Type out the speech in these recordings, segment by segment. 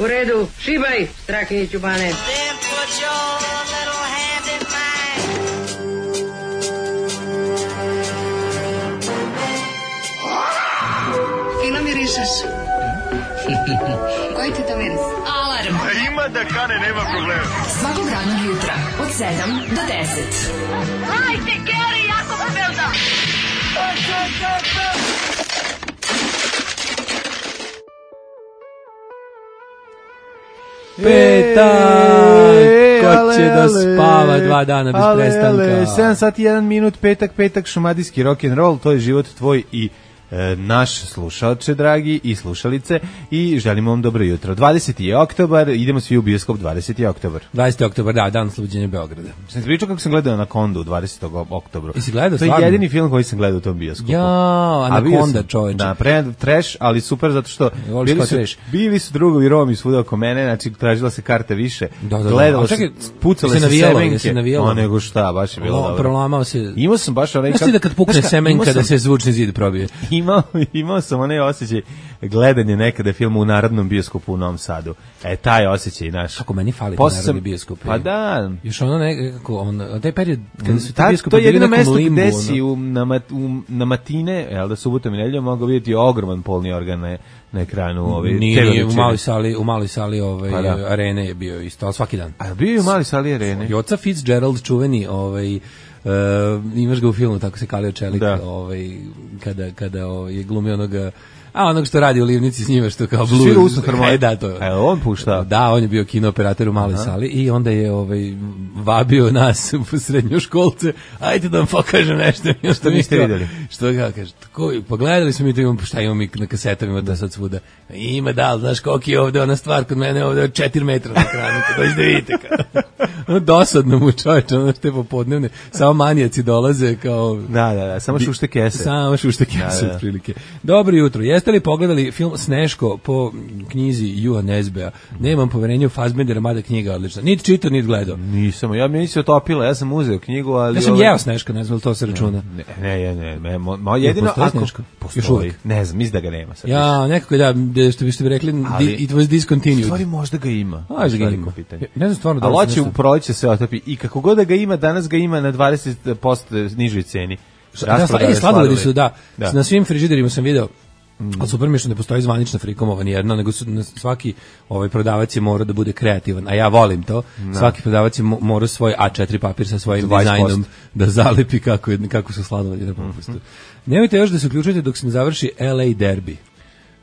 U redu, šibaj, Strahinjiću Bane. Fino mirišeš. Koji ti to miris? Alarm. Ima da kane, nema problema. Svakog radnog jutra, od 7 do 10. Hajde, Geri, jako se velda. Petak! Ko će da spava 2 dana bez prestanka? 7 sati 1 minut, petak, šumadijski rock'n'roll, to je život tvoj i naš slušalče, dragi, i slušalice, i želimo vam dobro jutro. 20. je oktobar, idemo svi u bioskop 20. oktobar. 20. oktobar, da, dan oslobođenja Beograda. Sam ti pričao kako sam gledao Anakondu 20. oktobru. Jesi gledao to je stvarno? jedini film koji sam gledao u tom bioskopu. Ja, Anakonda, čoveče. Da, trash, ali super zato što bili su drugovi Romi svuda oko mene, znači tražila se karte više. Gledalo se, pucale se semenke. O, nego šta, baš je bilo dobro. Prolamao se. Imao sam baš onaj... Znaš ti da kad pukne semenka da se zvučni zid probije? Imao sam onaj osjećaj gledanje nekada filma u Narodnom bioskopu u Novom Sadu. Taj osjećaj naš. Kako meni fali Narodni bioskop. Pa da. Još ono nekako, taj period kada su ti bioskopi to je jedino bili mesto limbu, gde si na matine, jel da subotom i nedeljom mogao vidjeti ogroman polni organ na ekranu. Nije, u maloj sali arene je bio isto, ali svaki dan. A bio je u maloj sali arene? Joca Fitzgerald, čuveni, imaš ga u filmu, tako se kalio čelik, kada je glumio onoga, onog što radi u Livnici s njima, što kao blues. Svira usnu harmoniju. Da, to je. On pušta? Da, on je bio kinooperator u maloj sali i onda je vabio nas u srednjoškolce, ajde da vam pokažem nešto. Što niste vidjeli? Što ga kaže, pogledali smo mi to, imamo, šta imamo mi na kasetama, ima da sad svuda. Ima da, znaš koliki je ovde ona stvar kod mene, ovde 4 metra na ekranu, dođe da vidite. Dosadno mu čovječe, ono što je popodnevne, samo manijaci dolaze kao... Da, samo šušte kese. Samo šušte kese, otprilike. Dobro jutro, jeste li pogledali film Sneško po knjizi Jua Nesbea? Nemam poverenja u Fassbendera, mada knjiga odlična. Niti čitao, niti gledao. Nisam, ja mi se otopila, ja sam uzeo knjigu, ali... Ja sam jeo Sneška, ne znam li to se računa. Ne, jedino postoji Sneško? Postoji, ne znam, mislim da ga nema. Ja, nekako što biste bi rekli, it was discontinued. Stvari možda ga ima. Možda ga ima. Ne znam stvarno da ali hoće u proleće se otopi i kako god da ga ima, danas ga ima na 20% nižoj ceni. Sladoledi su, da. Na svim frižiderima sam video. Ali super mi je što ne postoji zvanična frikomova nijedna, nego svaki prodavac je mora da bude kreativan, a ja volim to. Svaki prodavac je mora svoj A4 papir sa svojim dizajnom da zalepi kako su sladoledi na popustu. Nemojte još da se uključujete dok se ne završi LA Derby.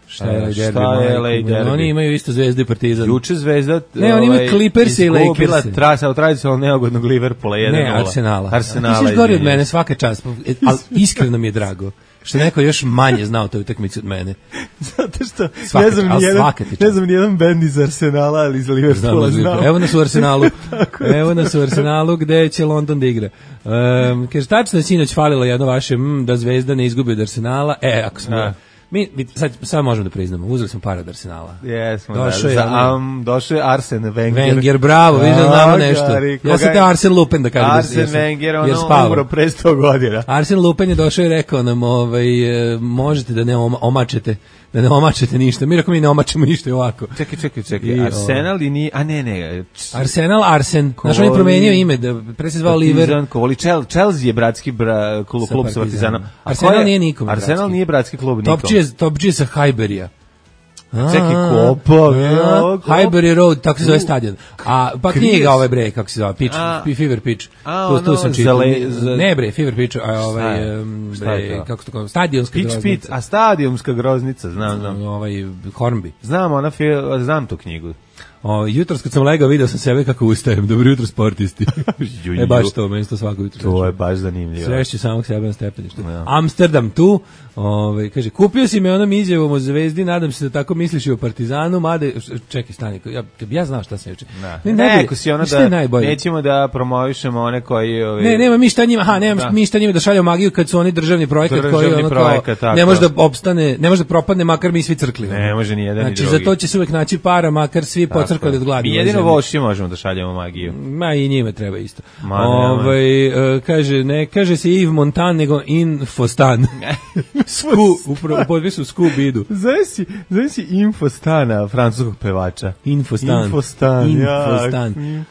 Šta je LA Derby? Oni imaju isto Zvezdu i Partizan. Juče Zvezda... Ne, oni imaju Clippers i Lakers. Izgubila trasa od tradicionalno neugodnog Liverpoola 1-0. Ne, Arsenala. Ti si gori od mene, svaka čast. Ali iskreno mi je drago što neko još manje znao toj utakmici od mene. Zato što ne znam nijedan bend iz Arsenala, ali iz Liverpoola znam. Evo nas u Arsenalu gde će London da igra. Kaže, tačno je sinoć falilo jedno vaše da Zvezda ne izgubi od Arsenala. Ako smo... Sad možemo da priznamo, uzeli smo para od Arsenala. Jesmo, došao je Arsen Wenger. Wenger, bravo, vi znamo nešto. Ja sam te Arsen Lupin da kažem. Arsen Wenger, ono umro pre 100 godina. Arsen Lupin je došao i rekao nam, možete da ne omačete ništa. Mi rekao, mi ne omačemo ništa i ovako. Čekaj, Arsenal i nije, Arsenal, Arsen. Znaš, on je promenio ime, pre se zvao Liver. Chelsea je bratski klub sa Partizanom. Arsenal nije nikom. Arsenal nije bratski klub nikom. Top G sa Highbury-a. Čekaj, Kopa. Highbury Road, tako se zove stadion. Pa knjiga kako se zove, Fever Pitch. Tu sam čitao. Ne bre, Fever Pitch, kako se to stadionska groznica. A stadionska groznica, znam. Hornby. Znam tu knjigu. Jutros kad sam legao video sam sebe kako ustajem. Dobro jutro sportisti. Baš to, meni to svako jutro. To je baš zanimljivo. Sreći samog sebe na stepeništu. Amsterdam tu, kaže, kupio si me onom izjavom o Zvezdi, nadam se da tako misliš i o Partizanu, mada, čekaj, stani, ja znam šta se juče. Neko si ono da nećemo da promovišemo one koji... Nema mi šta njima, nema mi šta njima da šaljamo magiju kad su oni državni projekat koji ono kao, ne može da opstane, ne može da propadne, makar mi svi crkli. Ne može ni jedan ni drugi. Znači, za to će se uvek naći para, makar svi svi pocrkali od gladi. Mi jedino voši možemo da šaljemo magiju. Ma i njima treba isto. Kaže se Yves Montand, nego Infostan. U podpisu Scooby-Doo. Zove si Infostana, francuskog pevača. Infostan.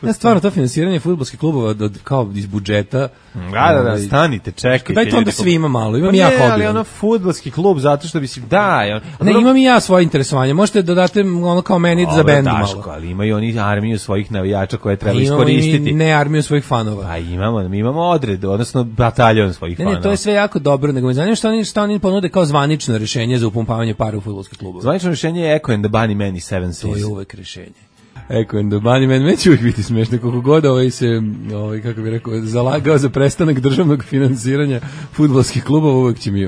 Ja stvarno to finansiranje fudbalskih klubova kao iz budžeta. Da, stanite, čekajte. Dajte onda svima malo, imam ja hobi. Ali ono fudbalski klub, zato što bi si, Ne, imam i ja svoje interesovanje, možete da date ono kao meni za bend malo. Ali imaju oni armiju svojih navijača koje treba iskoristiti. Imamo i ne armiju svojih fanova. A mi imamo odred, odnosno bataljon svojih fanova. Ne, to je sve jako dobro, nego me zanima šta oni ponude kao zvanično rješenje za upumpavanje para u fudbalske klubove. Zvanično rješenje je Echo and the Bunnymen i Seven Seas. To je uvek rješenje. Echo and the Bunnymen, meni će uvijek biti smiješno, koliko god kako bih rekao, zalagao za prestanak državnog finansiranja fudbalskih klubova, uvijek će mi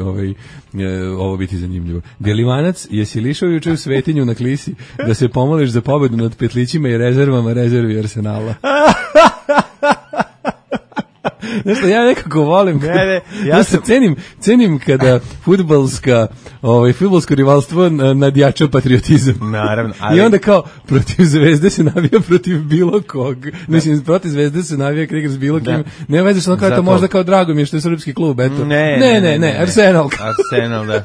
ovo biti zanimljivo. Bjelivanac, jesi lišao juče u Svetinju na Klisi da se pomoliš za pobedu nad petlićima i rezervama rezervi Arsenala? Nešto, ja nekako volim. Cenim kada fudbalsko rivalstvo nadjača patriotizam. Naravno. I onda kao, protiv Zvezde se navija protiv bilo kog. Mislim, protiv Zvezde se navija kad igraš bilo kim. Ne veze što kao to možda kao drago mi je što je srpski klub, eto. Ne, Arsenal. Arsenal, da.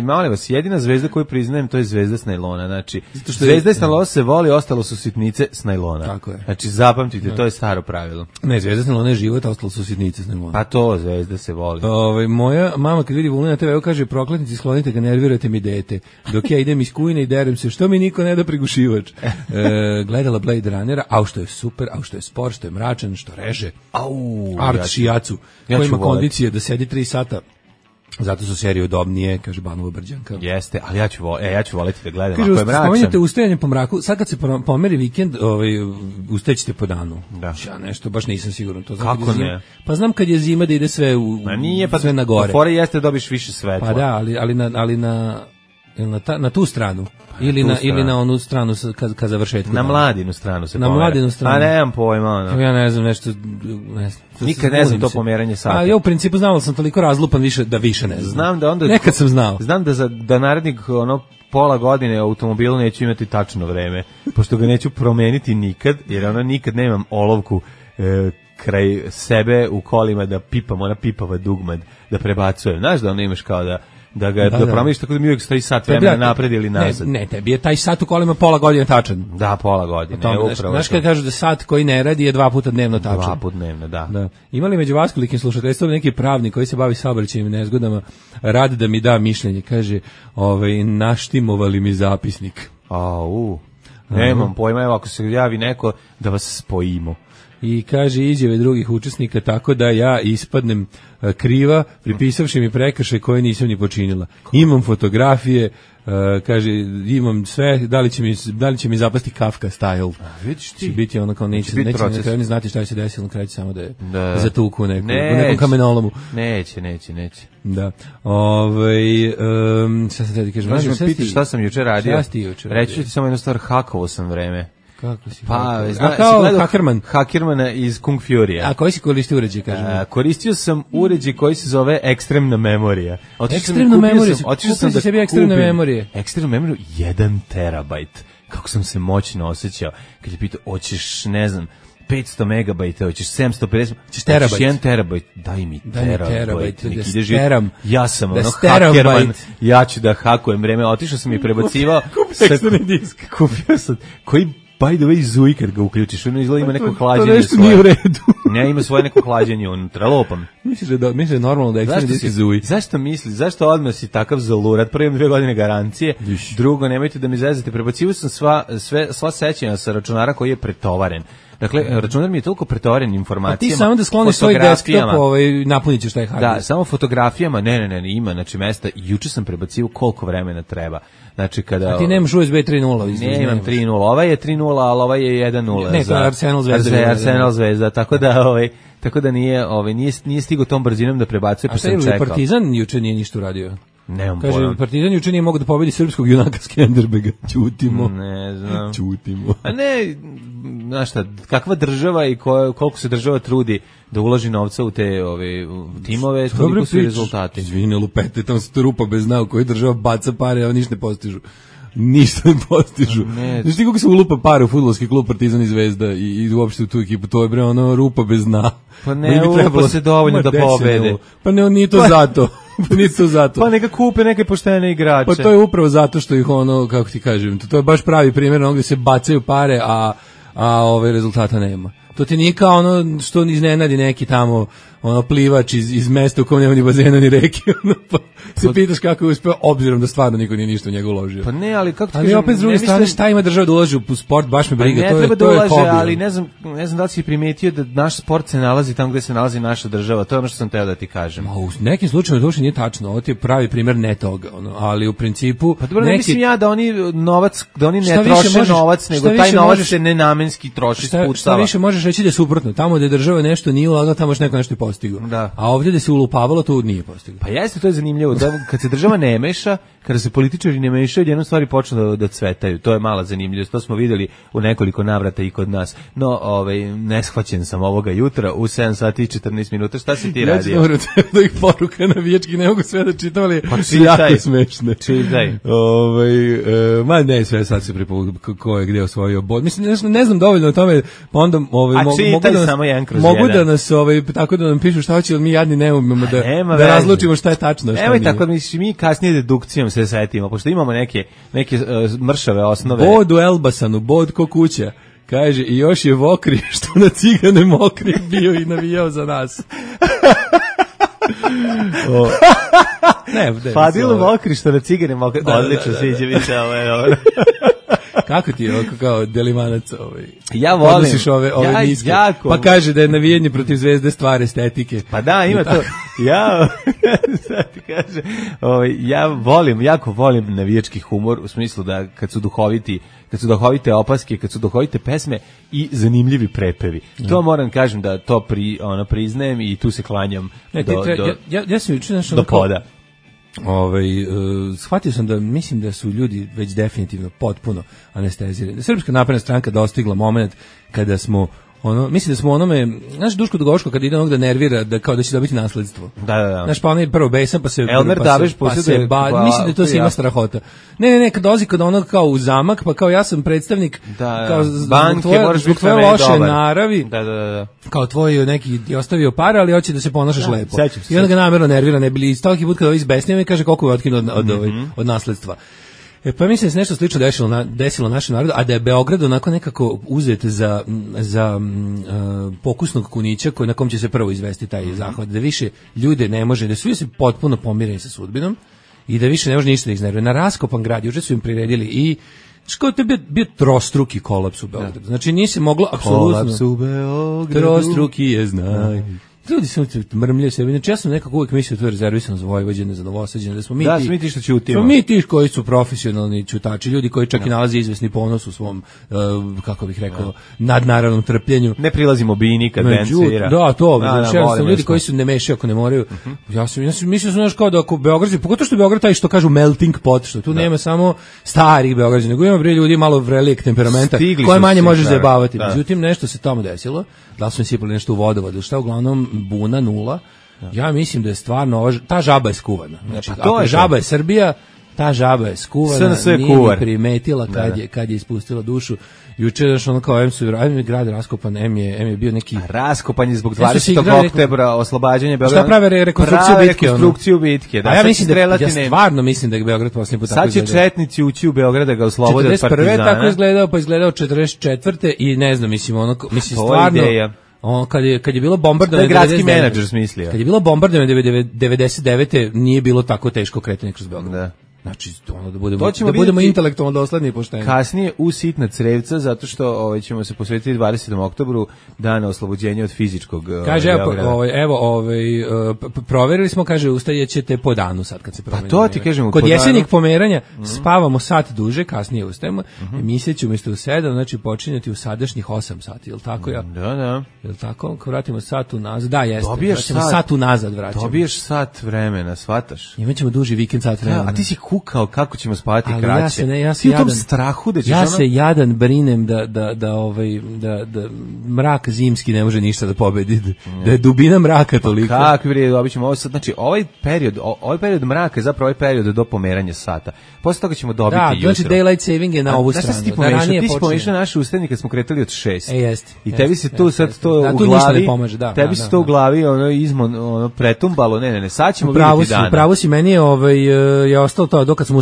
Molim vas, jedina zvezda koju priznajem, to je zvezda s najlona. Znači, zvezda s najlona se voli, ostalo su sitnice s najlona. Tako je. Znači, zapamtite, to je staro pravilo. Ne, zvezda s najlona je život, a ostalo su sitnice s najlona. Pa to, zvezda se voli. Moja mama kad vidi Vulina TV, kaže, prokletnici, sklonite ga, nervirate mi dete. Dok ja idem iz kujne i derem se, što mi niko ne da prigušivač. Gledala Blade Runnera, a što je super, a što je spor, što je mračan, što reže. Art Šijacu, koji ima kondicije da sedi 3 sata. Zato su serije udobnije, kaže Banova Brđanka. Jeste, ali ja ću voleti da gledam. Kaže, spomenjate ustajanje po mraku, sad kad se pomeri vikend, ustaćete po danu. Da. Ja nešto, baš nisam siguran. To kako ne? Pa znam kad je zima da ide sve sve na gore. Fora jeste dobiš više svetla. Pa da, ali na tu stranu. Ili na onu stranu kad završetku. Na Mladinu stranu se pomera. Na Mladinu stranu. A nemam pojma. Ja ne znam nešto. Nikad ne znam to pomeranje sata. A ja u principu znao da sam toliko razlupan da više ne znam. Znam da onda nekad sam znao. Znam da narednih pola godine automobilu neću imati tačno vreme, pošto ga neću promeniti nikad, jer nikad nemam olovku kraj sebe u kolima da pipam, ona pipava dugmad, da prebacujem. Znaš da imaš kao da promeniš tako da mi uvijek stoji sat vremena napred ili nazad. Ne, tebi je taj sat u kolima pola godine tačan. Da, pola godine. Znaš kad kažu da sat koji ne radi je 2 puta dnevno tačan. 2 puta dnevno, da. Ima li među vas kolikim slušateljstvom neki pravnik koji se bavi saobraćajnim nezgodama, radi da mi da mišljenje, kaže, naštimovali mi zapisnik. Nemam pojma, evo ako se javi neko da vas spojimo. I kaže izjave drugih učesnika tako da ja ispadnem kriva, pripisavši mi prekršaj koje nisam ni počinila. Imam fotografije, kaže, imam sve, da li će mi zapasti Kafka style. Vidiš ti. Će biti ono kao neće na kraju znati šta će se desiti, na kraju će samo da je zatuku u nekom kamenolomu. Neće. Da. Šta sam te kažem? Možeš me pitati šta sam juče radio? Šta ti juče radio? Reći ću ti samo jednu stvar, hakovo sam vreme. Kako si? Kao Hakerman. Hakermana iz Kung Fury-a. A koji si koristio uređaj, kažem? Koristio sam uređaj koji se zove ekstremna memorija. Ekstremna memorija? Kupio si sebi ekstremne memorije? Ekstremnu memoriju 1 terabajt. Kako sam se moćno osjećao. Kad je pitao, hoćeš, ne znam, 500 megabajta, hoćeš 750, hoćeš terabajt. 1 terabajt, daj mi terabajt. Ja sam Hakerman, ja ću da hakujem vreme. Otišao sam i prebacivao. Kupio sam, koji by the way zuji kad ga uključiš, ono izgleda ima neko hlađenje svoje. To nešto nije u redu. Ne, ima svoje neko hlađenje unutra, lopam. Misliš da je normalno da ekstremni disk zuji? Zašto odmah si takav zalurat? Prvo imam 2 godine garancije, drugo, nemojte da mi zezate, prebacivao sam sva sećanja sa računara koji je pretovaren. Dakle, računar mi je toliko pretovaren informacijama. A ti samo da skloniš svoj desktop, napunit ćeš taj hard disk. Da, samo fotografijama, ne, ima, znači mesta, juče sam prebacio koliko vremena treba. Znači kada... A ti nemaš USB 3.0? Ne, imam 3.0, ovaj je 3.0, ali ovaj je 1.0. Ne, to je Arsenal Zvezda. Arsenal Zvezda, tako da nije stigo tom brzinom da prebacuje, pa sam čekao. A Partizan juče nije ništa uradio? Nemam pojma. Kaže, Partizan juče nije mogao da pobedi srpskog junaka Skenderbega. Ćutimo. Ne znam. Ćutimo. A ne, znaš šta, kakva država i koliko se država trudi da uloži novca u te timove, toliko su rezultati. Izvini, lupete, tamo se to rupa bez dna u kojoj država baca pare, a ništa ne postižu. ništa ne postižu. Znaš ti kako se ulupa pare u fudbalski klub Partizan i Zvezda i uopšte u tu ekipu, to je bre ono rupa bez dna. Pa ne ulupa se dovoljno da pobede. Pa ne, nije to zato. Pa nije to zato. Pa neka kupe neke poštene igrače. Pa to je upravo zato što ih ono, kako ti kažem, to je baš pravi primjer onog gde se bacaju pare, a rezultata nema. To ti nije kao ono što iznenadi neki tamo ono plivač iz mesta u kojem nema ni bazena ni reke, ono, pa se pitaš kako je uspeo, obzirom da stvarno niko nije ništa u njega uložio. Pa ne, ali kako ti kažem, opet s druge strane, šta ima država da ulaže u sport, baš me briga, ne, to je da ulaže, hobi. ali ne znam da li si primetio da naš sport se nalazi tamo gde se nalazi naša država, to je ono što sam teo da ti kažem. Ma, u nekim slučajevima to uopšte nije tačno, ovo ti je pravi primjer ne toga, ono, ali u principu... Pa dobro, ne mislim ja da oni novac, da oni ne troše novac, nego taj novac se nenamenski troši, spuštava. Šta više možeš reći da je suprotno, tamo gde država nešto nije ulagala, tamo još neko nešto postigao. A ovdje da se ulupavalo, to nije postiglo. Pa jeste, to je zanimljivo, da kad se država ne meša, kada se političari ne mešaju, jednom stvari počnu da cvetaju. To je mala zanimljivost, to smo videli u nekoliko navrata i kod nas. No, neshvaćen sam ovoga jutra u 7 sati i 14 minuta. Šta si ti radio? Ja ću da ih poruka navijački, ne mogu sve da čitam, ali su jako smešne. Čitaj. Ma ne, sve sad se ko je gde osvojio bod. Mislim, ne znam dovoljno o tome, pa onda mogu da nas tako da nam pišu šta hoće, ali mi jadni ne umemo da razlučimo šta je tačno. Evo tako mi kasnije dedukcijom se setimo, pošto imamo neke mršave osnove. Bod u Elbasanu, bod ko kuća. Kaže, i još je Vokri, što na Cigane mokri bio i navijao za nas. Fadil Mokri, što na Cigane mokri. Odlično, sviđa mi se ovo. Kako ti je kao delimanac ja volim podnosiš ove miske, pa kaže da je navijanje protiv Zvezde stvar estetike. Pa da, ima to. Sad ti kaže, jako volim navijački humor, u smislu da kad su duhovite opaske, kad su duhovite pesme i zanimljivi prepevi. To moram kažem da to priznajem i tu se klanjam ja sam juče do poda. Shvatio sam da mislim da su ljudi već definitivno potpuno anestezirani. Srpska napredna stranka dostigla moment kada smo mislim da smo onome, znaš Duško Dugoško kad ide onog da nervira da kao da će dobiti nasledstvo. Da. Znaš pa onaj prvo besan pa se Elmer Daviš mislim da je to svima strahota. Ne, kad dolazi kod onog kao u zamak, pa kao ja sam predstavnik kao zbog tvoje loše naravi. Da. Kao tvoj neki ti ostavio para, ali hoće da se ponašaš lepo. I onda ga namerno nervira, ne bili stolki put kada izbesnio i kaže koliko je otkinuo od nasledstva. Pa mislim da se nešto slično desilo našem narodu, a da je Beograd onako nekako uzet za pokusnog kunića na kom će se prvo izvesti taj zahvat, da više ljude ne može, da su se potpuno pomireni sa sudbinom i da više ne može ništa da ih iznervira. Na raskopan grad, juče su im priredili i što je bio trostruki kolaps u Beogradu. Znači nisi moglo apsolutno... Kolaps u Beogradu. Trostruki je znaj. Ljudi se mrmljaju sebi. Znači ja sam nekako uvijek mislio da to je rezervisano za Vojvođane, za Novosađane, da smo mi ti što ćutimo. Smo mi ti koji su profesionalni ćutači, ljudi koji čak i nalaze izvesni ponos u svom, kako bih rekao, nadnaravnom trpljenju. Ne prilazimo bini kad band svira. Da, to. Znači, ljudi koji se ne mešaju ako ne moraju. Ja sam mislio znaš kao da ako Beograd, pogotovo što Beograd taj što kažu melting pot, što tu nema samo starih Beograđana, nego ima ljudi malo vrelijeg temperamenta koje manje možeš zajebavati. Međutim, nešto se tamo desilo. Da su mi sipali nešto u vodovod, šta uglavnom buna nula. Ja mislim da je stvarno ta žaba je skuvana. Znači, ako žaba je Srbija, ta žaba je skuvana, nije primetila kad je ispustila dušu. Juče je ono kao M grad raskopan, M je bio neki... Raskopan je zbog 20. oktobra oslobađanja Beograda. Šta prave rekonstrukciju bitke? A ja stvarno mislim da je Beograd posljednji put tako izgledao. Sad će četnici ući u Beograd da ga oslobode od partizana. 41. tako izgledao, pa izgledao 44. i ne znam, mislim stvarno... Kad je bilo bombardovanje 99, gradski menadžer smislio. Kad je bilo bombardovanje 99. nije bilo tako teško kretanje kroz Beograd. Da. Znači, da budemo intelektualno dosledni i pošteni. Kasnije u sitna crevca, zato što ćemo se posvetiti 20. oktobru, dana oslobođenja od fizičkog kaže, proverili smo, kaže, ustajećete po danu sad kad se promeni. Pa to ti kažemo. Kod jesenjeg pomeranja spavamo sat duže, kasnije ustajemo, emisija će umjesto u 7, znači počinjati u sadašnjih 8 sati, jel tako ja? Da. Jel tako? Ako vratimo sat unazad, da, jeste. Sat unazad vraćamo. Dobiješ sat vremena, shvataš? Imaćemo duži vikend, sat vremena. A ti si kukao kako ćemo spavati Ali kraće. ja se Ti u tom jadan, strahu da ćeš ja se jadan brinem da mrak zimski ne može ništa da pobedi, da je dubina mraka toliko. Kakvi bre, dobićemo ovo sad, znači ovaj period mraka je zapravo ovaj period do pomeranja sata. Posle toga ćemo dobiti jutro. Da, znači daylight saving je na ovu stranu. Znaš ti si pomešao naše ustenje kad smo kretali od 6. Jeste. I tebi se tu sad to da, u tu glavi, ne pomaže, tebi se to u glavi ono pretumbalo, ne, sad ćemo vidjeti dana. Pravo si, meni je ostalo to, dok kad smo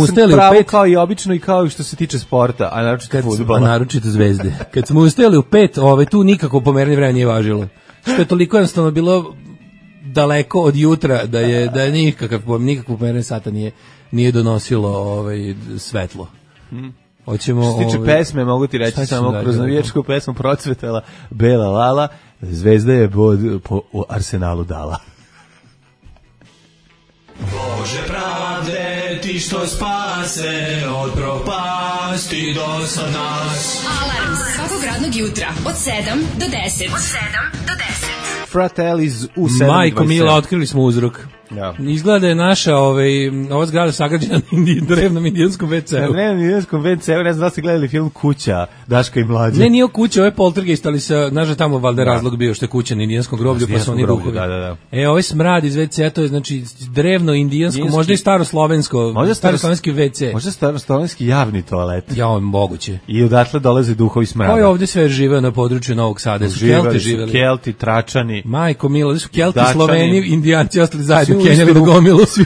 ustajali u 5, kao i obično i kao i što se tiče sporta, a naročito fudbala. A naročito zvezde. Kad smo ustajali u 5, tu nikako pomeranje vremena nije važilo. Što je toliko jednostavno bilo daleko od jutra da je nikakvo pomeranje sata nije donosilo svetlo. Hoćemo, što se tiče pesme, mogu ti reći samo kroz navijačku pesmu procvetala Bela Lala, Zvezda je po Arsenalu dala. Bože pravde, ti što spase od propasti do sad nas. Alarm svakog radnog jutra od 7 do 10. Fratellis u 7:27. Majko Mila, otkrili smo uzrok. Ja. Izgleda da je naša ova zgrada sagrađena na drevnom indijanskom WC-u. Na drevnom indijanskom WC-u, ne znam da ste gledali film Kuća, Daška i mlađe. Ne, nije kuća, ovo je poltergeist, ali znaš da tamo valjda razlog bio što je kuća na indijanskom groblju, pa su oni duhovi. Da. Ovaj smrad iz WC-a, to je znači drevno indijansko, možda i staroslovensko, staroslovenski WC. Možda staroslovenski javni toalet. Ja, moguće. I odatle dolaze duhovi smrada. Ko je ovdje sve živeo na području Novog Sada? Su Kelti živeli. Kelti, Tračani. Majko Milo, da su Kelti, Sloveni, Indijanci ostali zajedno, kenjali na gomilu. Svi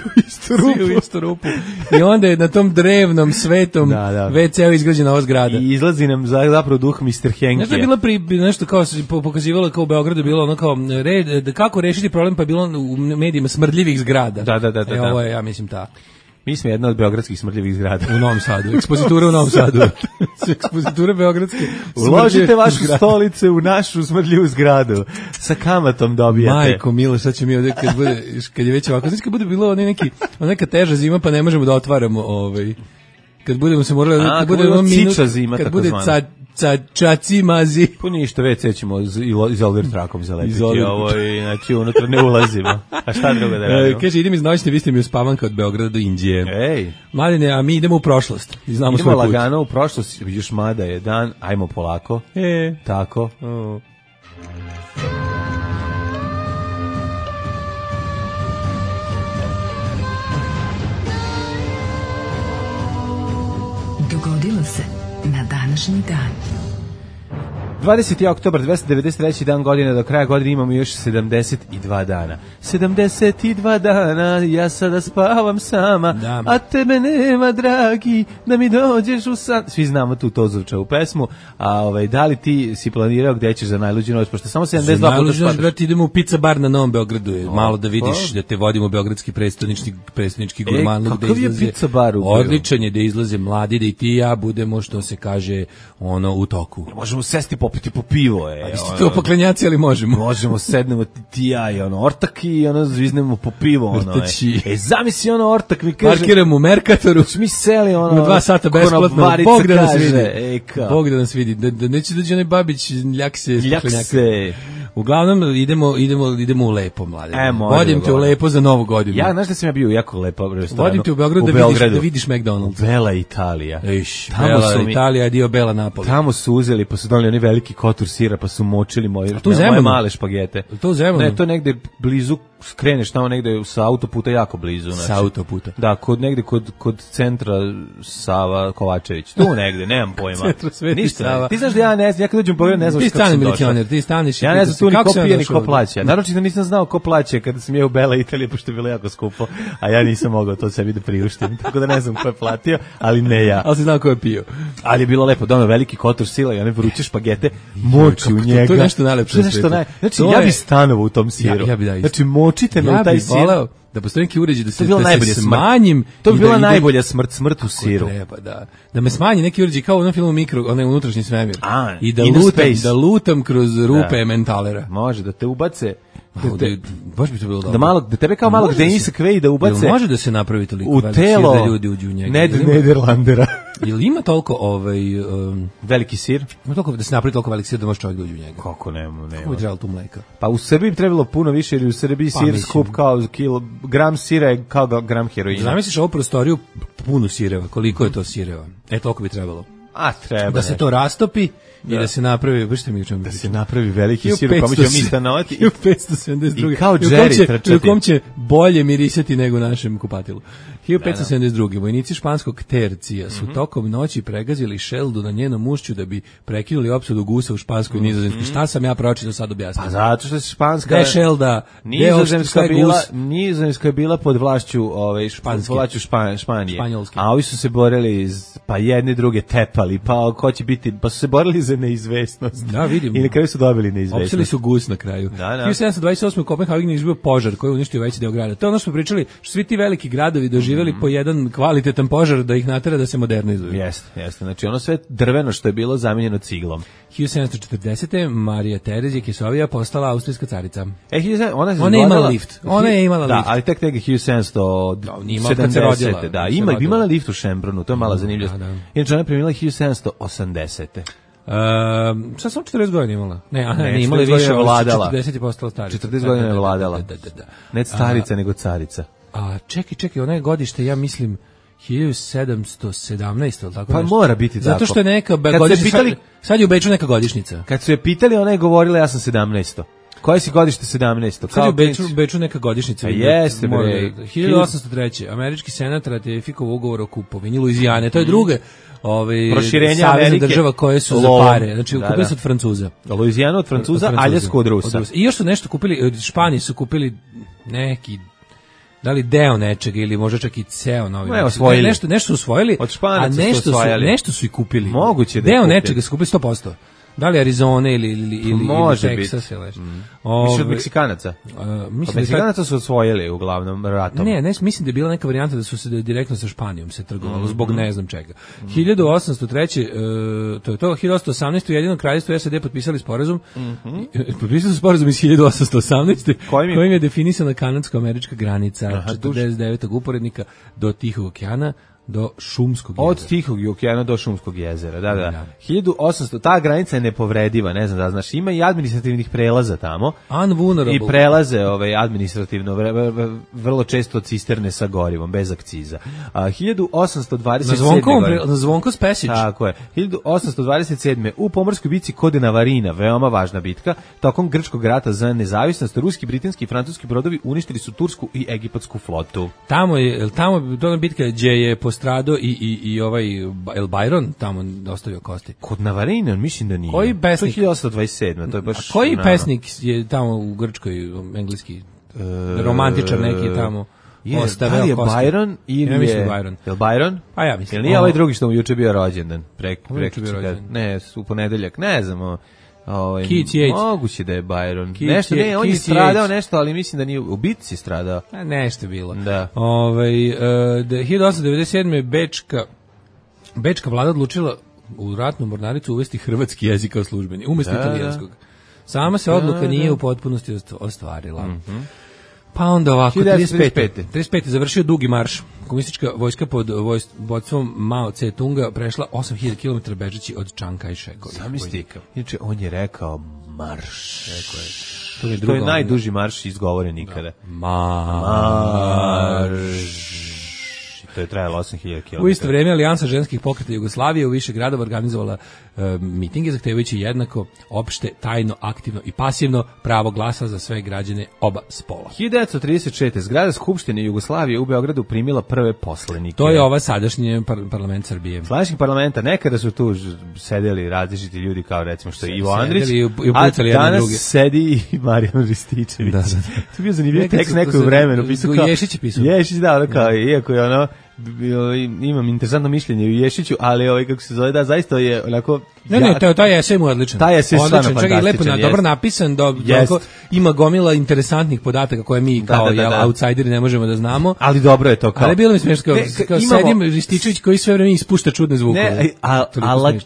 u istu rupu. I onda je na tom drevnom, svetom WC-u izgrađena ova zgrada. I izlazi nam zapravo duh Mr. Henkija. Nešto je bilo nešto kao se pokazivalo kao u Beogradu, bilo ono kao kako rešiti problem, pa je bilo u medijima smrdljivih zgrada. Da. Ovo je, ja mislim, ta. Mi smo jedna od beogradskih smrdljivih zgrada. U Novom Sadu. Ekspozitura u Novom Sadu. Ekspozitura beogradske. Uložite vašu stolice u našu smrdljivu zgradu. Sa kamatom dobijate. Majko Milo, sad će mi ovdje kad je već ovako. Znači kad bude bilo neka teža zima pa ne možemo da otvaramo kad budemo se morali, kad bude ciča zima, kad bude čaci mazi. Po ništa, WC ćemo izolver trakom zalepiti. Znači unutra ne ulazimo. A šta drugo da radimo? Kaže, idem iz noćne, vi ste mi uspavanka od Beograda do Indije. Ej. Mladine, a mi idemo u prošlost. Idemo lagano u prošlost, još mada je dan, ajmo polako. Tako. Dogodilo se na današnji dan. 20. oktobar, 293. dan godine, do kraja godine imamo još 72 dana. 72 dana, ja sada spavam sama, a tebe nema, dragi, da mi dođeš u san. Svi znamo tu Tozovčevu pesmu, a da li ti si planirao gde ćeš za najluđu noć, pošto samo 72 puta spadaš? Brate, idemo u pizza bar na Novom Beogradu, malo da vidiš, da te vodimo u beogradski predstavnički gurmanluk. Kakav je pizza bar u Beogradu? Odličan je da izlaze mladi, da i ti i ja budemo, što se kaže, u toku. Možemo sesti popiti po pivo, vi ste to poklenjaci, ali možemo. Možemo, sednemo ti ja i ortak i zviznemo po pivo, zamisli ortak mi kaže. Parkiramo u Merkatoru. Mi seli na 2 sata besplatno. Bog da nas vidi. Bog da nas vidi. Da neće dođe onaj Babić ljakse. Uglavnom idemo u lepo, mlade. Vodim te u lepo za Novu godinu. Ja, znaš da sam ja bio jako lepo restoranu. Vodim te u Beograd da vidiš McDonald's. Bela Italija. Bela Italija je dio Bela Napoli. Tamo su uzeli, pa su doneli oni veliki kotur sira, pa su močili moje male špagete. Ne, to negde blizu, skreneš tamo negde sa autoputa, jako blizu. Sa autoputa? Da, kod centra Sava Kovačević. Tu negde, nemam pojma. Centra Sveti Sava. Ti znaš da ja ne znam, ja kad dođem pogledam, ne znam kako sam došao. Ti staniš. Ja ne znam tu ni ko pije ni ko plaća. Naročito nisam znao ko plaća kada sam je u Bela Italija, pošto je bilo jako skupo, a ja nisam mogao to sebi da priuštim. Tako da ne znam ko je platio, ali ne ja. Ali si znao ko je pio. Ali je bilo lepo, dono veliki kotor sila i one vruće špagete, moči u njega. To je nešto najlepše na svijetu. Znači, ja bi stanovao u tom siru. Znači, močite me u taj sir. Da postoji neki uređaj da se smanjim. To bi bila najbolja smrt u siru. Treba, da me smanji neki uređaj kao u onom filmu Mikro, onaj unutrašnji svemir. I da lutam kroz rupe mentalera. Može, da te ubace. Baš bi to bilo dobro. Da tebe kao malog Denisa Kvej da ubace. Može da se napravi toliko u telo da ljudi uđu u njega. Nederlandera. Ili ima toliko veliki sir? Ima toliko da se napravi toliko veliki sir da može čovjek da uđe u njega. Kako nema. Kako bi trebalo tu mleka? Pa u Srbiji bi trebalo puno više, jer u Srbiji sir skup kao gram sira je kao gram heroina. Zamisliš ovu prostoriju punu sireva, koliko je to sireva? Toliko bi trebalo. A treba. Da se to rastopi i da se napravi, vršte mi čemu. Da se napravi veliki sir, pa ćemo mi stanovati. 1572. I kao Jerry trčati. U kom će bolje mirisati nego u našem kupatilu. 1572. Vojnici španskog tercija su tokom noći pregazili Šeldu na njenom ušću da bi prekinuli opsadu gusa u Španskoj i Nizozemskoj. Šta sam ja pročitao sad objasniti? Pa zato što se Španska... Gde je Šelda? Nizozemska je bila pod vlašću Španije. Španjolske. A ovi su se borili, pa jedni druge tepali, pa ko će biti, pa su se borili za neizvesnost. Da, vidim. I na kraju su dobili neizvesnost. Opsili su gus na kraju. Da. 1728. u Kopenhagenu izbio požar koji je uništio veći deo grada. To je ono što smo pričali, što svi ti veliki gradovi doživjeli po jedan kvalitetan požar da ih natera da se modernizuju. Jeste. Znači ono sve drveno što je bilo zamenjeno ciglom. 1740. Marija Terezija Kisovija postala austrijska carica. Ona je imala lift. Ona je imala lift. Da, ali tek 1770. Da, imala lift u Šembrunu, to je mala zanimljivost. Inače ona je premijela 1780. Šta sam 40 godina imala? Ne, imala više, 40 je postala starica. 40 godina je vladala. Ne starica, nego carica. A čekaj, ona je godište, ja mislim 1717, tako pa nešto. Mora biti tako. Zato što je neka godišnjica, sad je u Beču neka godišnjica. Kad su je pitali, ona je govorila ja sam 17. Koje si godište 17? Sad je u Beču neka godišnjica. Jeste, bre. 1803. Američki senat ratifikovao ugovor o kupovini Luizijane. To je druge proširenja Amerike, država koje su za pare. Znači, kupili su od Francuza. Luizijanu od Francuza, Aljasku od Rusa. I još su nešto kupili, od Španije su kupili neki, da li deo nečega ili možda čak i ceo novi. Nešto su usvojili, a nešto su i kupili. Moguće da deo nečega su kupili 100%. Da li Arizona ili Texas ili nešto. Više od Meksikanaca. Meksikanaca su osvojili uglavnom ratom. Ne, mislim da je bila neka varijanta da su se direktno sa Španijom se trgovalo, zbog ne znam čega. 1803. To je to, 1818. u Jedinom kraljevstvu SAD potpisali sporazum. Potpisali su sporazum iz 1818. kojim je definisana kanadsko-američka granica 49. uporednika do Tihog okeana do Šumskog jezera. Od Tihog okeana do Šumskog jezera, da. 1800, ta granica je nepovrediva, ne znam da znaš, ima i administrativnih prelaza tamo. Unvulnerable. I prelaze administrativno, vrlo često cisterne sa gorivom, bez akciza. 1827. Na Zvonko Spesić. Tako je. 1827. u pomorskoj bitci kod Navarina, veoma važna bitka, tokom grčkog rata za nezavisnost, ruski, britanski i francuski brodovi uništili su tursku i egipatsku flotu. Tamo je to bitka gdje je postradao i ovaj El Byron tamo ostavio kosti. Kod Navarina, mislim da nije. Koji pesnik? To je 1827. To je baš. A koji pesnik je tamo u Grčkoj, engleski romantičar neki tamo? Da li je Byron ili je Byron? Je li Byron? Pa ja mislim. Jel nije ovaj drugi što mu juče bio rođendan? Ne, u ponedeljak, ne znam. Keith Yates. Moguće da je Byron. Nešto ne, on je stradao nešto, ali mislim da nije u bitci stradao. Nešto bilo. Da. 1897. Bečka vlada odlučila u ratnu mornaricu uvesti hrvatski jezik kao službeni, umjesto italijanskog. Sama se odluka nije u potpunosti ostvarila. Pa onda ovako, 35. završio dugi marš. Komunistička vojska pod vodstvom Mao Tse-tunga prešla 8000 km bežeći od Chiang Kai-shekovih. Zamisli, inače on je rekao marš. To je najduži marš izgovoren ikada. Marš. To je trajalo 8000 km. U isto vrijeme Alijansa ženskih pokreta Jugoslavije u više gradova organizovala mitinge zahtevajući jednako opšte, tajno, aktivno i pasivno pravo glasa za sve građane oba spola. 1936. zgrada Skupštine Jugoslavije u Beogradu primila prve poslanike. To je ova sadašnji parlament Srbije. Sadašnji parlamenta, nekada su tu sedeli različiti ljudi kao recimo što je Ivo Andrić, a danas sedi i Marijan Rističević. Da. To je bio zanimljiv tekst neko u vremenu. Ješić je pisao. Ješić, da, kao, iako je ono, imam interesantno mišljenje u Ješiću, ali kako se zove, da, zaista je onako... taj esej mu je odličan. Taj esej je stvarno fantastičan. Lepo, dobro napisan, ima gomila interesantnih podataka koje mi kao outsideri ne možemo da znamo. Ali dobro je to kao... Ali bilo mi smiješno kao sedim Rističević koji sve vreme ispušta čudne zvukove.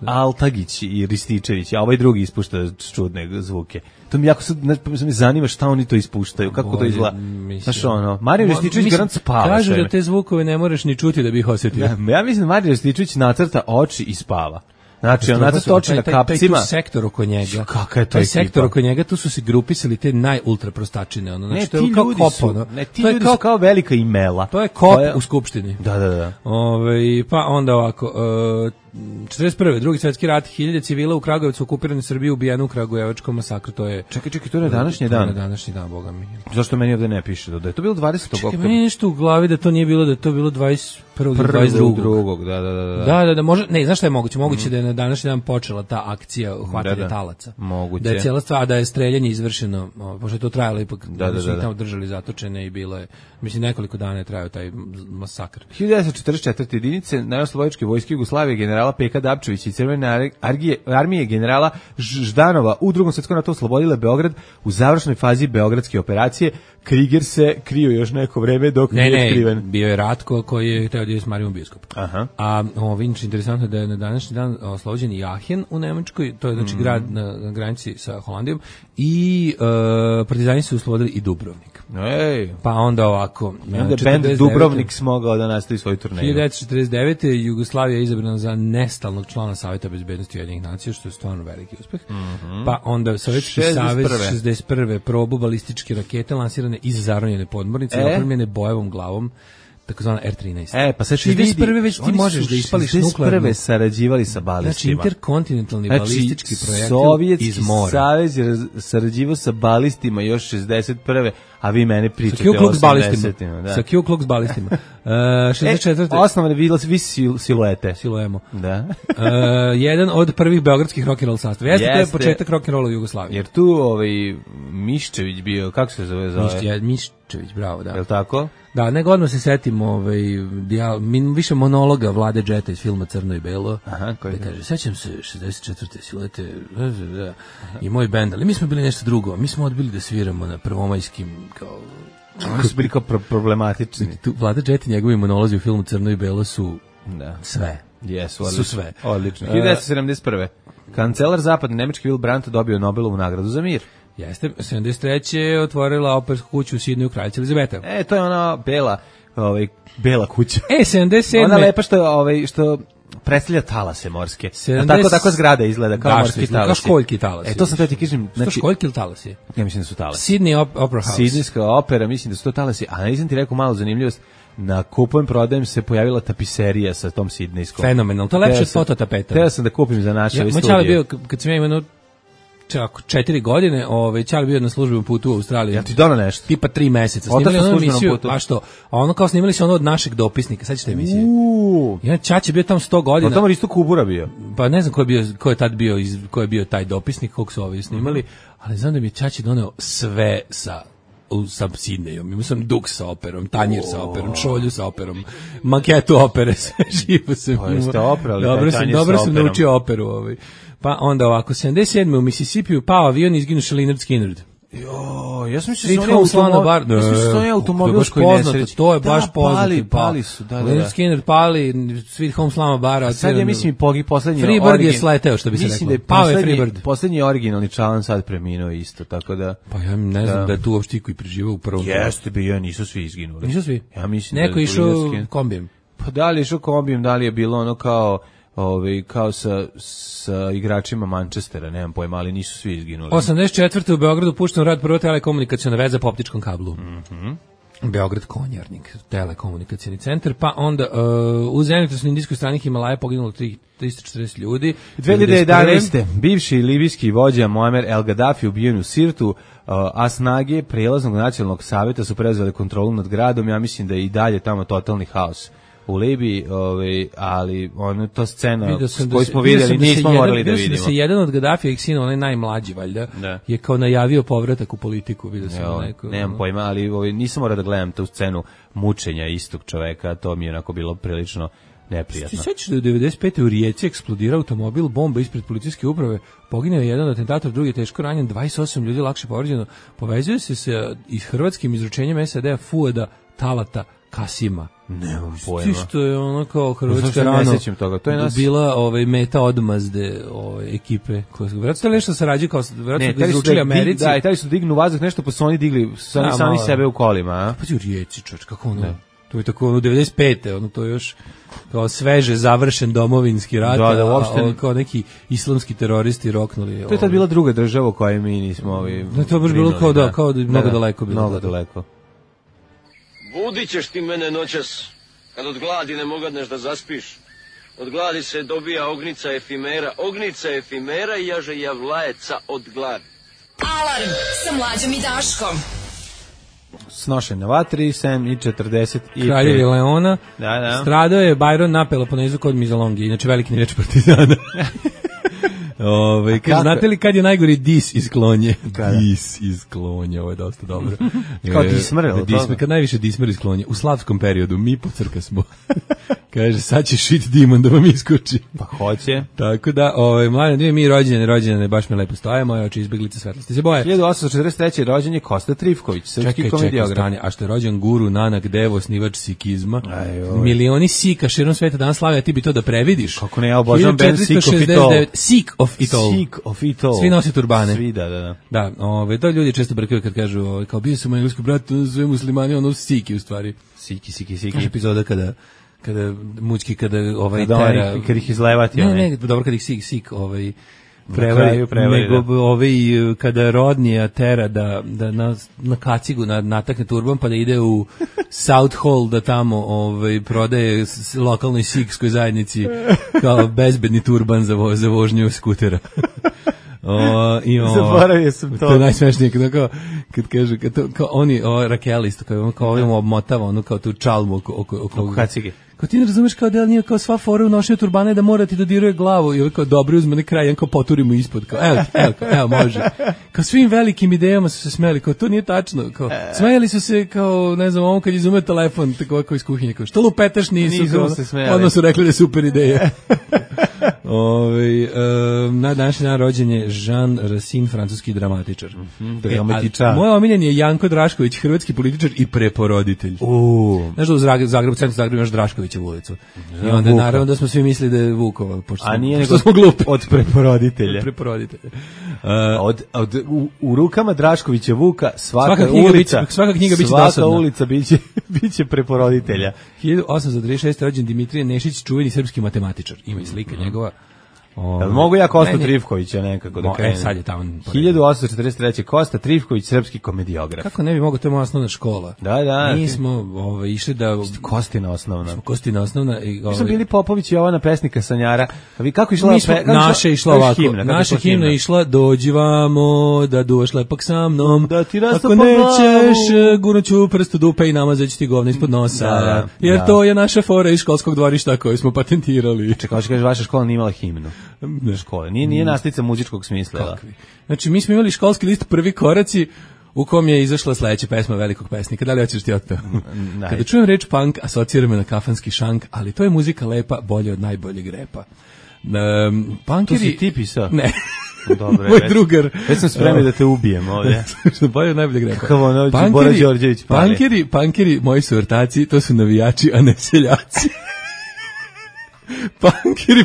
Altagić i Rističević, a ovaj drugi ispušta čudne zvuke. To mi jako sad me zanima šta oni to ispuštaju, kako to izgleda. Znaš ono, Marijan Rističević garant spava. Kažu da te zvukove ne moraš ni čuti da bi ih osjetio. Ja mislim da Marijan Rističević nacrta oči i spava. Znači, on natoči na kapcima. Taj sektor oko njega. Kaka je to taj sektor oko njega, tu su se grupisali te najultra prostačine. Ono, znači, to je kao kop. Ti ljudi su kao velika imela. To je kop u Skupštini. Da. Pa onda ovako, 41. Drugi svetski rat, 1000 civila u Kragujevcu okupirane Srbije ubijeno u Kragujevačkom masakru, to je... Čekaj, to je današnji dan. To je današnji dan, boga mi. Zašto meni ovde ne piše da je to bilo 20. oktobra? Čekaj, meni nešto u glavi da to nije bilo, da je to bilo 21. 22. Da, može, ne, znaš šta je moguće? Moguće da je na današnji dan počela ta akcija hvatanja talaca. Moguće. Da je cijela stvar, da je streljanje izvršeno, pošto je to trajalo ipak, da su ih tamo držali zatočene i bilo je, mislim, nekoliko dana je trajao taj masakr. 1944. jedinice Narodnooslobodilačke vojske Jugoslavije generala Peka Dapčevića i Crvene armije generala Ždanova u Drugom svetskom ratu oslobodile Beograd u završnoj fazi beogradske operacije. Kriger se krio još neko vreme dok nije otkriven. Ne, bio je Ratko koji je hteo da je s Marijom biskup. Aha. A inače interesantno da je na današnji dan oslobođen i Aachen u Nemačkoj, to je znači grad na granici sa Holandijom, i partizani su oslobodili i Dubrovnik. Pa onda ovako. Onda bend Dubrovnik smogao da nastavi svoju turneju. 1949. Jugoslavija je izabrana za nestalnog člana Saveta bezbednosti Ujedinjenih nacija, što je stvarno veliki uspeh. Pa onda Sovjetski savez 61. probu balističke rakete lansirane iz zaronjene podmornice, opremljene bojevom glavom, takozvana R-13. Pa sad 61. već ti možeš da ispališ nuklearnu. 61. sarađivali sa balistima. Znači, interkontinentalni balistički projektil Sovjetski iz mora. savez je sarađivao sa balistima još 61. A vi mene pričate o 80-ima. Sa Ku Klux balistima. 64. Osnovne vi siluete. Siluemo. Da. Jedan od prvih beogradskih rock'n'roll sastava. Jeste, to je početak rock'n'rolla u Jugoslaviji. Jer tu Miščević bio, kako se zove? Miščević, bravo, da. Je li tako? Da, nego odmah se setim više monologa Vlade Džeta iz filma Crno i Belo. Aha, koji kaže, sećam se 64. silete i moj bend, ali mi smo bili nešto drugo. Mi smo odbili da sviramo na prvomajskim kao... Oni su bili kao problematični. Vlada Džet i njegovi monolozi u filmu Crno i Belo su sve. Su sve. Odlično. 1971. Kancelar zapadne Nemačke Willy Brandt dobio Nobelovu nagradu za mir. Jeste, 73. je otvorila opersku kuću u Sidneju kraljica Elizabeta. To je ona bela kuća. 77. Ona lepa što predstavlja talase morske. Tako zgrada izgleda kao morski talasi. Kao školjki talasi. To sam te ti kažem. Znači, školjki ili talasi? Ja mislim da su talasi. Sydney Opera House. Sidnejska opera, mislim da su to talasi. A nisam ti rekao malu zanimljivost. Na kupujem prodajem se pojavila tapiserija sa tom sidnejskom. Fenomenal, to je lepše od fototapeta. Teo sam da kupim za naše studije. Moj čale bio, kad sam ja imao 4 godine, čale bio na službenom putu u Australiji. Ja ti dono nešto? Tipa 3 meseca. Snimali ono emisiju, a što? A ono kao snimali se ono od našeg dopisnika, sad ćete emisije. Ja Čač je bio tamo 100 godina. Pa tamo isto Kubura bio. Pa ne znam ko je bio taj dopisnik, kog su ovi snimali, ali znam da mi je Čač doneo sve sa Sidnejom. Imao sam duk sa operom, tanjir sa operom, šolju sa operom, maketu opere, sve živo sam. Pa jeste operali dobro sam naučio operu. Pa onda ovako, 77. u Mississippiju pao avion i izginu Lynyrd Skynyrd. Ja sam mislio da su oni automobilskoj nesreći. To je baš poznati. Pali su, da. Lynyrd Skynyrd pali, Sweet Home Slama Bara. Sad ja mislim poslednji Freebird je sleteo, što bi se reklo. Pao je Freebird. Poslednji originalni član sad preminuo isto, tako da... Pa ja ne znam da je tu uopšte koji preživao u prvom. Jeste bio, nisu svi izginuli. Nisu svi? Ja mislim neko išao kombijem. Pa da li je išao kombijem, da li je bilo ono kao sa igračima Manchestera, nemam pojma, ali nisu svi izginuli. 84. u Beogradu pušten rad prva telekomunikacijona veza po optičkom kablu. Beograd Konjarnik, telekomunikacijni centar, pa onda u zemljotresnoj indijskoj strani Himalaja poginulo 340 ljudi. 2011. bivši libijski vođa Muammar El Gaddafi ubijen u Sirtu, a snage prijelaznog nacionalnog savjeta su preuzeli kontrolu nad gradom. Ja mislim da je i dalje tamo totalni haos u Libiji, ali to scena koju smo vidjeli, nismo morali da vidimo. Da se jedan od Gaddafijevih sina, onaj najmlađi valjda, je kao najavio povratak u politiku. Nemam pojma, ali nisam morao da gledam tu scenu mučenja istog čoveka, to mi je onako bilo prilično neprijatno. Ti sećaš da je 95. u Rijeci eksplodirao automobil, bomba ispred policijske uprave, poginuo je jedan atentator, drugi je teško ranjen, 28 ljudi lakše povređeno. Povezuje se sa hrvatskim izručenjem SAD-a Fuada Talata Kasima. Nemam pojma. Što je ono kao Hrvatska rano bila meta odmazde ekipe. Vjerojatno nešto sarađuju kao vjerojatno da izručili Americi. Da, i taj su dignu vazduh nešto, pa su oni digli sami sebe u kolima. Pa u Rijeci, čovječ, kako ono? To je tako, 95. To je još kao sveže završen domovinski rat, uopšte kao neki islamski teroristi roknuli. To je tad bila druga država u kojoj mi nismo to je baš bilo kao da mnogo daleko bilo. Mnogo daleko. Budit ćeš ti mene noćas, kad od gladi ne mogadneš da zaspiš. Od gladi se dobija ognica efimera i jaže javlajeca od gladi. Alarm sa Mlađom i Daškom. Snošen na vatri, 7:45. Kraljevi Leona. Da. Stradao je Byron na Peloponezu kod Mizalongi, inače veliki niveč partizana. Znate li kad je najgori dis iz klonje? Dis iz klonje, ovo je dosta dobro. Kao dismer, kad najviše dismer iz klonje. U slavskom periodu, mi po crka smo. Kaže, sad će šit dimon da vam iskoči. Pa hoće. Tako da, mladen, mi rođene, baš me lepo stoje, moje oči izbeglice svetlosti se boje. 1843. rođen je Kosta Trifković, srpski komediograf. A što je rođen Guru Nanak Dev, osnivač sikizma. Milioni sika širom sveta danas slave, a ti bi to da previdiš. Kako ne, ja obožavam band Sick of It All. Svi nose turbane. Svi, da. Da, to ljudi često brkaju kad kažu, kao bio sam moj engleski brat, sve muslimani, ono Siki u stvari. Siki. Kaže epizoda kada mučki, kada tera... Kad ih izlevati. Ne, dobro, kad ih Sik prevari, nego kada rodnija tera da na kacigu natakne turban pa da ide u South Hall da tamo prodaje lokalnoj sikskoj zajednici kao bezbedni turban za vožnju skutera. Zaboravio sam to. To je najsmešnije kad kaže kao oni Rakel isto kao ovim obmotava kao tu čalmu oko kacige. Kao ti ne razumeš kao da nije kao sva fora u nošenju turbane da mora ti dodiruje glavu i kao dobro uzme na kraj, kao poturimo ispod, kao evo može. Kao svim velikim idejama su se smeli, kao to nije tačno, kao smejali su se kao, ne znam, ovom kad izume telefon, tako iz kuhinje, kao što lupetaš nisu odmah su rekli da je super ideja. Na današnji dan rođen je Jean Racine, francuski dramatičar. Moj omiljen je Janko Drašković, hrvatski političar i preporoditelj. Znaš da u Zagrebu, centru Zagreba imaš Draškovićevu ulicu. I onda naravno da smo svi mislili da je Vukova, pošto smo glupi. Od preporoditelja. U rukama Draškovića Vuka svaka knjiga biće dosadna. Svaka ulica biće preporoditelja. 1836. rođen Dimitrije Nešić, čuveni srpski matematičar. Ima i slika njegova. Mogu ja Kostu Trifkovića nekako da krenem. Sad je tamo. 1843. Kosta Trifković, srpski komediograf. Kako ne bi mogao, to je moja osnovna škola. Da. Mi smo išli da... Kostina osnovna. Kostina osnovna. Mi smo bili Popović i Jovana pesnika Sanjara. Kako išla? Naša išla ovako. Naša himna išla, dođi vamo, da duvaš lepak sa mnom. Da ti rasta ako nećeš, gurnuću prst u dupe i namazat ti govna ispod nosa. Jer to je naša fora iz školskog dvorišta koju smo patentirali. Čekaj, kažeš, vaša škola nije imala himnu. Škole. Nije nastavnica muzičkog smisla. Kakvi? Znači, mi smo imali školski list Prvi koraci u kom je izašla sledeća pesma velikog pesnika. Da li hoćeš ti otpeo? Kada čujem reč punk, asocira me na kafanski šank, ali to je muzika lepa, bolje od najboljeg repa. To si ti pisao? Ne. Dobre, moj drugar. Već sam spremio da te ubijem ovdje. Bolje od najboljeg repa. Kako ono, Bora Đorđević pali. Punkeri, moji su ortaci, to su navijači, a ne seljaci.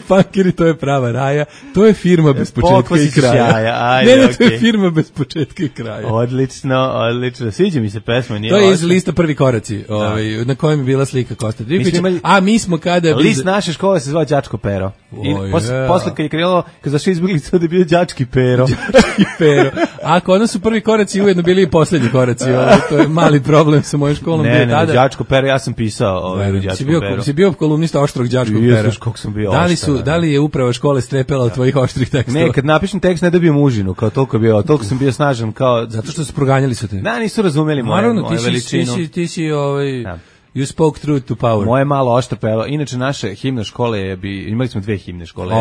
Punkeri, to je prava raja, to je firma bez početka i kraja. To je firma bez početka i kraja. Odlično, sviđa mi se pesma. To je iz lista Prvi koraci, na kojem je bila slika Kosta Trifkovića. A mi smo kada... List naše škole se zvao Đačko Pero. Posle kad je krenulo, kad zašli izbjeglice, da je bio Đački Pero. A kod nas su Prvi koraci ujedno bili i posljednji koraci. To je mali problem sa mojom školom. Ne, Đačko Pero, ja sam pisao Đačko Pero. Si bio kolumnista oštrog Đačkog Pera. Da li je uprava škole strepela od tvojih oštrih tekstova? Ne, kad napišem tekst ne dobijem užinu, kao toliko sam bio snažan, kao... Zato što su proganjali su te. Da, nisu razumeli moju veličinu. Ti si You spoke truth to power. Moje malo oštro pero. Inače, naše himna škole imali smo dve himne škole.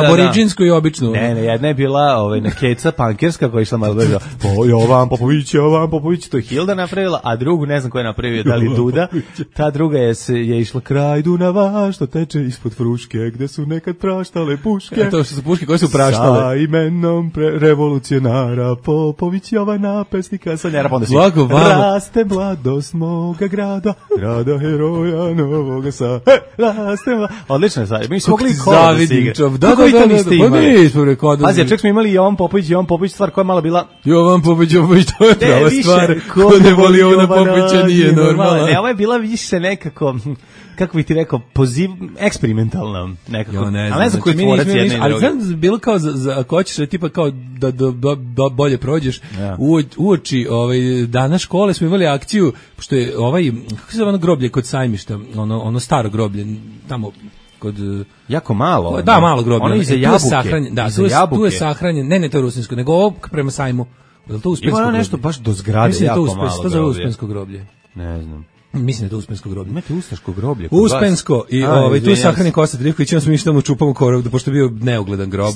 Aboriđinsku i običnu. Ne, jedna je bila na keca pankerska koja je išla malo brzo. Jovan Popović, to je Hilda napravila, a drugu ne znam ko je napravio, da li Duda. Ta druga je išla kraj Dunava, što teče ispod Fruške, gde su nekad praštale puške. To su puške koje su praštale. Sa imenom revolucionara Popović Jovana, pesnika Sanjara. Blago vama. Raste mladost moga grada. grada heroja Novoga Sada. Odlično je sad. Mi smo mogli i kola da se igra. Kako vi to niste imali? Pazi, čak smo imali Jovan Popović, stvar koja je malo bila... Jovan Popović, to je prava stvar. Ko ne voli Jovana Popovića nije normalno. Ne, ovo je bila više nekako... kako bih ti rekao, eksperimentalna nekako. Jo, ne znam koji tvorac jedne i druge. Ali znam, bilo kao, ako hoćeš tipa kao da bolje prođeš, uoči dana škole smo imali akciju, pošto je kako se zove ono groblje kod Sajmišta, ono staro groblje, tamo kod... Jako malo. Da, malo groblje. Ono iza Jabuke. Da, tu je sahranjen, ne to rusinsko, nego ovo prema Sajmu. Je li to Uspensko groblje? Ima nešto baš do zgrade, jako malo groblje. To zove Uspensko groblje. Ne znam. Mislim da je to Uspensko groblje. Imate Ustaško groblje kod Uspensko i tu je sahranjen Kosta Trivković, onda smo išli tamo čupamo korov, pošto je bio neugledan grob.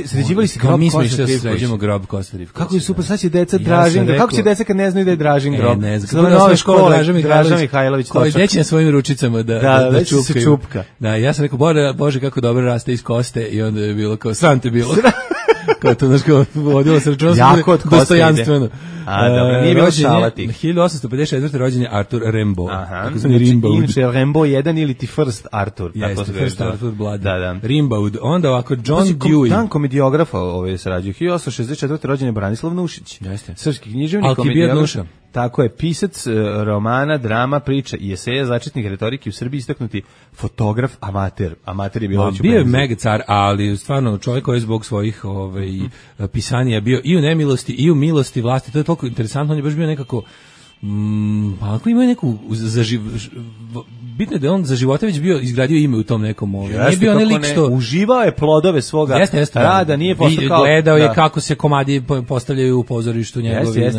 Sređivali se grob Kosta Trivković. Mi smo sređujemo grob Kosta Trivković. Kako je super, sad će deca Dražin. Kako će deca kad ne znaju da je Dražin grob? Ne znam. Kako je nove škole Draža Mihajlović. Koji deći na svojim ručicama da čupka. Da, ja sam rekao, Bože, kako dobro raste iz koste i onda je bilo kao, sram te bilo. Kao to, znaš, kao vodilo se računa dostojanstveno. A, dobro, nije bilo šalati. 1854. rođen je Arthur Rimbaud. Tako zvani Rimbaud. Inače, Rimbaud 1 ili ti First Arthur. Jeste, First Arthur Blood. Da. Rimbaud. Onda ovako, John Dewey. Dan komediografa se rađuje. 1864. rođen je Branislav Nušić. Jeste. Srpski književnik, komediograf. Tako je, pisac romana, drama, priča i eseja, začetnik retorike u Srbiji, istaknuti fotograf, amater. Amater je bilo već u bio je megacar, ali stvarno čovjek koji je zbog svojih pisanja bio i u nemilosti i u milosti vlasti. To je toliko interesantno, on je baš bio nekako ako ima neku bitno je da on za života već bio izgradio ime u tom nekom nije bio lik što uživao je plodove svoga rada, nije postao kao gledao je kako se komadi postavljaju u pozorištu njegovi,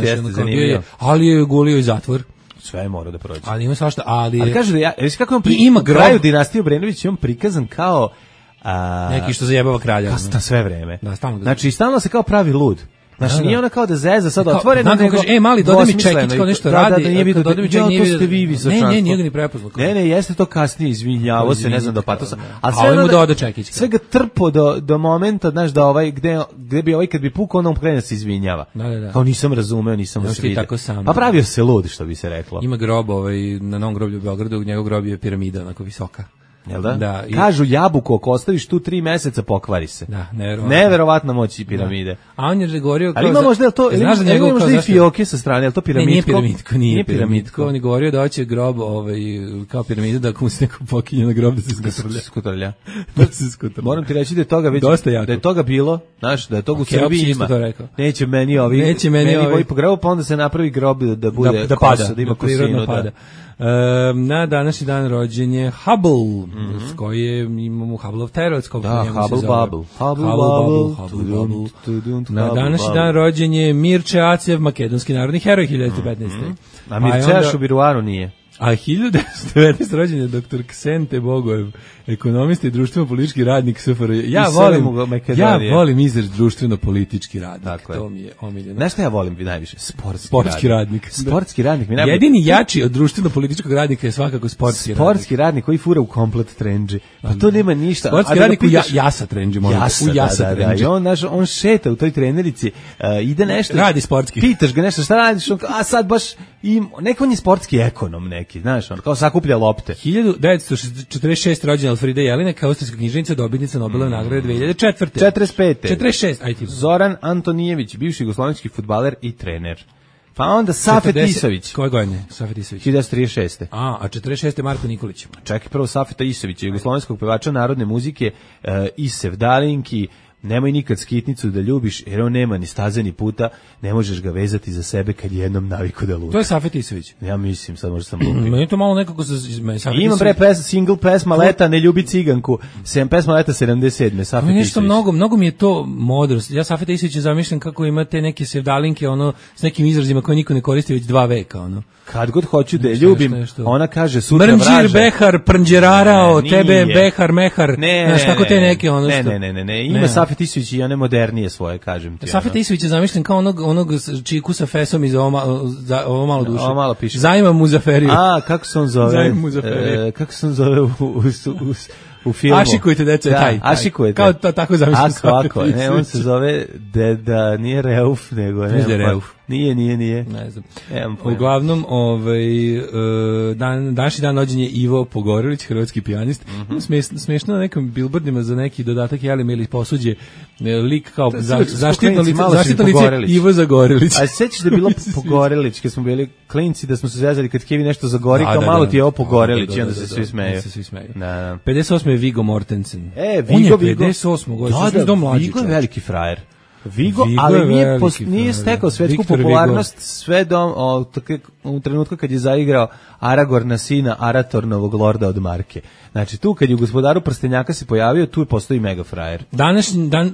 ali je gulio i zatvor. Sve je morao da prođe. Ali ima svašta, ali kaže da kako on ima kraju dinastije Obrenović, on prikazan kao neki što zajebava kralja na sve vreme. Da, znači stalno se kao pravi lud. Znači, nije ona kao da zeza sad otvoreno, nego... mali, dodaj mi čekić, kao nešto radi. Da, nije vidio, to ste vi visočanstvo. Ne, nije ga ni prepoznao. Ne, jeste to kasnije, izvinjavo se, ne znam do patosa. A ovo mu dodao čekić. Sve ga trpo do momenta, znaš, da gde bi kad bi pukao, on krene se izvinjava. Da. Kao nisam razumeo, nisam vas vidio. Pa pravio se lud, što bi se reklo. Ima grob, na Novom groblju u Beogradu, njegov grob je piramida, onako visoka. Jel da? Da. Kažu jabuku, ako ostaviš tu 3 meseca, pokvari se. Da, neverovatna moć piramide. Da. A on je govorio... Ali ima možda to, ima možda i fioke sa strane, je li to piramidko? Nije piramidko. On je govorio da hoće grob kao piramidu, da ako mu se neko pokinje na grob da se skutrlja. Moram ti reći da je toga već... Da je toga bilo, znaš, da je toga u Srbiji ima. Neće meni ovi po grobu, pa onda se napravi grob da bude kosa, da ima kosinu. Na današnji dan rođen je Hubble, s koje imamo Hubbleov terac, kako njemu se zove. Hubble. Na današnji dan rođen je Mirče Acev, makedonski narodni heroj, 1915. A Mircea Šubiruaru nije. A 1919. rođen je dr. Ksente Bogojev, ekonomista i društveno-politički radnik SFRJ. Ja volim izraz društveno-politički radnik. Dakle. To mi je omiljeno. Znaš šta ja volim najviše? Sportski radnik. Sportski radnik mi najbolje. Jedini jači od društveno-političkog radnika je svakako sportski radnik. Sportski radnik koji fura u komplet trendži. Pa to nema ništa. Sportski radnik u jasa trendži. Da. I on šeta u toj trenerici, ide nešto. Radi sportski. Pitaš ga nešto, šta radiš? A sad baš, neko on je sportski ekonom neki, znaš, on kao sakuplja lopte. 1946. rođena Alfrida Jelinek, austrijska književnica, dobitnica Nobelove nagrade 2004. 45. Zoran Antonijević, bivši jugoslovenski fudbaler i trener. Pa onda Safet Isović. Koje godine Safet Isović? 1936. A 46. Marko Nikolić. Čekaj, prvo Safeta Isovića, jugoslovenskog pevača narodne muzike i Sevdalinki. Nemoj nikad skitnicu da ljubiš, jer on nema ni staze ni puta, ne možeš ga vezati za sebe kad jednom naviku da luta. To je Safet Isović. Ja mislim, sad možda sam lupio. Meni to malo nekako Imam single pesma Leta, ne ljubi ciganku, pesma Leta 77. Safet Isović. Nešto mnogo mi je to modrost. Ja Safet Isovića zamišljam kako imate neke sevdalinke, s nekim izrazima koje niko ne koristi već 2 veka, Kad god hoću da je ljubim, ona kaže sutra vraže. Mrnđir, behar, prnđerarao, tebe, behar, mehar. Znaš, tako te neke Ne. Ima Safet Isović i one modernije svoje, kažem ti. Safet Isović je zamišljen kao onog čiku sa fesom iz ovo malo duše. Ovo malo piše. Zajma Muzaferiju. A, kako se on zove? Zajma Muzaferiju. Kako se on zove u filmu? Ašikujte, deco, taj. Ašikujte. Kao tako zamišljen Safet Isović. Ne, on se zove Deda, nije Reuf, nego... Nije Reuf. Nije. Ne znam. Uglavnom, današnji dan rođen je Ivo Pogorelić, hrvatski pijanist. Smešno na nekim billboardima za neki dodatak Jelim ili posuđe lik kao zaštitno lice Ivo Zagorelić. A sećaš da je bilo Pogorelić kad smo bili klinci, da smo se zezali kad Kevi nešto zagori, kao malo ti je ovo Pogorelić i onda se svi smeju. 58. je Viggo Mortensen. Vigo. 58. godine. Vigo je veliki frajer. Vigo, ali nije stekao svetsku popularnost sve u trenutku kad je zaigrao Aragorna sina Aratornovog lorda od Marke. Znači tu kad je u Gospodaru prstenjaka se pojavio, tu postoji mega frajer. Današnji dan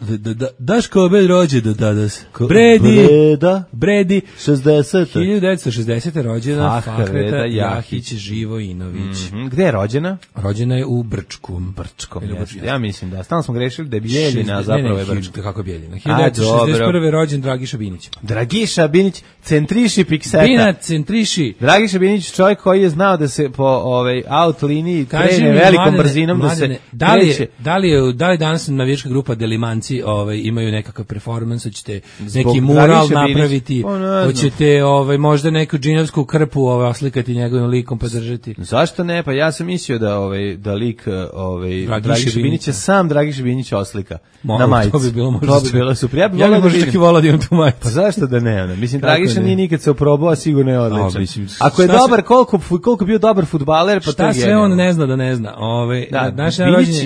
Daško obed rođe do danas. Bredi 60. 1960. rođena Fahreta Jahić Živojinović. Gde je rođena? Rođena je u Brčku. Ja mislim da stalno smo grešili da je Bijeljina zapravo je Brčko. Kako je Bijeljina? 1961. rođen Dragiša Binić. Dragiša Binić, centriši pikseta. Bina centriši. Dragiša Binić, čovjek koji je znao da se po aut liniji krene velikom brzinom da se kreće. Da li danas navijačka grupa Delimanci imaju nekakav performans, hoćete neki mural napraviti, hoćete možda neku džinovsku krpu oslikati njegovim likom podržati. Zašto ne? Pa ja sam mislio da lik Dragiša Binića sam Dragiša Binić oslika na majici. To bi bilo možda super. Ja bih možda čak i volao da imam tu majicu. Pa zašto da ne? Mislim, Dragiša nije nikad se oprobao, a sigurno je odličan. Ako je dobar, koliko bio dobar fudbaler, pa to je šta sve on ne zna da ne zna.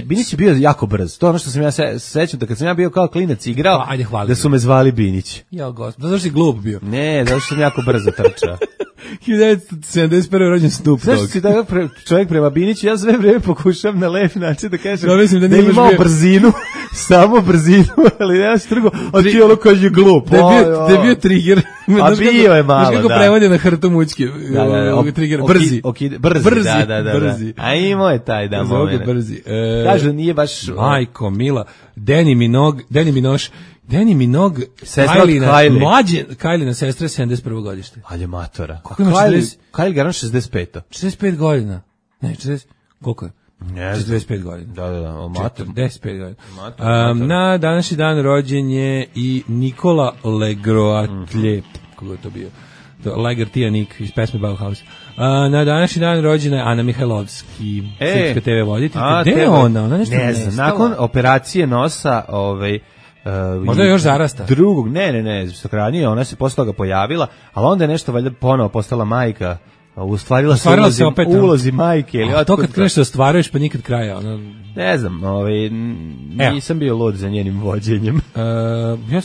Binić je bio jako brz. To je ono što sam ja sećam, da kad sam ja bio kao klinac igrao, da su me zvali Binić. Ja, gospod, zato što si glup bio. Ne, zato što sam jako brzo trčao. 1971. rođen Snoop Dogg. Zašto si tako čovjek prema Biniću? Ja sve vreme pokušam na lep način da kažem da je imao brzinu, samo brzinu, ali nema se drugo, a ti ono kad je glup. Da je bio trigger. A bio je malo, da. Znaš kako prevode na hrtu mučke? Brzi. A imao je taj da moment. Brzi. Kažu, nije baš... Majko, Mila, Danny Minogue, sestra od Kylie. Mlađe, Kylie sestra 71. godište. Ali matora. Kylie Garan 65. 65 godina. Ne, 40, koliko je? 45 godina. Da, mator. 45 godina. Na današnji dan rođen je i Nikola Legroatlje. Kako je to bio? Lager Tijanik iz pesme Bauhaus. Na današnji dan rođena je Ana Mihajlovski, srpska TV voditeljica. Gde je ona? Ona nešto ne znam. Nakon operacije nosa, možda je još zarasta. Drugog, ne, ranije ona se posle toga pojavila, ali onda je nešto valjda ponovo postala majka. Ustvarila se opet ulozi majke ili to kad kreneš da ostvaruješ pa nikad kraja. Ne znam, nisam bio lud za njenim vođenjem.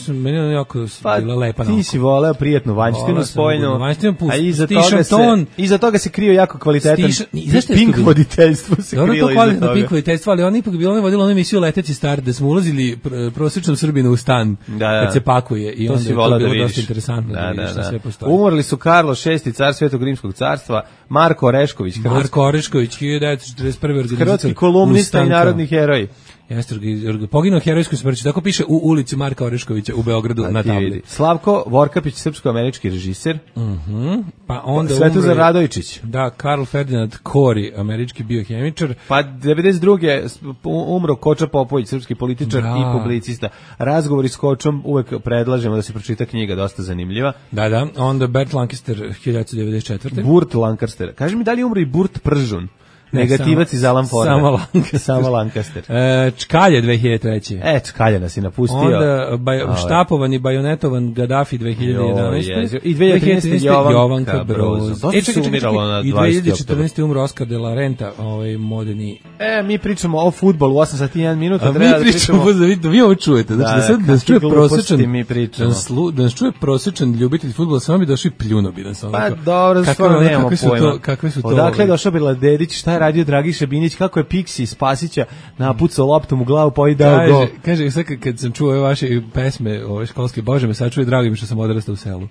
Meni je jako bila lepa. Ti si voleo prijatnu vanjštinu spojnu, a iza toga se krio jako kvalitetan pink voditeljstvo se krilo iza toga. Kvalitetno pink voditeljstvo, ali ona ipak bila vodila onu emisiju Leteći star, gde smo ulazili prosječnom Srbinu u stan kad se pakuje i onda je to bilo dosta interesantno da vidiš šta sve postoji. Umrli su Karlo VI, car Svetog rimskog carstva, Marko Orešković, 1941. hrvatski kolumnista i narodni heroj. Jeste, poginuo herojsku smrću, tako piše u ulici Marka Oreškovića u Beogradu na tabli. Slavko Vorkapić, srpsko-američki režiser. Pa onda Svetozar Radojčić. Da, Karl Ferdinand Kori, američki biohemičar. Pa 92. umro Koča Popović, srpski političar i publicista. Razgovori s Kočom uvek predlažemo da se pročita knjiga, dosta zanimljiva. Da, onda Bert Lancaster, 1994. Burt Lancaster. Kaži mi, da li umro i Burt Pržun? Negativac iz Alan Forda. Samo Lancaster. Čkalje 2003. Čkalje nas je napustio. Onda štapovan i bajonetovan Gaddafi 2011. I 2013. Jovanka Broz. I 2014. umro Oscar de la Renta, moderni. Mi pričamo o fudbalu, 8 sati 1 minut. Mi pričamo, da vi ovo čujete. Znači, da nas čuje prosječan ljubitelj fudbala, samo bi došli pljuno bi nas. Pa dobro, stvarno nemamo pojma. Kakve su to? Odakle je došao Biladedić, šta je radio Dragiša Binić, kako je Piksi Spasića napucao loptom u glavu pa i dao gol. Kaže, sad kad sam čuo ove vaše pesme, ove školske, bože me sad čuje, drago mi što sam odrastao u selu.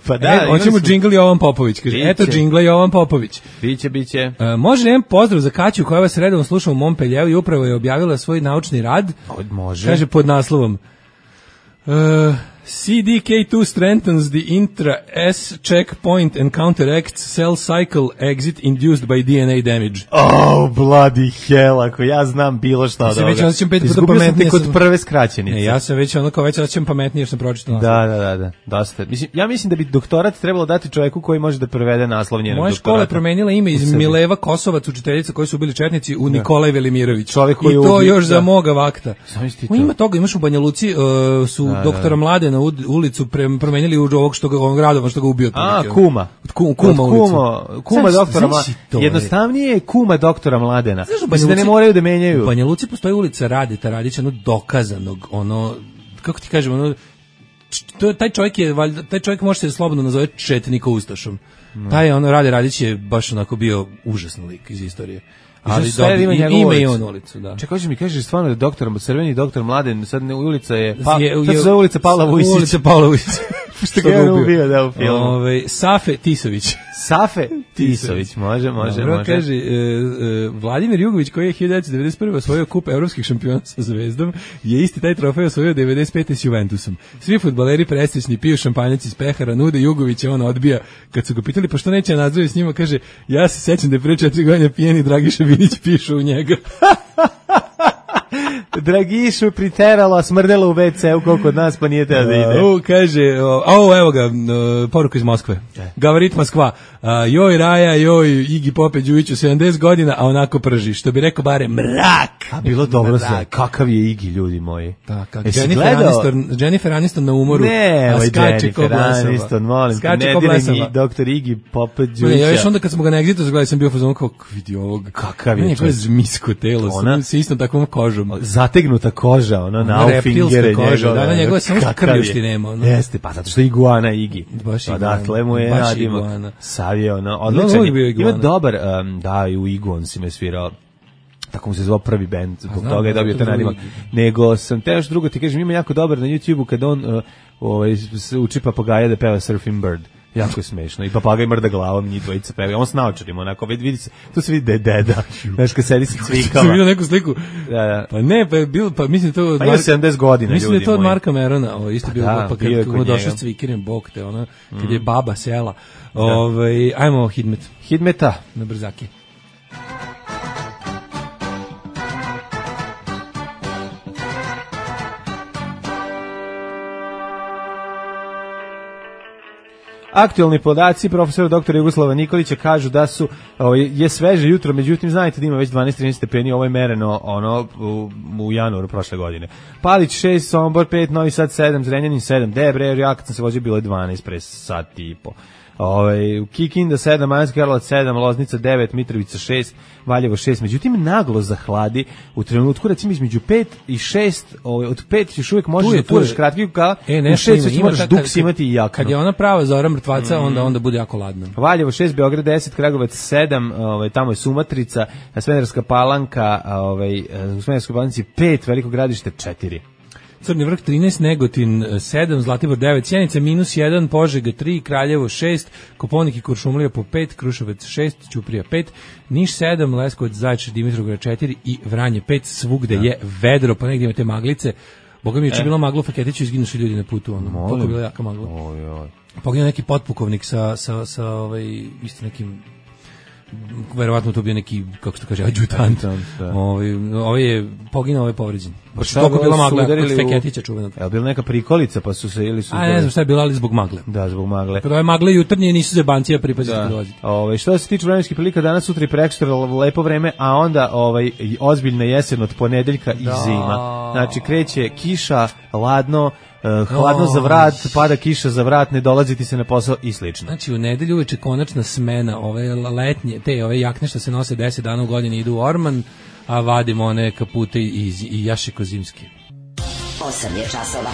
Pa da, hoćemo džingl Jovan Popović. Kaže, eto džingla Jovan Popović. Biće. Može jedan pozdrav za Kaću koja vas redovno sluša u Montpellieru i upravo je objavila svoj naučni rad. Može. Kaže pod naslovom CDK2 strengthens the intra-S checkpoint and counteracts cell cycle exit induced by DNA damage. Oh, bloody hell, ako ja znam bilo šta od ovoga. Već osjećam 5 puta Izgubio sam pametnije. te kod prve skraćenice. Ja sam već onako već osjećam pametnije jer sam pročitao naslov. Da, dosta. Ja mislim da bi doktorat trebalo dati čovjeku koji može da prevede naslov njenog doktorata. Moja škola je promenila ime iz Mileva Kosovac, učiteljica koji su bili četnici, u Nikolaj Velimirović. Čovjek koji I to još za moga vakta. Ima toga, imaš u Banja Luci, su doktora Mladena ulicu promenili u ovog Radova što ga ubio. Kuma. Kuma doktora Mladena. Jednostavnije je kuma doktora Mladena. Mislim da ne moraju da menjaju. U Banja Luci postoji ulica Radeta Radića, dokazanog, kako ti kažem, taj čovjek može se slobodno nazove četnika ustašom. Taj Rade Radić je baš onako bio užasni lik iz istorije. Ali ima i on ulicu, da. Čekaj, hoćeš mi kažeš stvarno da crveni doktor Mladen, sad ulica je, sad se zove ulica Pavla Vujsića. Ulica Pavla Vujsića. Što ga je ubio, da, u filmu. Safe Tisović. Safe Tisović, može. Kaže, Vladimir Jugović, koji je 1991. osvojio kup evropskih šampiona sa Zvezdom, je isti taj trofej osvojio 95. s Juventusom. Svi fudbaleri presrećni piju šampanjac iz pehara, nude Jugovića, on odbija. Kad su ga pitali, pa što neće nadzoriti s njima, kaže, ja se sećam da je pre 4 godine pijeni Dragiša Vinić pišu u njega. Dragišu priteralo, smrdelo u WC-u koliko od nas, pa nije teo da ide. Kaže, evo ga, poruka iz Moskve. Gavarit Moskva. Joj Raja, joj Igi Pope Đujiću, 70 godina, a onako prži. Što bi rekao bare, mrak! A bilo dobro sve. Kakav je Igi, ljudi moji. Jennifer Aniston na umoru. Ne, Jennifer Aniston, molim. Ne diri mi doktor Igi Pope Đujića. Ja još onda kad smo ga na Exitu zagledali, sam bio fazon kao, vidi ovog. Kakav je to? Zmijsko telo, sa istom takvom kožom. Zategnuta koža, naufingere koža, da, njegove samo krvljušti nema. Jeste, pa zato što je iguana Igi. Dakle mu je radimo. Savije, odličan. Ima dobar, da, i u Igu on si me svirao. Tako mu se zvao prvi bend, zbog toga je dobio taj nadimak. Nego sam te još drugo ti kažem, ima jako dobar na YouTubeu kad on uči papagaja da peva Surfing Bird. Jako je smešno. I papagaj mrda glavom, njih dvojica peva. On s naočarima, onako, vidi se, tu se vidi da je deda. Znaš, kad sedi sa cvikama. Sam vidio neku sliku. Da. Pa ne, pa je bilo, pa mislim to od Marka. Pa ima 70 godina, mislim ljudi da je to od moji. Marka Merona, isto bilo, pa kad mu došao s cvikirim, bok te, kad je baba sela. Ajmo Hidmet. Hidmeta. Na brzaki. Aktualni podaci profesora doktora Jugoslava Nikolića kažu da je sveže jutro, međutim znajte da ima već 12-13 stepeni, ovo je mereno u januaru prošle godine. Palić 6, Sombor 5, Novi Sad 7, Zrenjanin 7, Debre, ja kad sam se vozio bilo je 12 pre sat i po. Kikinda 7, Banjska Karlovac 7, Loznica 9, Mitrovica 6, Valjevo 6, međutim naglo zahladi u trenutku recimo između 5 i 6, od 5 još uvijek možeš da furaš kratki kukala, u 6 moraš duks imati i jakno. Kad je ona prava zora mrtvaca, onda bude jako ladno. Valjevo 6, Beograd 10, Kragujevac 7, tamo je Sumatrica, Smederevska Palanka, u Smederevskoj Palanci 5, Veliko Gradište 4. Crni vrh 13, Negotin 7, Zlatibor 9, Sjenica -1, Požega 3, Kraljevo 6, Koponik i Kuršumlija po 5, Kruševac 6, Ćuprija 5, Niš 7, Leskovac, Zaječar, Dimitrovgrad 4 i Vranje 5, svugde je vedro, pa negdje imate maglice. Boga mi je bilo maglo u Feketiću, izginu su ljudi na putu, koliko je bila jaka magla. Poginuo neki potpukovnik sa isto nekim, verovatno to bio neki, kako se to kaže, adjutant. Ovaj je poginuo, ovaj je povređen. Baš toliko bila magla od Feketića čuvenog. Je li bila neka prikolica pa su se ili su... ne znam šta je bilo, ali zbog magle. Da, zbog magle. Kada ove magle jutarnje nisu zebancija pripaziti dolaziti. Što se tiče vremenskih prilika, danas, sutra i prekosutra lepo vreme, a onda ozbiljna jesen od ponedeljka i zima. Znači kreće kiša, ladno, hladno za vrat, pada kiša za vrat, ne dolaziti se na posao i slično. Znači u nedelju uveče konačna smena, ove letnje, ove jakne što se nose 10 dana u godini idu u orman, a vadimo one kapute i jašiko zimski. 8 je časova.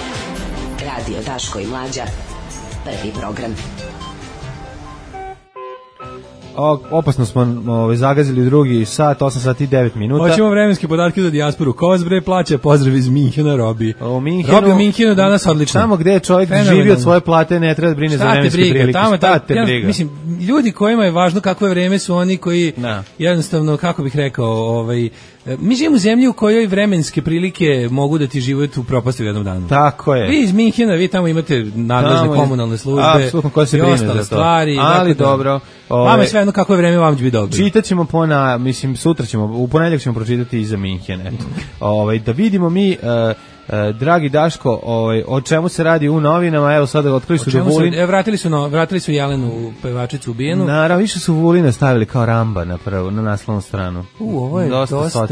Radio Daško i Mlađa. Prvi program. Opasno smo zagazili drugi sat, 8 sati i 9 minuta. Hoćemo vremenske podatke za dijasporu. Ko vas bre plaća? Pozdrav iz Minhena, Robi. Robi u Minhenu danas odlično. Tamo gde je čovjek živi od svoje plate, ne treba da brine za vremenske prilike. Šta te briga? Mislim, ljudi kojima je važno kakvo je vreme su oni koji jednostavno, kako bih rekao, mi živimo u zemlji u kojoj vremenske prilike mogu da ti život upropasti u jednom danu. Tako je. Vi iz Minhena, vi tamo imate nadležne komunalne službe i ostale stvari. Ali dobro. Vama je sve jedno kako je vreme, vam će biti dobro. Čitaćemo sutra ćemo, u ponedeljak ćemo pročitati i za Minhen. Da vidimo mi... dragi Daško, o čemu se radi u novinama? Evo sada otkrili su da Vulin... Vratili su Jelenu, pevačicu ubijenu. Naravno, više su Vulina stavili kao Ramba na naslovnu stranu. Ovo je dosta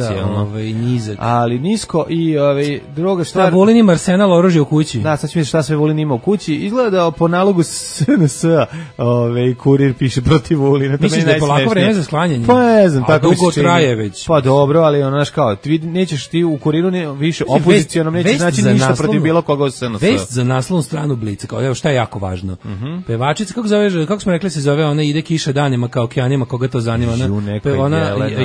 nizak. Ali nisko i druga stvar... Vulin ima arsenal oružja u kući. Da, sad ću vidjeti šta sve Vulin ima u kući. Izgleda da po nalogu SNS-a kurir piše protiv Vulina. Misliš da je polako vreme za sklanjanje? Pa ne znam, tako mi se dugo traje već. Pa dobro, ali znaš kao, nećeš ti u kuriru više opozicijonom neće znači ništa protiv bilo koga od SNS. Vest za naslovnu stranu Blica, kao evo šta je jako važno. Pevačica, kako smo rekli se zove, ona ide kiša danima kao okeanima, koga to zanima. Ona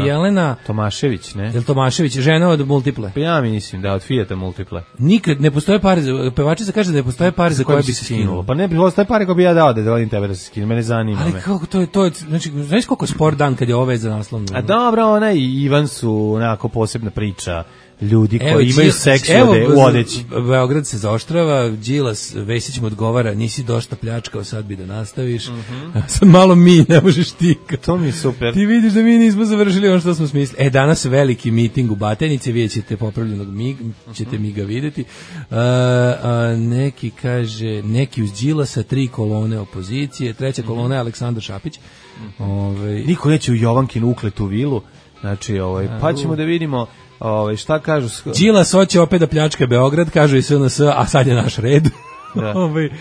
Jelena Tomašević, ne? Jel Tomašević, žena od Multiple? Pa ja mislim da od Fijata Multiple. Nikad ne postoje pare, pevačica kaže da ne postoje pare za koje bi se skinulo. Pa ne postoje pare koje bi ja dao da volim tebe da se skinu, mene zanima. Ali kako to je, znači, znaš koliko sport dan kad je ovo za naslovnu? A dobro, ona i Ivan su onako posebna priča. Ljudi koji imaju seks u odeći. Beograd se zaoštrava, Đilas Vesić mu odgovara, nisi dosta pljačkao, sad bi da nastaviš. Sad malo mi, ne možeš ti. To mi je super. Ti vidiš da mi nismo završili ono što smo smislili. Danas veliki miting u Batajnici, vidjet ćete popravljenog ćete mi ga vidjeti. Neki kaže, neki uz Đilasa, 3 kolone opozicije, 3. kolona je Aleksandar Šapić. Niko neće u Jovankinu ukletu vilu, znači, pa ćemo da vidimo šta kažu. Đilas hoće opet da pljačka Beograd, kažu i SNS, a sad je naš red. Da.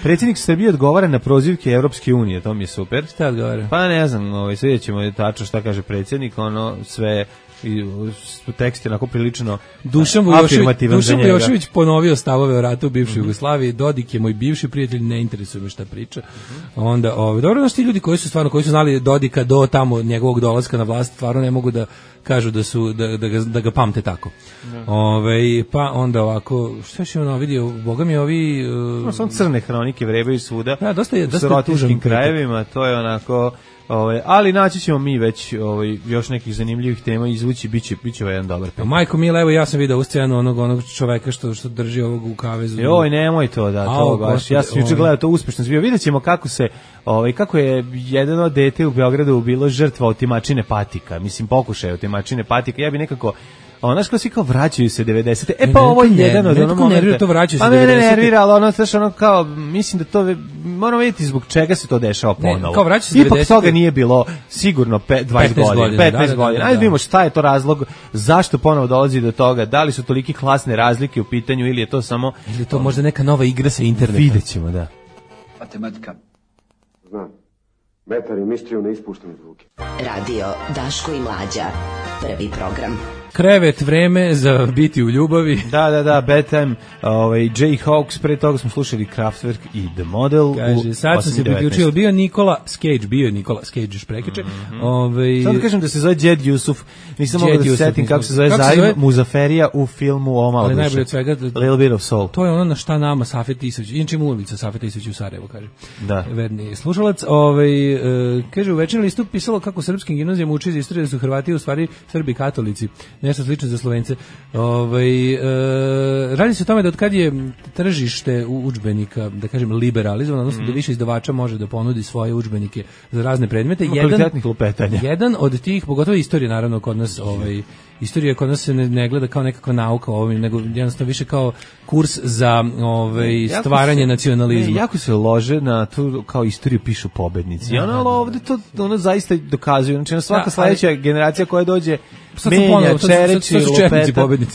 Predsjednik Srbije odgovara na prozivke Evropske unije, to mi je super. Šta odgovara? Pa ne znam, vidjet ćemo tačno šta kaže predsjednik, sve tekst je onako prilično afirmativan za njega. Dušan Vujošević ponovio stavove o ratu u bivšoj Jugoslaviji, Dodik je moj bivši prijatelj, ne interesuje me šta priča. Onda, dobro, znaš ti ljudi koji su znali Dodika do tamo njegovog dolaska na vlast, stvarno ne mogu da kažu da ga pamte tako. Pa onda ovako, šta je ono vidio, boga mi ovi... Samo crne hronike vrebaju svuda, dosta u serotičkim krajevima, to je onako... ali naći ćemo mi već još nekih zanimljivih tema izvući, bit će jedan dobar pet. Majko Mila, evo ja sam vidio u scenu onog čoveka što drži ovog u kavezu. Joj, nemoj to to baš. Ja sam juče gledao to uspešno zbio. Vidjet ćemo kako je jedno dete u Beogradu bilo žrtva otimačine patika. Mislim, pokušaj otimačine patika. Ja bi nekako... Znaš kao svi kao vraćaju se 90. Pa ovo je jedan od onog momenta. To vraćaju se 90. Pa mene nervira, ali ono kao, mislim da to, moramo vidjeti zbog čega se to dešava ponovo. Kao vraćaju se 90. Ipak toga nije bilo sigurno 20 godina. 15 godina. Ajde vidimo šta je to razlog, zašto ponovo dolazi do toga, da li su toliki klasne razlike u pitanju ili je to samo... Ili je to možda neka nova igra sa interneta. Vidjet ćemo, da. Matematika. Znam. Metar i mištriju ne ispuštaju zvuke. Radio Daško i Mlađa. Prvi program. Krevet, vreme za biti u ljubavi. Da, Bedtime, Jayhawks, pre toga smo slušali Kraftwerk i The Model. Kaže, sad sam se priključio, bio Nikola Cage, još prekiče. Sad da kažem da se zove Džed Jusuf, nisam mogao da se setim kako se zove Zaim Muzaferija u filmu Omala duše. Najbolje od svega, Little Bit of Soul. To je ono na šta nama Safet Isović, inače ima ulica Safet Isović u Sarajevu, kaže. Da. Verni slušalac, kaže, u večernjem listu pisalo kako srpskim gimnazijama uči iz istorije da su Hrvati u stvari Srbi katolici. Nešto slično za Slovence. Radi se o tome da od kad je tržište udžbenika, da kažem, liberalizovano, odnosno da više izdavača može da ponudi svoje udžbenike za razne predmete. Jedan od tih, pogotovo istorija, naravno, kod nas, istorija kod nas se ne gleda kao nekakva nauka nego jednostavno više kao kurs za stvaranje nacionalizma. Jako se lože na tu kao istoriju pišu pobednici. Ovdje to zaista dokazuju. Znači, svaka sledeća generacija koja dođe menja, čereći,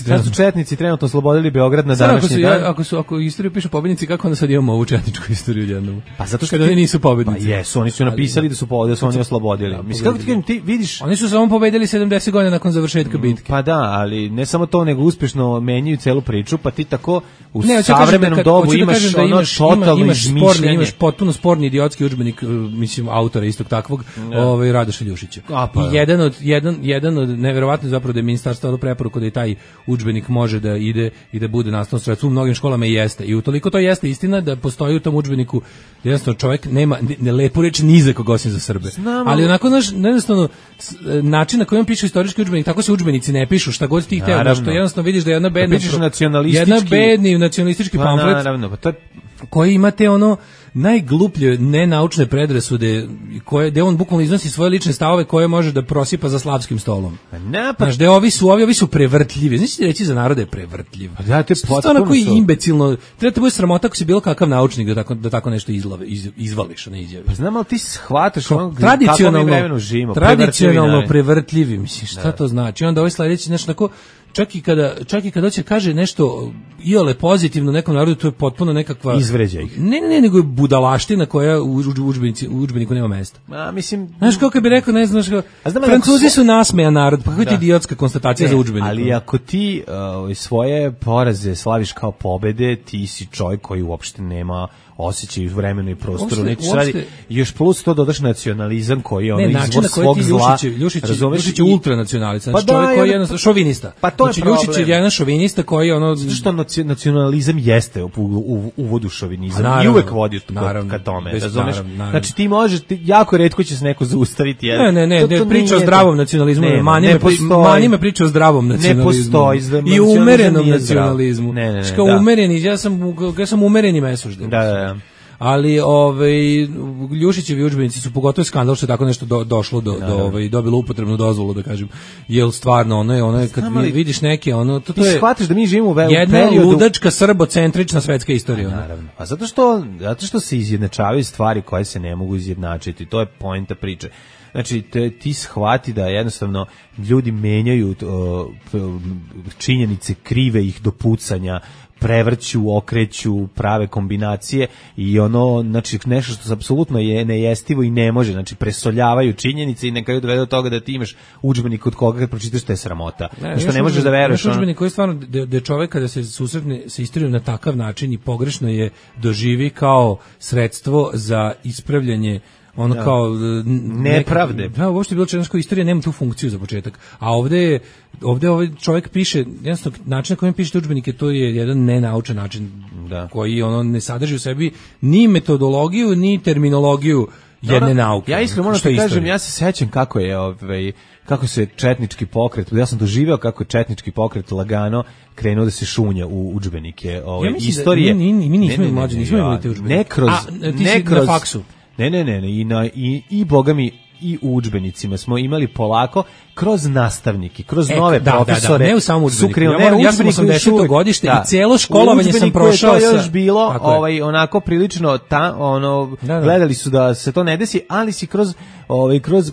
sad su četnici trenutno oslobodili Beograd na današnji dan. Ako istoriju pišu pobednici, kako onda sad imamo ovu četničku istoriju jednom? Pa zato što oni nisu pobednici. Pa jesu, oni su napisali da su oni oslobodili. Mislim, kako ti kažem, ti vidiš... Oni su samo pobedili 70 godina nakon završetka bitke. Pa da, ali ne samo to, nego uspješno menjaju celu priču, pa ti tako u savremenom dobu imaš totalno izmišljanje. Imaš potpuno sporni idiotski udžbenik, mislim, autora istog takvog, Radoša Ljušića. I jedan od neverovatno zapravo da je ministarstvo dalo preporuku da i taj udžbenik može da ide i da bude nastavno sredstvo. U mnogim školama i jeste. I utoliko to jeste istina da postoji u tom udžbeniku jednostavno čovjek nema lepu reč ni za koga osim za Srbe. Ali onako jednostavno način na koji on piše istorijski udžbenik, tako se udžbenici udžbenici ne pišu šta god ti hteo, što jednostavno vidiš da je jedna bedni nacionalistički pamflet. Naravno, pa to koji imate ono najgluplje nenaučne predrasude gde on bukvalno iznosi svoje lične stavove koje može da prosipa za slavskim stolom. Znaš, da ovi su prevrtljivi. Znači reći za narode je prevrtljiv. Da, to je potpuno koji imbecilno. Treba te bude sramota ako si bilo kakav naučnik da tako nešto izvališ, ne izjavi. Pa znam, ali ti shvataš tradicionalno prevrtljivi. Mislim, šta to znači? Onda ovaj sledeći, znači, tako, čak i kada će kaže nešto iole pozitivno nekom narodu, to je potpuno nekakva izvređa ih. Ne, nego je budalaština koja u udžbeniku nema mesta. Mislim, znaš kako bi rekao, ne znaš kako, Francuzi su nasmejan narod, pa kako je idiotska konstatacija za udžbenik. Ali ako ti svoje poraze slaviš kao pobede, ti si čovjek koji uopšte nema osjećaj u vremenu i prostoru, još plus to dodaš nacionalizam koji je izvor svog zla. Ljušić je ultranacionalista, znači čovjek koji je jednostavno šovinista. Pa to je problem. Ljušić je jedan šovinista koji je što nacionalizam jeste u uvodu šovinizam i uvek vodi ka tome, razumeš? Znači ti možeš, jako retko će se neko zaustaviti. Ne, priča o zdravom nacionalizmu, manima priča o zdravom nacionalizmu i umerenom nacionalizmu. Ja sam umereni mesužden. Da. Ali Ljušićevi udžbenici su pogotovo skandal što je tako nešto došlo dobilo upotrebnu dozvolu, da kažem. Jel stvarno ono je kad vidiš neke to je shvatiš da mi živimo u jedna ludačka srbocentrična svetska istorija. Naravno. A zato što se izjednačavaju stvari koje se ne mogu izjednačiti. To je poenta priče. Znači, ti shvati da jednostavno ljudi menjaju činjenice, krive ih do pucanja, prevrću, okreću, prave kombinacije i znači nešto što apsolutno je nejestivo i ne može, znači presoljavaju činjenice i na kraju dovede do toga da ti imaš udžbenik od koga kad pročitaš te sramota. Što ne možeš da veruješ. Udžbenik koji je stvarno da čovjek kada se susretne sa istorijom na takav način i pogrešno je doživi kao sredstvo za ispravljanje kao nepravde. Da, uopšte bilo čega, istorija nema tu funkciju za početak. A ovde ovaj čovjek piše, jednostavno način na kojem piše udžbenike, to je jedan nenaučan način koji ne sadrži u sebi ni metodologiju, ni terminologiju jedne nauke. Ja iskreno moram da kažem, ja se sećam kako se četnički pokret, ja sam doživeo kako je četnički pokret lagano krenuo da se šunja u udžbenike istorije. Mi nismo imali te udžbenike. Ne kroz faksu. Ne, i boga mi i u udžbenicima smo imali polako kroz nastavnike, kroz nove profesore. Ne u samom udžbeniku. Ja sam 80. godište i cijelo školovanje sam prošao to još bilo, onako prilično gledali su da se to ne desi, ali si kroz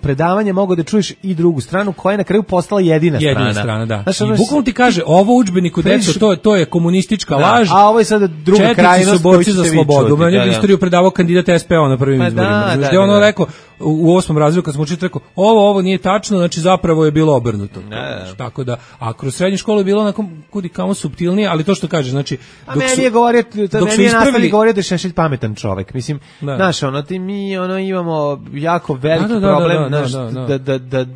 predavanje mogao da čuješ i drugu stranu koja je na kraju postala jedina strana. Da. Znači, i bukvalno ti kaže, ovo udžbeniku, deco, to je komunistička laž. A ovo je sada druga krajnost. Četnici su borci za slobodu. Meni je istoriju predavao kandidat SPO na prvim izborima. Gde ono rekao, u 8. razredu kad smo učili, rekao, ovo nije tačno, znači zapravo je bilo obrnuto. Tako da, a kroz srednju školu je bilo onako kudi kamo suptilnije, ali to što kaže, znači meni je nastavnik govorio da je Šešelj pametan čovek. Mislim, znaš, mi imamo jako veliki problem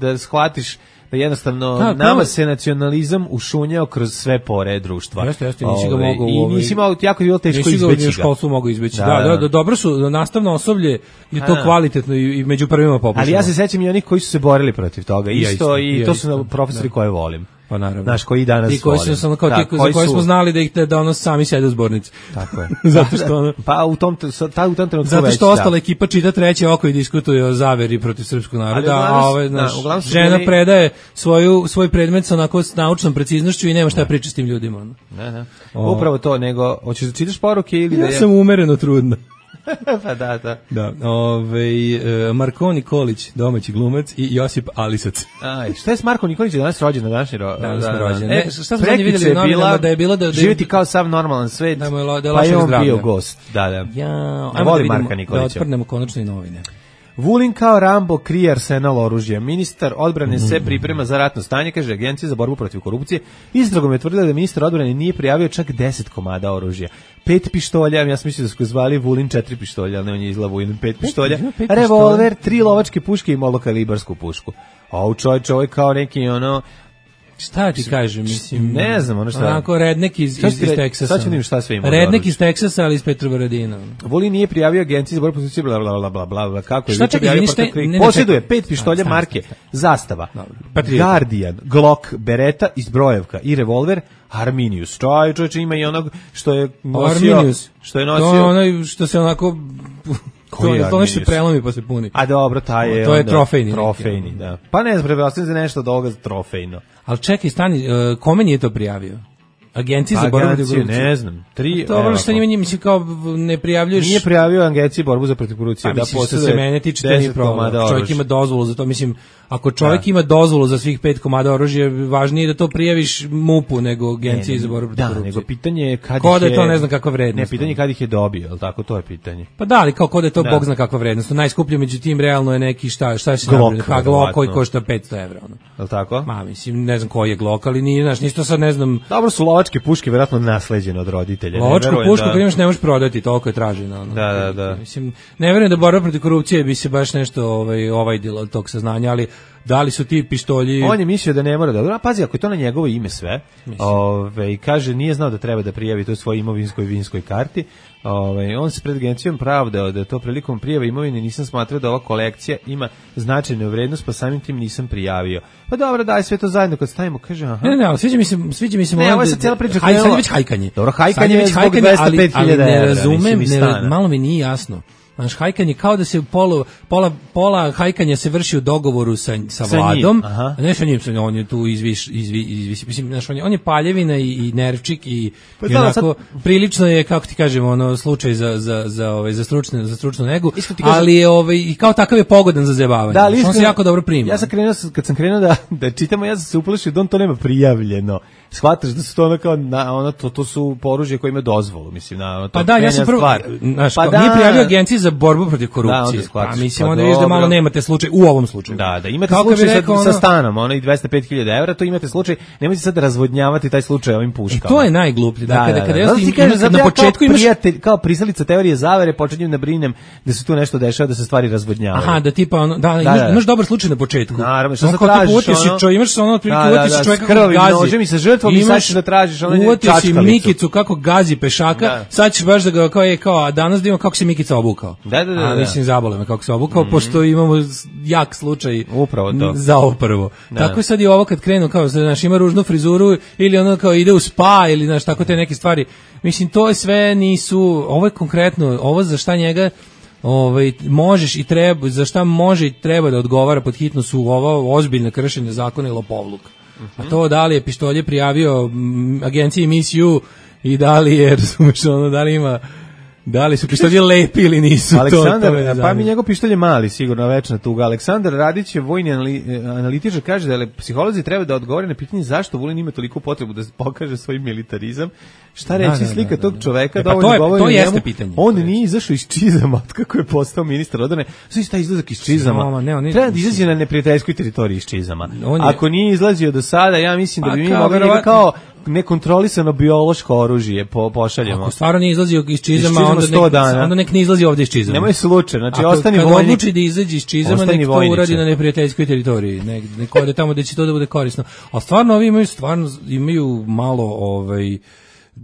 da shvatiš da jednostavno nama se nacionalizam ušunjao kroz sve pore društva. Jeste, nisi ga mogao i nisi imao, jako je bilo teško izbeći ga. Školstvo mogu izbeći. Da, dobro su, nastavno osoblje je to kvalitetno i među prvima popularno. Ali ja se sećam i onih koji su se borili protiv toga. Isto i to su profesori koje volim. Pa naravno. Znaš, koji danas volim. Za koje smo znali da sami sede u zbornici. Tako je. Zato što pa u tom trenutku zato što ostala ekipa čita treće oko i diskutuje o zaveri protiv srpskog naroda, a žena predaje svoj predmet sa onako s naučnom preciznošću i nema šta priča s tim ljudima. Ne. Upravo to, nego hoćeš da čitaš poruke ili da ja sam umereno trudna. Pa da. Marko Nikolić, domaći glumac, i Josip Alisac. Šta je s Marko Nikolić danas rođen na današnji rođen? Šta smo zadnje vidjeli u novinama da je bilo da živjeti kao sav normalan svet, pa je on bio gost. Da. Ajmo da vidimo, da otprnemo konačno i novine. Vulin kao Rambo krije arsenal oružja. Ministar odbrane se priprema za ratno stanje, kaže Agencija za borbu protiv korupcije. Istragom je tvrdila da ministar odbrane nije prijavio čak 10 komada oružja. 5 pištolja, ja sam mislio da su zvali Vulin 4 pištolja, ali ne, on je izla Vulin 5 pištolja. Revolver, 3 lovačke puške i malokalibarsku pušku. A u čovjek kao neki Šta ti kažem, mislim... Ne znam, ono šta... Onako, rednek iz Teksasa. Sad ću vidim šta sve ima. Rednek iz Teksasa, ali iz Petrovaradina. Vulin nije prijavio agenciji za borbu protiv korupcije, bla, bla, bla, kako je? Šta čekaj, posjeduje 5 pištolja marke Zastava, Guardian, Glock, Beretta iz Brojevka i revolver Arminius. Čovječe ima i onog što je nosio... Arminius. Što je nosio... To je onaj što se onako... To nešto prelomi pa se puni. A dobro, taj je... To je trofejni. Trofejni, da. Pa ne znam, prepostavljam za nešto od ovoga trofejno. Ali čekaj, stani, kome nije to prijavio? Agenciji za borbu protiv korupcije. Ne znam. Dobro što njima mislim kao ne prijavljuješ. Nije prijavio Agenciji borbu za protiv korupcije. Da posjeduje se mene tiče to nije problem. Čovjek ima dozvolu za to, mislim, ako čovjek ima dozvolu za svih 5 komada oružja, važnije da to prijaviš MUP-u nego Agenciji za borbu protiv korupcije. Da, nego pitanje je kad ko da je to ne znam kakva vrednost. Ne, pitanje je kad ih je dobio, al tako to je pitanje. Pa da, ali kao ko da je to bog zna kakva vrednost. Najskuplje međutim realno je neki šta se napravi, pa Glock koji košta 500 €, ono. Jel tako? Ma mislim, ne znam koji je Glock, ali nije, znaš, nisto sad ne znam. Dobro su lovačke puške verovatno nasleđene od roditelja. Lovačku pušku kad imaš ne možeš prodati, toliko je traženo. Ono. Da. Mislim, ne verujem da borba protiv korupcije bi se baš nešto ovajdilo od tog saznanja, ali da li su ti pištolji... On je mislio da ne mora da... Pazi, ako je to na njegovo ime sve, kaže, nije znao da treba da prijavi to svoj imovinskoj i vinskoj karti, on se pred agencijom pravdao da to prilikom prijave imovine nisam smatrao da ova kolekcija ima značajnu vrednost, pa samim tim nisam prijavio. Pa dobro, daj sve to zajedno kad stavimo, kaže, aha. Ne, ali sviđa mi se... Ne, ovo je sad cijela priča. Sad je već hajkanje. Dobro, hajkanje je zbog 205.000 €. Ali ne razumem, malo mi nije jasno. Znaš, hajkanje kao da se pola hajkanja se vrši u dogovoru sa Vladom, a ne sa njim, on je tu izvisi, mislim, znaš, on je paljevina i nervčik i onako, prilično je, kako ti kažemo, ono, slučaj za stručnu negu, ali je, i kao takav je pogodan za zajebavanje. Da, on se jako dobro prima. Ja sam krenuo, kad sam krenuo da čitamo, ja sam se uplašio da on to nema prijavljeno. Shvataš da su to ono to su oružje koje ima dozvolu, mislim, to pa da, ja sam prvo, znaš, nije prijavio Agenciji za borbu protiv korupcije. Da, mislim, onda vidiš da malo nemate slučaj u ovom slučaju. Da, imate slučaj sa stanom, ono i 205.000 €, to imate slučaj, nemojte sad razvodnjavati taj slučaj ovim puškama. To je najgluplje, da, kada na početku imaš kao pristalica teorije zavere, počinjem da brinem da se tu nešto dešava, da se stvari razvodnjavaju. Aha, da tipa ono, imaš dobar slučaj na početku. Naravno, što se tražiš, imaš ono otprilike uvatiš čovjeka kako gazi. Imaš da tražiš onaj čačkalicu. Si Mikicu kako gazi pešaka, sad ćeš baš da ga kao danas da imamo kako se Mikica obukao. Da. Mislim, zabole me kako se obukao, pošto imamo jak slučaj upravo to. Za ovo prvo. Tako sad i ovo kad krenu, kao, znaš, ima ružnu frizuru ili ono kao ide u spa ili, znaš, tako te neke stvari. Mislim, to je sve nisu, ovo je konkretno, ovo za šta njega možeš i treba, za šta može i treba da odgovara pod hitno su ovo ozbiljne kršenje zakona i lopovluk. A to da li je pištolje prijavio agenciji Miss You i da li je, razumeš, ono, da li su pištolje lepi ili nisu. Aleksandar, pa mi njegov pištolj je mali, sigurno, večna tuga. Aleksandar Radić je vojni analitičar, kaže da psiholozi treba da odgovore na pitanje zašto Vulin ima toliko potrebu da pokaže svoj militarizam. Šta reći, slika tog čoveka da ovo ne govori o njemu. On nije izašao iz čizama kako je postao ministar odbrane. Sve šta izlazak iz čizama. Treba da izađe na neprijateljskoj teritoriji iz čizama. Ako nije izlazio do sada, ja mislim da bi mi mogli kao nekontrolisano biološko oružje pošaljemo. Ako stvarno nije izlazio iz čizama, onda nek ne izlazi ovdje iz čizama. Nemoj slučaj, znači ostani vojnik. Kad odluči da izađe iz čizama, nek to uradi na neprijateljskoj teritoriji. Nek ode tamo gde će to da bude korisno. A stvarno ovi imaju malo,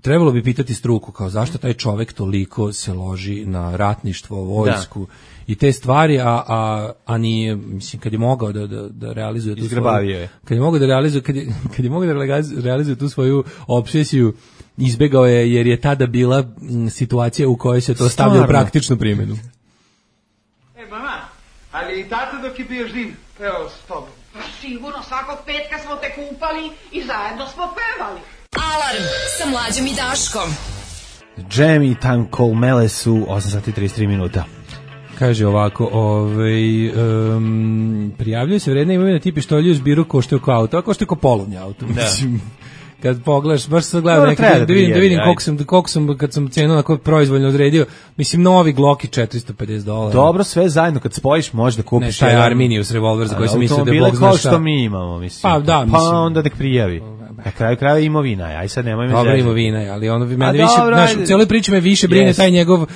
trebalo bi pitati struku, kao zašto taj čovek toliko se loži na ratništvo, vojsku i te stvari, a nije, mislim, kad je mogao da realizuje tu svoju, kad je mogao da realizuje tu svoju obsesiju, izbegao je jer je tada bila situacija u kojoj se to stavlja u praktičnu primjenu. Mama, ali i tata dok je bio živ, evo s tobom. Sigurno, svakog petka smo te kupali i zajedno smo pevali. Alarm sa Mlađom i Daškom. Jam i Time Call Mele su 8:33 minuta. Kaže ovako, prijavljaju se vredne imovine ti pištolji u zbiru koštaju kao auto, a koštaju kao polovnje auto. Mislim, kad pogledaš, baš se gledam da vidim koliko sam, kad sam cenu onako proizvoljno odredio, mislim, novi Glock i $450. Dobro, sve zajedno, kad spojiš, možeš da kupiš. Ne, taj Arminius revolver za koji sam mislio da je bog zna šta. Kao što mi imamo, mislim. Pa da, mislim. Pa onda nek prijavi. Na kraju krajeva imovina, aj sad nemoj me Dobro zezati. imovina, ali ono mene više, znaš, u cijeloj priči me više brine taj njegov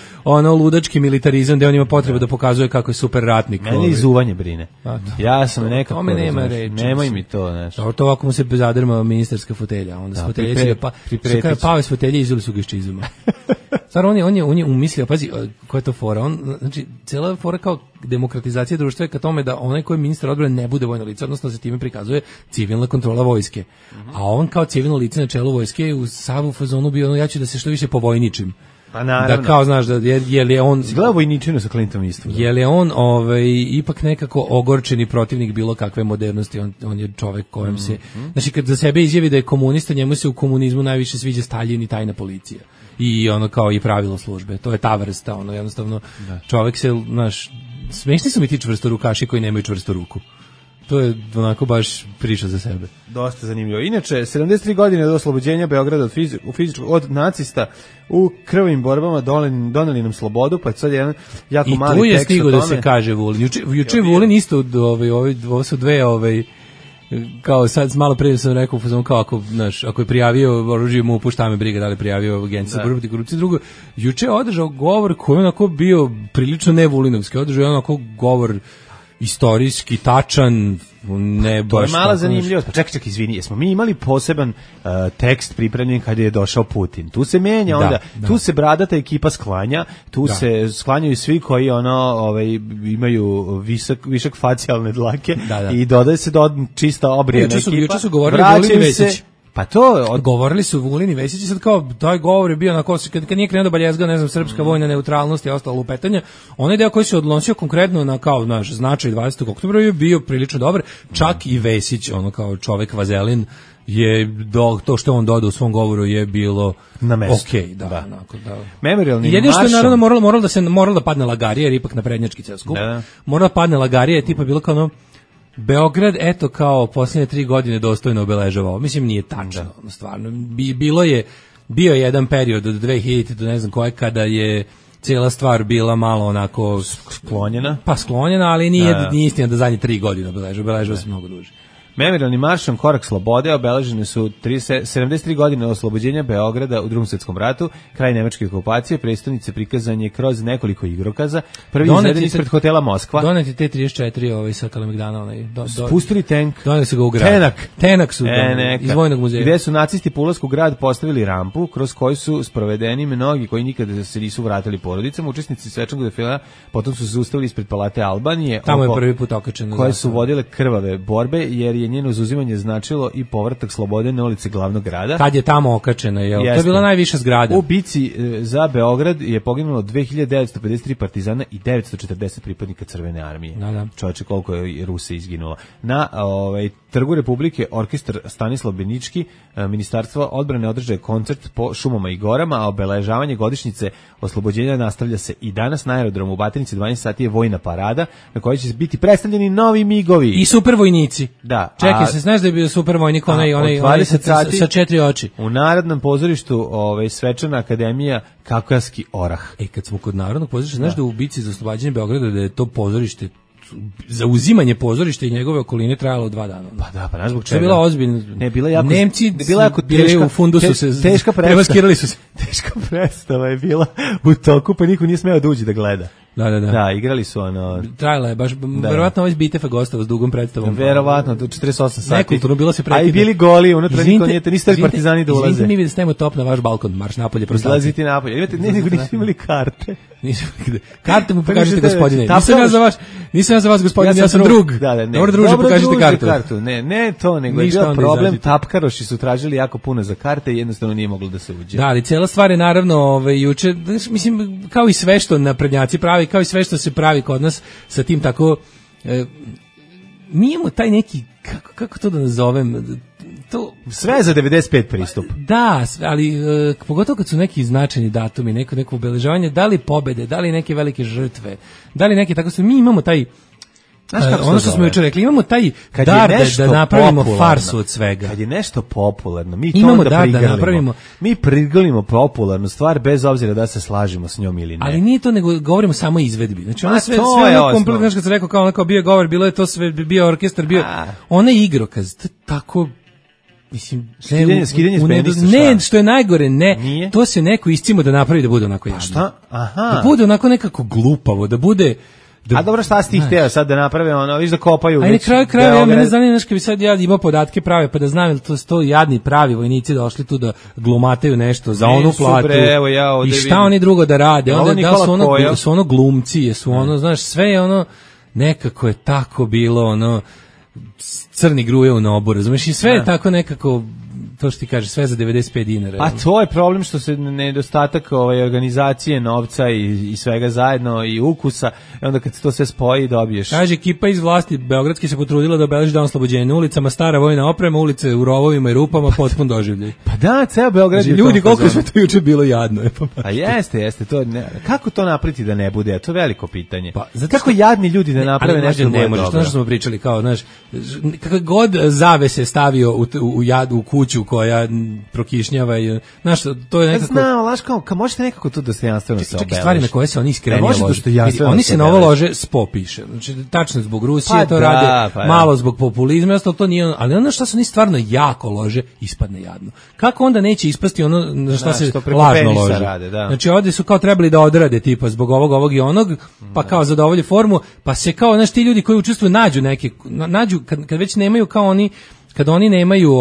ludački militarizam gde on ima potrebu da pokazuje kako je super ratnik. Mene izuvanje brine. Ja sam nekako... Tome nema reči. Nemoj mi to, znaš. To ovako mu se zadrma ministarska fotelja, onda s fotelje će ga pao iz fotelje i izuli su ga iz čizuma. Stvarno, on je umislio, pazi, koja je to fora? Znači, cijela fora kao demokratizacija društva je ka tome da onaj koji je ministar odbrane ne bude vojno lice, odnosno se time prikazuje civilna kontrola vojske. A on kao civilno lice na čelu vojske u savu fazonu bio ja ću da se što više povojničim. Pa naravno. Da kao, znaš, da je on... Si gledao Vojničinu sa Clintonom isto? Je on ipak nekako ogorčeni protivnik bilo kakve modernosti, on je čovek kojem se... Znači, kad za sebe izjavi da je komunista, njemu se u komunizmu najviše sviđa Staljin i tajna policija. I ono kao i pravilo službe. To je ta vrsta, jednostavno čovek se, znaš, smešni su mi ti čvrstorukaši koji nemaju čvrstu ruku. To je onako baš priča za sebe. Dosta zanimljivo. Inače, 73 godine do oslobođenja Beograda od nacista u krvavim borbama doneli nam slobodu, pa sad jedan jako mali tekst o tome. I tu je stigao da se kaže Vulin. Juče Vulin isto, ovo su dve, kao sad malo prije sam rekao kao ako je prijavio oružje mu pušta me briga da li prijavio agenciju za borbu protiv korupcije. Drugo, juče je održao govor koji je onako bio prilično ne Vulinovski, održao je onako govor istorijski, tačan, ne baš... To je mala zanimljivost. Pa čekaj, izvini, jesmo mi imali poseban tekst pripremljen kad je došao Putin. Tu se menja onda, tu se bradata ekipa sklanja, tu se sklanjaju svi koji imaju višak facijalne dlake i dodaje se čista obrijena ekipa. Juče su govorili Vulin i Vesić. Pa to govorili su Vulin i Vesić, sad kao taj govor je bio onako kad nije krenuo baljezga, ne znam, srpska vojna neutralnost i ostalo lupetanje. Onaj deo koji se odnosio konkretno na kao naš značaj 20. oktobra je bio prilično dobar. Čak i Vesić, ono kao čovek vazelin je to što on dodao u svom govoru je bilo na mestu. Okej, da. Memorialni jedino što je naravno moralo da padne lagarija, jer ipak na prednjački ceo skup. Moralo da padne lagarija, je tipa bilo kao Beograd, eto kao posljednje 3 godine dostojno obeležavao. Mislim, nije tačno, stvarno. Bio je jedan period od 2000 do ne znam koje, kada je cijela stvar bila malo onako sklonjena. Pa sklonjena, ali nije istina da zadnje 3 godine obeležava se mnogo duže. Memorialni maršom Korak slobode obeležene su 73 godine oslobođenja Beograda u Drugom svjetskom ratu, kraj nemačke okupacije, prestonice prikazan je kroz nekoliko igrokaza. Prvi izveden ispred hotela Moskva. Doneti T-34 sa Kalemegdana. Spustili tank. Doneli su ga u grad. Tenak su iz Vojnog muzeja. Gde su nacisti po ulasku u grad postavili rampu, kroz koju su sprovedeni mnogi koji nikada se nisu vratili porodicama. Učesnici svečanog defila potom su se zaustavili ispred Palate Albanije. Tamo je prvi put okačeno. Koje su vodile krvave borbe, jer je njeno zauzimanje značilo i povratak slobode na ulici glavnog grada. Kad je tamo okačena, to je bila najviša zgrada. U bici za Beograd je poginulo 2953 partizana i 940 pripadnika Crvene armije. Čovječe, koliko je Rusa izginulo. Na Trgu Republike orkestar Stanislav Benički, Ministarstvo odbrane održaje koncert po šumama i gorama, a obeležavanje godišnjice oslobođenja nastavlja se i danas na aerodromu u Batajnici. 12 sati je vojna parada na kojoj će biti predstavljeni novi migovi. I super vojnici. Da. Čekaj, se znaš da je bio super vojnik onaj sa 4 oči. U Narodnom pozorištu svečana akademija Kavkaski orah. Kad smo kod Narodnog pozorišta, znaš da u bici za oslobađanje Beograda da je to pozorište za uzimanje pozorišta i njegove okoline trajalo 2 dana. Pa znaš zbog čega? To je bila ozbiljna. Ne, bila jako, Nemci bila jako teška, u fundusu teška premaskirali su se. Teška predstava je bila u toku, pa niko nije smeo da uđe da gleda. Da, igrali su Trajala je baš, verovatno ovaj Bitefa gostava s dugom predstavom. Verovatno, do 48 sati. Nekulturno, bilo se prekida. A i bili goli, unutra niko niste partizani da ulaze. Izvinite mi da stavimo top na vaš balkon, marš napolje. Izlaziti napolje. Imate, nego nisu imali karte. Karte mu pokažite, gospodine. Nisam ja za vas, gospodine, ja sam drug. Dobro, druže, pokažite kartu. Ne to, nego je bio problem, tapkaroši su tražili jako puno za karte i jednostavno nije moglo da se uđe. Da, ali cijela stvar je naravno juče, mislim, kao i sve što naprednjaci pravi, kao i sve što se pravi kod nas sa tim tako, mi imamo taj neki, kako to da nazovem, to sve za 95 pristup. Da, ali pogotovo kad su neki značajni datumi, neko obeležavanje, da li pobede, da li neke velike žrtve, da li neke tako sve, mi imamo taj ono što smo jučer rekli, imamo taj dar da napravimo farsu od svega. Kad je nešto popularno, mi to onda prigrlimo. Mi prigrlimo popularnu stvar bez obzira da se slažemo s njom ili ne. Ali nije to, nego govorimo samo o izvedbi. Znači ona sve kompletno, znači kad se rekao kao bio govor, bilo je to sve, bio orkestar, bio onaj igrokaz, tako Mislim, skidanje s penisa, ne, što je najgore, nije? To se neko iscimo da napravi da bude onako jadno. Šta? Aha. Da bude onako nekako glupavo, da bude... A dobro, šta si ti hteo sad da naprave ono, viš da kopaju. A na kraju krajeva, ja mene zanima nešto, bi sad ja imao podatke prave, pa da znam, to su to jadni pravi vojnici došli tu da glumataju nešto za onu platu. I šta oni drugo da rade? Onda da su ono glumci, su ono, znaš, sve je ono, nekako je tako bilo, ono, crni gruje u nobu, razumiješ, i sve je tako nekako, to što ti kaže, sve za 95 dinara. A to je problem što se nedostatak organizacije, novca i svega zajedno i ukusa, i onda kad se to sve spoji dobiješ. Kaže, ekipa iz vlasti beogradski se potrudila da obeleži dan oslobođenja na ulicama, stara vojna oprema, ulice u rovovima i rupama, potpun doživljaj. Pa da, ceo Beograd je ljudi, koliko sve to juče bilo jadno. A jeste, to kako to napraviti da ne bude? To je veliko pitanje. Pa, kako jadni ljudi da naprave nešto ne može, što smo pričali, kao, znaš, kako god zavese stavio u kuću koja prokišnjava i znaš, to je nekako... Znao, laš, kao možete nekako to dostojanstveno se obeleži. Čak i stvari na koje se oni iskrenije lože. Oni se na ovo lože SPO piše. Znači, tačno zbog Rusije to rade, malo zbog populizma, ostalo to nije ono, ali ono što se oni stvarno jako lože, ispadne jadno. Kako onda neće ispasti ono na šta se lažno lože? Znači, ovdje su kao trebali da odrade, tipa, zbog ovog i onog, pa kao zadovolje formu, pa se kao, znaš, ti ljudi koji učestvuju nađu, kad već nemaju kao oni, kad oni nemaju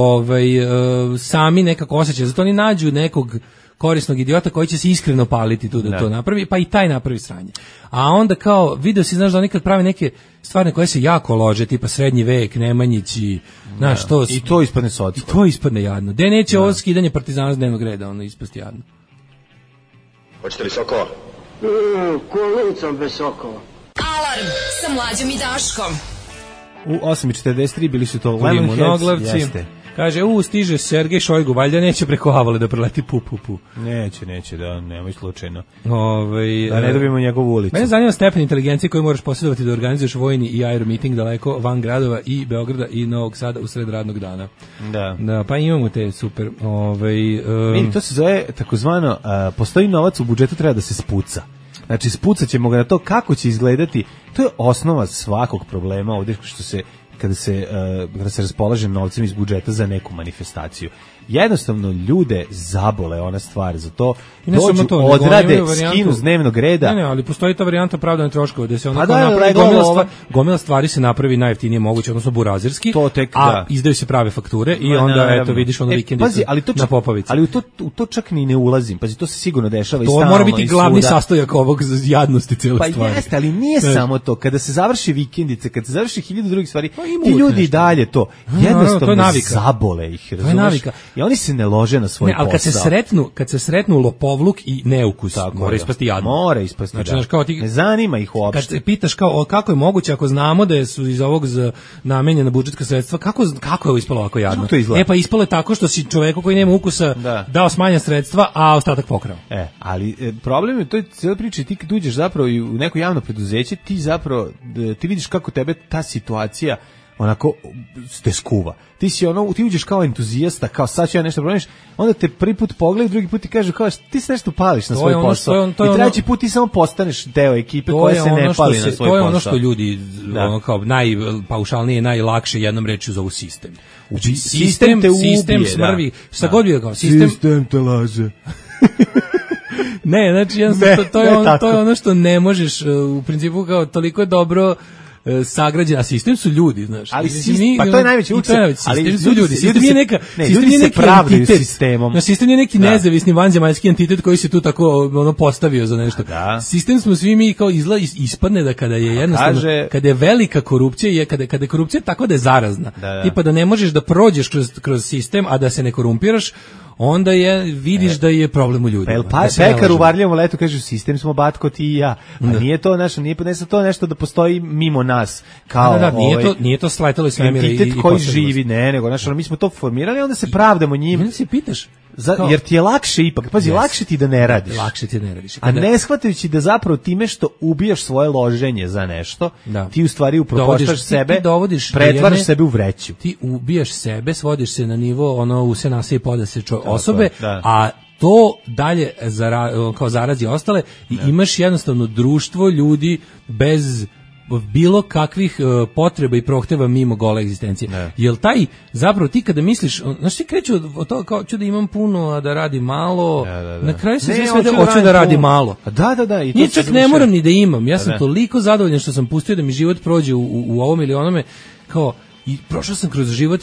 sami nekako osjećaj, zato oni nađu nekog korisnog idiota koji će se iskreno paliti tu da to napravi, pa i taj napravi sranje. A onda kao, video si, znaš, da oni kad pravi neke stvari koje se jako lože, tipa srednji vek, Nemanjići, znaš, to... I to ispadne socko. I to ispadne jadno. De neće ovo skidanje Partizana s dnevnog reda, ono ispasti jadno. Hoćete li sokova? Kolicom bez sokova. Alarm sa Mlađom i Daškom. U 8.43 bili su to Lemonheads, jeste. Kaže, stiže Sergej Šojgu, valjda neće preko Avale da preleti pu. Neće, da, nemoj slučajno. Da ne dobijemo njegovu ulicu. Mene zanima stepen inteligencije koju moraš posjedovati da organizuješ vojni i aeromiting daleko van gradova i Beograda i Novog Sada u sred radnog dana. Da, pa imamo te super. To se zove takozvano, postoji novac u budžetu, treba da se spuca. Znači, spucat ćemo ga na to kako će izgledati. To je osnova svakog problema ovdje kada se raspolaže novcem iz budžeta za neku manifestaciju. Jednostavno ljude zabole ona stvar, za to dođu, odrade, skinu s dnevnog reda. Ne, ali postoji ta varijanta opravdane troškove, gde se napravi gomila stvari se napravi najjeftinije moguće, odnosno burazirski, izdaju se prave fakture i onda vidiš ono vikendicu na Popovici. Ali u to čak ni ne ulazim, pazi, to se sigurno dešava i stalno. To mora biti glavni sastojak ovog jadnosti cele stvari. Pa jeste, ali nije samo to. Kada se završi vikendice, kada se završi 1000 drugih stvari, ti ljudi i dalje to jednostavno zabole ih, razumeš? I oni se ne lože na svoj posao. Ali kad se sretnu lopovluk i neukus, mora ispasti jadno. Mora ispasti, ne zanima ih uopšte. Kad se pitaš kako je moguće, ako znamo da su iz ovog namenjena budžetska sredstva, kako je ovo ispalo ovako jadno? Pa ispalo je tako što si čoveku koji nema ukusa dao smanjena sredstva, a ostatak pokrao. Ali problem je, to je cijela priča, ti kad uđeš zapravo u neko javno preduzeće, ti vidiš kako tebe ta situacija onako te skuva. Ti uđeš kao entuzijasta, kao sad ću ja nešto promeniš, onda te prvi put pogledaju, drugi put ti kažu kao ti se nešto pališ na svoj posao. I treći put ti samo postaneš deo ekipe koja se ne pali na svoj posao. To je ono što ljudi kao najpaušalnije, najlakše jednom rečju zovu sistem. Znači, sistem te ubije, smrvi, šta god bi kao sistem te laže. Ne, znači to je ono što ne možeš u principu kao toliko dobro sagrađen, a sistem su ljudi, znaš. Ali to je najveći učinak. Sistem su ljudi. Sistem je neka, ljudi se pravdaju sistemom. No, sistem je neki nezavisni vanzemaljski entitet koji se tu tako postavio za nešto. Sistem smo svi mi kao ispadne da kada je jednostavno, kada je velika korupcija, kada je korupcija tako da je zarazna. Tipa da ne možeš da prođeš kroz sistem, a da se ne korumpiraš, onda vidiš da je problem u ljudima. Pekar u Varljevom Letu kaže, sistem smo Batko ti i ja. Pa nije to nešto da postoji mimo nas. Kao, nije to sletalo iz svemira i entitet koji živi, nego mi smo to formirali, onda se pravdamo njim. Onda se pitaš. Jer ti je lakše ipak, pazi, lakše ti da ne radiš. A ne shvatajući da zapravo time što ubijaš svoje loženje za nešto, ti u stvari upropaštaš sebe, pretvaraš sebe u vreću. Ti ubijaš sebe, svodiš se na nivo u se nase i poda se osobe, a to dalje kao zarazi ostale i imaš jednostavno društvo ljudi bez bilo kakvih potreba i prohteva mimo gole egzistencije. Jel taj, zapravo ti kada misliš, znaš ti kreću od toga kao ću da imam puno, a da radim malo, na kraju se sve svede hoću da radim malo. Da. I čak ne moram ni da imam, ja sam toliko zadovoljan što sam pustio da mi život prođe u ovom ili onome, kao i prošao sam kroz život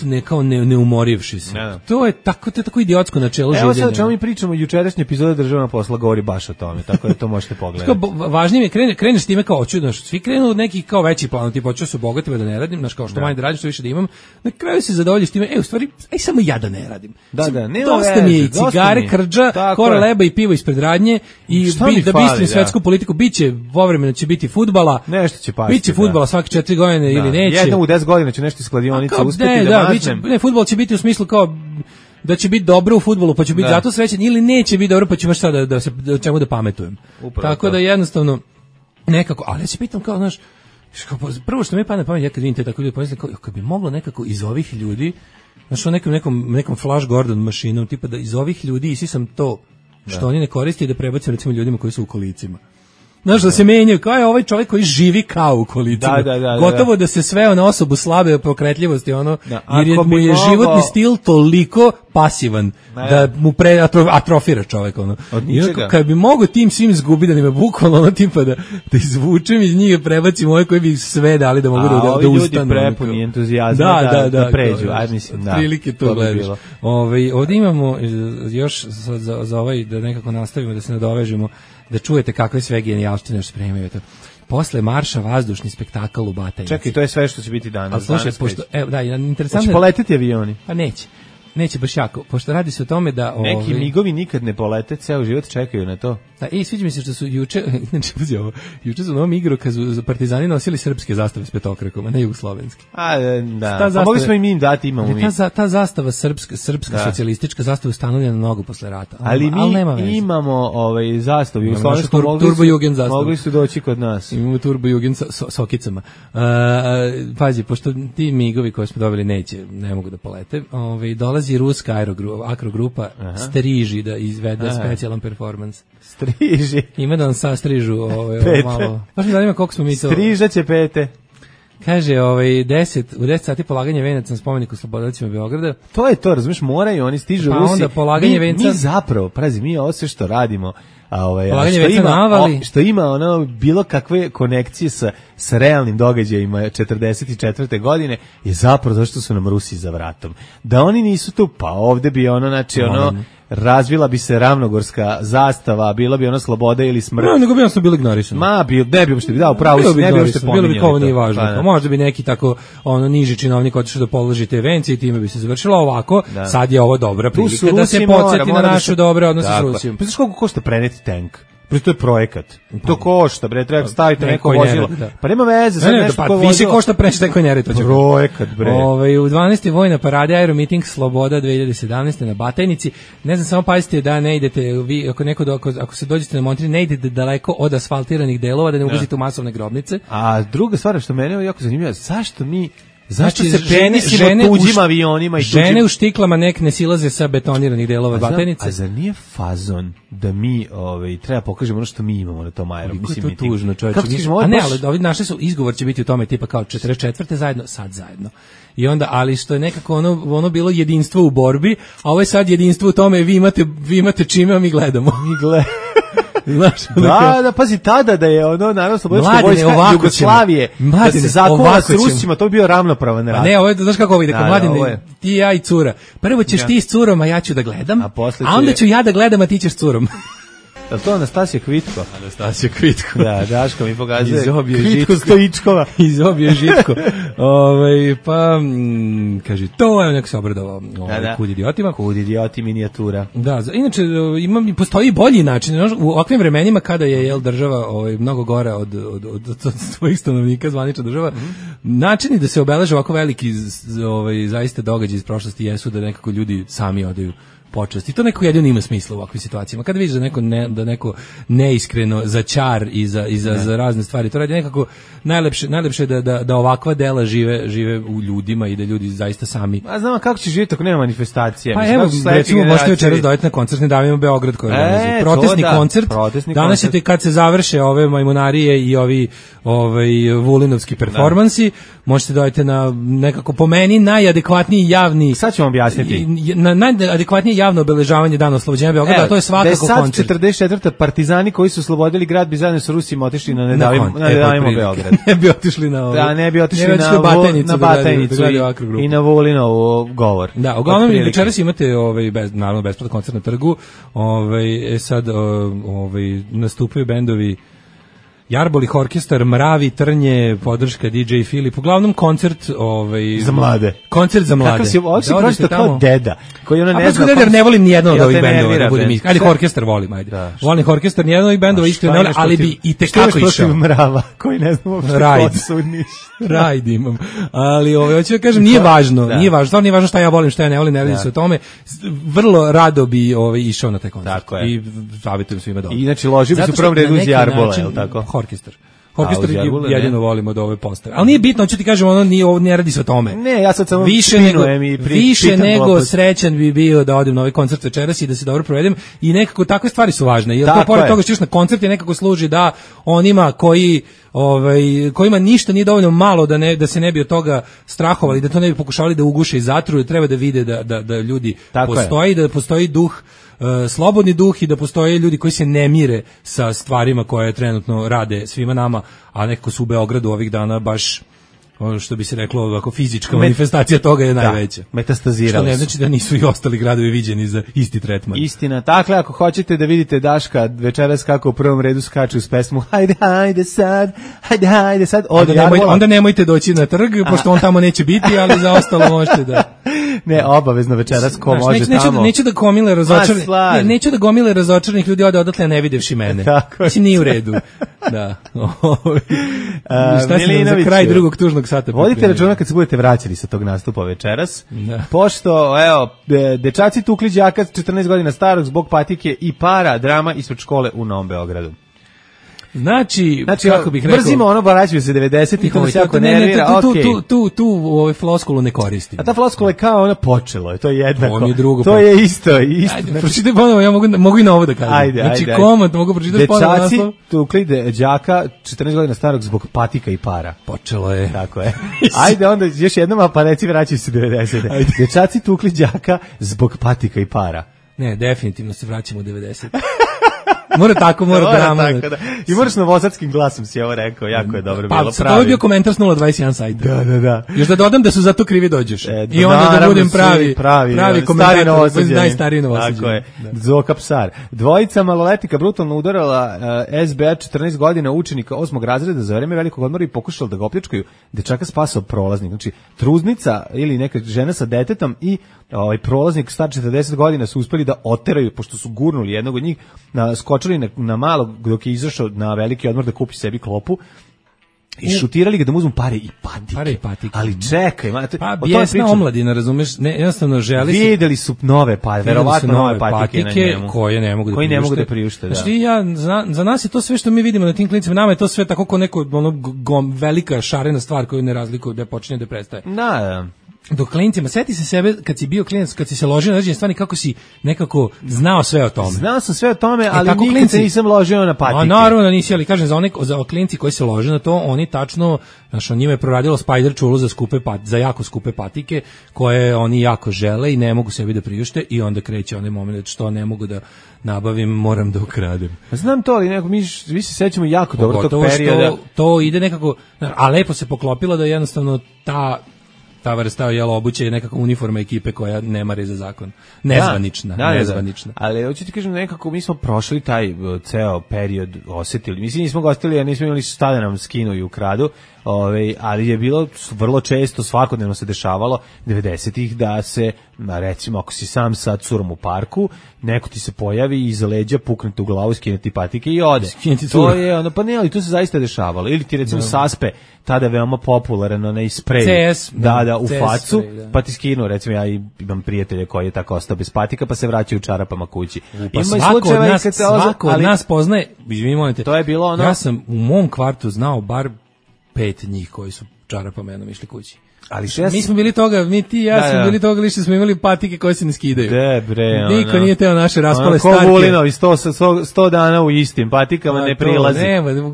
ne umorivši se. To je tako idiotsko načelo življenja. Evo sad čemu mi pričamo, jučerašnja epizoda Državnog posla govori baš o tome, tako da to možete pogledati. Važnije mi je kreneš s time kao hoću, znaš, svi krenu od nekih kao većih plana, tipa hoću se obogatim da ne radim, znaš, kao što manje da radim, što više da imam, na kraju se zadovoljiš time, u stvari, samo ja da ne radim. Dosta mi je i cigare, krđa, kora leba i pivo ispred radnje i da bistrim svetsku politiku, biće, povremeno će biti fudbala, nešto će pasti. Biće fudbala svake 4 godine ili neće. Jednom u 10 godina će nešto kladionice uspeti da maznem. Ne, fudbal će biti u smislu kao da će biti dobro u fudbalu, pa će biti zato srećan, ili neće biti dobro, pa ću baš sad da čemu da pametujem. Upravo tako da jednostavno nekako, ali ja se pitam kao, znaš, prvo što mi pada na pamet, ja kad vidim te tako ljudi, pomislim kao, kad bi moglo nekako iz ovih ljudi, znaš, o nekom Flash Gordon mašinom, tipa da iz ovih ljudi isisam to što oni ne koriste i da prebacim recimo ljudima koji su u kolicima. Znaš, da se menjaju, kao je ovaj čovjek koji živi kao u kolicima. Gotovo da se sveo na osobu slabe pokretljivosti, jer mu je životni stil toliko pasivan, da mu atrofira čovjek, I kad bi mogo tim svim zgubi, da nima bukvalno, tipa da izvučem iz njih, prebacim ove koji bi sve dali da mogu da ustanu. A ovi ljudi prepuni entuzijazma da pređu. Prilike to gledaš. Ovdje imamo još za ovaj, da nekako nastavimo, da se nadovežemo, da čujete kakve sve genijalštine što spremaju. Posle marša vazdušni spektakl u Batajnici. Čekaj, to je sve što će biti danas. Ali slušaj, pošto, interesantno... Hoće poleteti avioni? Pa neće baš jako, pošto radi se o tome da... Neki migovi nikad ne polete, ceo život čekaju na to. Da, sviđa mi se što su juče su na ovom igrokazu Partizani nosili srpske zastave s petokrakom, a ne jugoslovenski. Da, pa mogli smo i mi im dati, imamo mi. Ta zastava srpska socijalistička zastava ustanovljena mnogo posle rata. Ali mi imamo zastavu jugoslovensku, mogli su doći kod nas. Imamo Turbo Jugend s okicama. Pazi, pošto ti migovi koje smo dobili ne mogu da polete, dolazi ruska akrogrupa Striži da izvede specijalan performans. Striži. Ima da nam sastrižu malo. Baš mi zanima koliko smo mi to... Striža će pete. Kaže, u 10 sati polaganje venaca na spomeniku Slobodovcima Beograda. To je to, razumiješ, moraju, oni stižu pa Rusi. Onda polaganje venca... Mi zapravo, mi ovo sve što radimo, što ima bilo kakve konekcije sa realnim događajima 44. godine je zapravo zašto su nam Rusi za vratom. Da oni nisu tu, pa ovde bi razvila bi se ravnogorska zastava, bila bi sloboda ili smrt. Nego bi bili ignorisani. Ne bi uopšte dao pravo, ne bi uopšte pominjali. Bilo bi kao nije važno. Pa možda bi neki tako niži činovnik otišao da položi te vence i time bi se završilo ovako. Sad je ovo dobra prilika da se podsjeti na naše dobre odnose s Rusijom. Pa znaš koliko košta preneti tank? To je projekat. To košta, treba staviti neko vozilo. Pa nema veze, sad nešto ko vozilo. Više košta preneti neko Neretva. Projekat, bre. U 12. vojna parada Aeromeeting Sloboda 2017. na Batajnici. Ne znam, samo pazite da ne idete, vi, ako se dođete na Montri, ne idete daleko od asfaltiranih delova, da ne ulazite u masovne grobnice. A druga stvar što mene je jako zanimljiva, zašto se penisimo tuđim avionima i žene u štiklama ne silaze sa betoniranih delova Batajnice? A zar nije fazon da mi treba pokažemo ono što mi imamo na tom aerodromu? Mislim, je to tužno, čovječe. Ali ovi naše izgovor će biti u tome tipa kao 44. zajedno, sad zajedno. I onda, ali što je nekako ono bilo jedinstvo u borbi, a ovo je sad jedinstvo u tome, vi imate čime, a mi gledamo. Pazi, tada da je naravno Slobodička vojska Jugoslavije, da se zakova s Rusima, to bi bio ravnopravan rat. Ne, ovo je, znaš kako ovo ide, Mladine, ti, ja i cura. Prvo ćeš ti s curom, a ja ću da gledam, a onda ću ja da gledam, a ti ćeš s curom. Je to Anastasija Kvitko? Anastasija Kvitko. Da, Daško mi pokazuje. Kvitko Stojičkova. Izobio Žitko. Pa, kaže, to je neko se obradovao Kud idiotima. Kud idioti minijatura. Da, inače, postoji bolji način. U ovakvim vremenima kada je država mnogo gore od svojih stanovnika, zvanična država, načini da se obeleže ovako veliki zaista događaj iz prošlosti jesu da nekako ljudi sami odaju počast. I to neko jedino ima smisla u ovakvim situacijama. Kada vidiš da neko neiskreno za čar i za razne stvari, to radi nekako najlepše da ovakva dela žive u ljudima i da ljudi zaista sami. A znamo kako će živjeti ako nema manifestacije. Pa evo, recimo, možete večeras dojeti na koncert Ne davimo Beograd koji je protestni koncert. Danas ćete kad se završe ove majmunarije i ovi vulinovski performansi, možete dojeti na nekako po meni najadekvatniji javni. Sad ćemo objasniti. Najadekvatnije javno obeležavanje Dana oslobođenja Beograda, a to je svakako koncert. 44. partizani koji su oslobodili grad bi zajedno sa Rusima otišli na Ne davimo Beograd. Ne bi otišli na ovo. Da, ne bi otišli na Batajnicu i na Vulinovu govor. Da, uglavnom večeras imate naravno besplatan koncert na trgu. Sad nastupaju bendovi Jarbolih orkestar, Mravi, Trnje, podrška DJ Filip. Uglavnom koncert za mlade. Koncert za mlade. Kako si pročito kao deda, koji ona ne zna. Ne volim ni jedno od ovih bendova, da budem iskren. Ajde, orkestar volim, ajde. Volim orkestar, ni jedno od ovih bendova isto ne volim, ali bi i tekako išao. Mrava, koji ne znam uopšte ko su niš. Rajd imam. Ali hoću da kažem, nije važno, stvarno nije važno šta ja volim, šta ja ne volim, ne radi se o tome. Vrlo rado bi išao na taj koncert. I savjetujem svima dobro. Inače, ložio bi se u prvom redu iz Jarbola, je li tako? Orkestar jedino volimo od ove postave. Ali nije bitno, hoću ti kažem, ovo ne radi se o tome. Ne, ja sad samo više nego srećan bi bio da odem na ovaj koncert večeras i da se dobro provedem i nekako takve stvari su važne. Jer to pored toga što još na koncert je nekako služi da onima kojima ništa nije dovoljno malo da se ne bi od toga strahovali, da to ne bi pokušavali da uguše i zatruju, treba da vide da ljudi postoji, da postoji duh, slobodni duh i da postoje ljudi koji se ne mire sa stvarima koje trenutno rade svima nama, a nekako su u Beogradu ovih dana baš ono što bi se reklo ovako fizička manifestacija toga je najveća. Metastazirali što ne znači da nisu i ostali gradovi viđeni za isti tretman. Istina, dakle ako hoćete da vidite Daška večeras kako u prvom redu skače uz pesmu Hajde sad onda nemojte doći na trg, pošto on tamo neće biti, ali za ostalo možete da... Ne, obavezno večeras ko može tamo. Neću da gomile razočaranih ljudi ode odatle ne videvši mene. Znači nije u redu. Da. Šta si za kraj drugog tužnog sata? Vodite računa kad se budete vraćali sa tog nastupa večeras. Pošto, dečaci tukli đaka 14 godina starog zbog patike i para, drama ispred škole u Novom Beogradu. Znači kako bih rekao, brzimo vraćaju se 90-ih, to se jako nervira, tu u floskulu ne koristim. A ta floskula je kao počelo je, to je jednako. To je isto. Pročitaj ponovo, ja mogu i na ovo da kažem. Ajde. Komad mogu pročitati ponovo. Dečaci tukli đaka 14 godina starog zbog patika i para. Počelo je. Tako je. Ajde onda još jednom, pa reci vraćaju se 90-ih. Dečaci tukli đaka zbog patika i para. Ne, definitivno se vraćamo u 90. Mora drama. I moraš novosadskim glasom si ovo rekao, jako je dobro bilo. Pa, to je bio komentar s 021 sajta. Da. Još da dodam da su zato krivi dođeš. I onda da budem pravi komentator, najstariji novosađeni. Tako je, Zoka Psar. Dvojica maloletnika brutalno udarala SBA 14 godina učenika 8. razreda za vreme velikog odmora i pokušala da ga opljačkaju. Dečaka spasao prolaznik. Znači, trudnica ili neka žena sa detetom i prolaznik star 40 godina su uspeli da oteraju, pošto su gurnuli jednog od njih, skočili na malo dok je izašao na veliki odmor da kupi sebi klopu i šutirali ga da mu uzmu pare i patike. Ali čekaj, bijesna omladina, razumeš, jednostavno želi se... Videli su nove patike, verovatno nove patike na njemu. Koje ne mogu da priušte. Znači, za nas je to sve što mi vidimo na tim klinicima, nama je to sve tako kao neko velika šarena stvar koju ne razlikuje da počinje da prestaje. Da. Dok klinicima, sjeti se sebe kad si bio klinac, kad si se ložio na određene stvari, kako si nekako znao sve o tome. Znao sam sve o tome, ali nikad se nisam ložio na patike. A naravno da nisi, ali kažem, za klinci koji se lože na to, oni tačno, njima je proradilo Spider čulu za jako skupe patike, koje oni jako žele i ne mogu sebi da priušte i onda kreće onaj moment što ne mogu da nabavim, moram da ukradem. Znam to, ali nekako mi se sećamo jako dobro tog perioda. To ide nekako, a lepo se poklopilo da jednostavno ta vrsta obuće je nekako uniforma ekipe koja ne mari za zakon. Nezvanična. Ali hoću ti kažem, nekako mi smo prošli taj ceo period, osetili. Mislim, nismo gostili, nismo imali šta da nam skinu i ukradu, ali je bilo vrlo često, svakodnevno se dešavalo 90-ih da se, recimo, ako si sam sa curom u parku, neko ti se pojavi i iza leđa pukne u glavu, skine ti patike i ode. To je, pa ne, ali to se zaista dešavalo. Ili ti recimo saspe, tada veoma popularan onaj sprej. CS. Da, patika u facu, pa ti skinu, recimo ja imam prijatelje koji je tako ostao bez patika, pa se vraćaju u čarapama kući. Pa svako od nas poznaje, to je bilo ono... Ja sam u mom kvartu znao bar 5 njih koji su čarapama jednom išli kući. Ali mi smo bili toga, mi ti i ja smo bili toga lišće, smo imali patike koje se ne skidaju. Niko nije teo naše raspale starke. Ko Vulinovi 100 dana u istim patikama ne prilazi.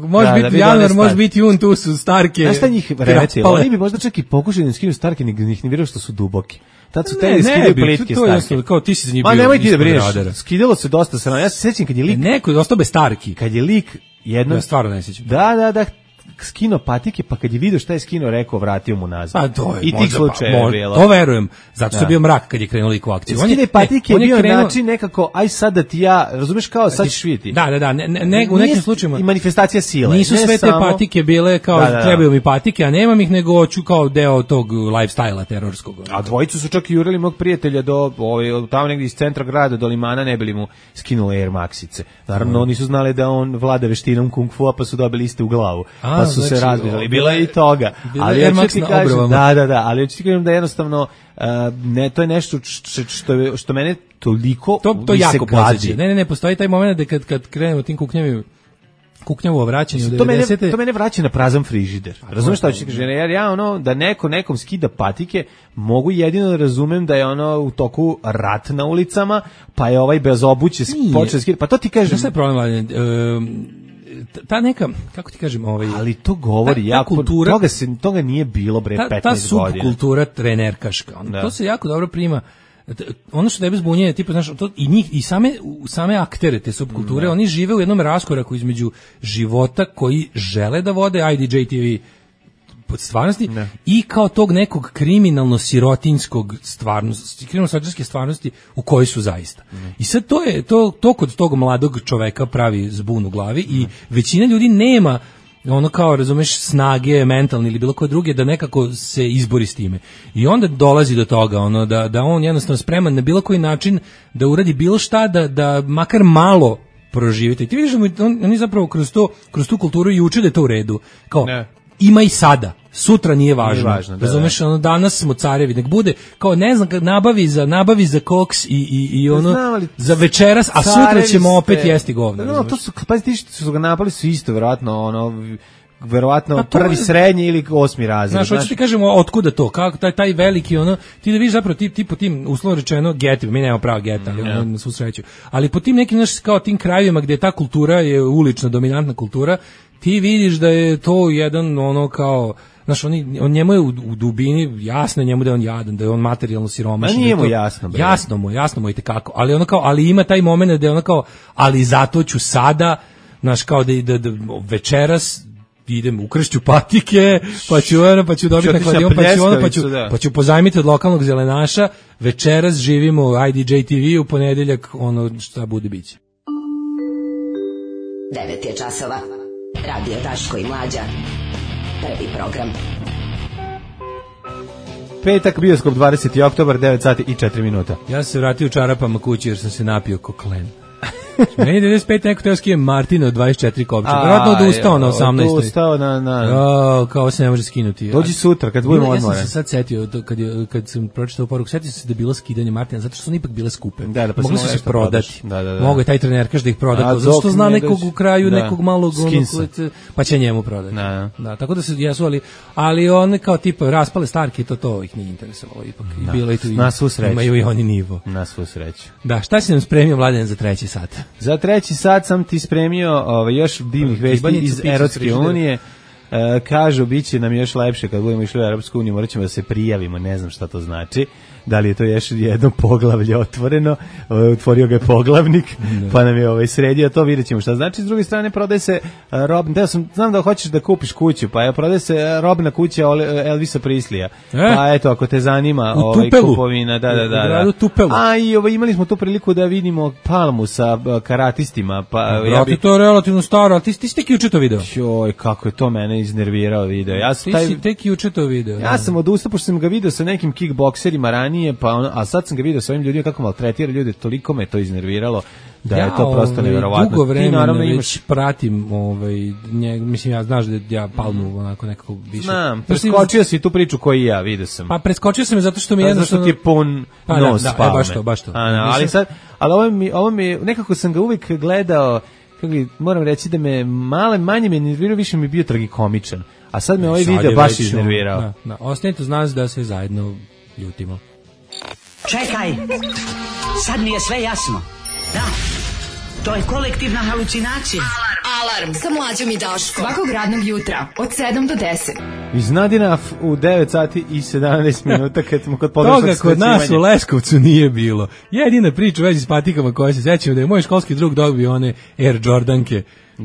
Može biti januar, može biti jun, tu su starke. Znaš šta njih vrete? Oni bi možda čak i pokušali da skinu starke, njih ne vjeruju što su duboki. Tad su te skidaju plitke starke. Kao ti si za njih bio. Ma nemoj ti da brineš, skidalo se dosta srano. Ja se sećam kad je lik... Neko je ostao bez starki. Kad je lik jednom... Ja stvarno ne sećam. Da, skino patike, pa kad je vidio šta je skino, rekao, vratio mu nazad. Pa to je, i tih slučajeva bilo. To verujem, zato što je bio mrak kad je krenuo lik u akciju. Skine patike je bio način nekako, aj sad da ti ja, razumeš kao, sad ćeš vidjeti. Da, u nekim slučajima. I manifestacija sile. Nisu sve te patike bile kao, trebaju mi patike, a nemam ih, nego hoću kao deo tog lifestyle-a terorskog. A dvojicu su čak i jurili mog prijatelja do, tamo negdje iz centra grada, do Limana, ne bili mu skinuli Air Maxice. Naravno, nisu znali da on vlada veštinom kung fu, pa su dobili iste u glavu. Pa su se razbili, bilo je i toga. Ali ja ću ti kažem, ali ja ću ti kažem da jednostavno to je nešto što mene toliko to jako gadi. Ne, postoji taj moment da kad krenemo tim kuknjavo vraćanje u 90. To mene vraća na prazan frižider. Razumeš šta ću ti kažem? Jer ja da nekom skida patike, mogu jedino da razumem da je u toku rat na ulicama, pa je ovaj bez obuće počeo skida. Pa to ti kažem. Šta je problem, ta neka, kako ti kažem, ali to govori jako, toga nije bilo 15 godina. Ta subkultura trenerkaška, to se jako dobro prima. Ono što tebe zbunjuje, tipa, znaš, i njih, i same aktere te subkulture, oni žive u jednom raskoraku između života koji žele da vode IDJ-TV pod stvarnosti i kao tog nekog kriminalno-sirotinskog kriminalno-sirotinske stvarnosti u kojoj su zaista. I sad to kod tog mladog čoveka pravi zbun u glavi i većina ljudi nema kao, razumeš, snage mentalne ili bilo koje druge da nekako se izbori s time. I onda dolazi do toga da on jednostavno spreman na bilo koji način da uradi bilo šta da makar malo proživite. I ti vidiš da oni zapravo kroz tu kulturu i uče da je to u redu. Kao, ima i sada. Sutra nije važno. Razumeš, danas smo carevi, nek bude kao, ne znam, nabavi za koks i za večeras, a sutra ćemo opet jesti govna. No, to su, pazi, ti što su ga napali su isto, verovatno prvi srednji ili 8. razred. Znaš, hoću ti kažemo, otkuda to, kako taj veliki, ti da vidiš zapravo ti po tim, uslovno rečeno, getima, mi nemamo pravo geta, ali na svu sreću, ali po tim nekim, znaš, kao tim krajevima gdje ta kultura je ulična, dominantna kultura, ti vidiš da je to jedan, kao, znaš, on njemu je u dubini jasno njemu da je on jadan, da je on materijalno siromašan. Nije mu jasno, bre. Jasno mu i tekako, ali ali ima taj moment da je kao, ali zato ću sada, znaš, kao da večeras idem u kršću patike, pa ću dobiti na kladion, pa ću pozajmiti od lokalnog zelenaša, večeras živimo u IDJ TV, u ponedeljak šta bude biće. 9 je časova. Radio Daško i Mlađa. Prvi program. Petak, bioskop, 20. oktobar, 9 sati i 4 minuta. Ja sam se vratio u čarapama kući jer sam se napio koklen. Meni 95 neko teo skije Martina od 24 kopča. Vjerojatno odustao na 18. Odustao kao se ne može skinuti. Dođi sutra kad budemo odmore. Ja sam se sad setio, kad sam pročitao poruku, setio sam se da je bilo skidanje Martina, zato što su ipak bile skupe. Mogli su se prodati. Mogu je taj trenerkaš da ih proda. Zašto zna nekog u kraju, nekog malog pa će njemu prodati. Da, tako da se jesu, ali one kao tipa raspale starke, to ih nije interesovalo ipak. Bilo i tu imaju i oni nivo. Na svu sreću. Da, šta si nam spremio, Mladen, za treći sat? Za treći sat sam ti spremio još divnih vesti iz Europske unije. Kažu, bit će nam još lepše kad budemo išli u Europsku uniju, morat ćemo da se prijavimo, ne znam šta to znači. Da li je to još jedno poglavlje otvoreno, otvorio ga je poglavnik, pa nam je sredio to, vidjet ćemo šta znači. S druge strane, prodaje se znam da hoćeš da kupiš kuću, pa prodaje se robna kuća Elvisa Prislija. Pa eto, ako te zanima kupovina, da. A i imali smo tu priliku da vidimo Palmu sa karatistima. To je relativno staro, ali ti si tek juče to video. Joj, kako je to mene iznervirao video. Ti si tek juče to video. Ja sam odustao, pošto sam ga video sa nekim kickbokserima ranije, ranije, pa ono, a sad sam ga vidio sa ovim ljudima kako maltretira ljude, toliko me to iznerviralo da je to prosto neverovatno. Dugo vremena već imaš... pratim, mislim, ja znaš da ja Palmu onako nekako više... Znam, preskočio si tu priču koju i ja, vidio sam. Pa preskočio sam je zato što mi jednostavno... Zato što ti je pun nos Palme. Baš to. Ali ovo mi, nekako sam ga uvijek gledao, moram reći da me manje me nervirao, više mi je bio tragikomičan. A sad me ovaj video baš iznervirao. Da. Ostanite uz nas da se zajedno ljutimo. Čekaj, sad mi je sve jasno. Da, to je kolektivna halucinacija. Alarm sa Mlađom i Daškom. Svakog radnog jutra od 7 do 10. Iznadina u 9 sati i 17 minuta kad smo kod podršnog toga kod nas u Leskovcu nije bilo. Jedina priča u vezi s patikama koja se sećam da je moj školski drug dobio one Air Jordanke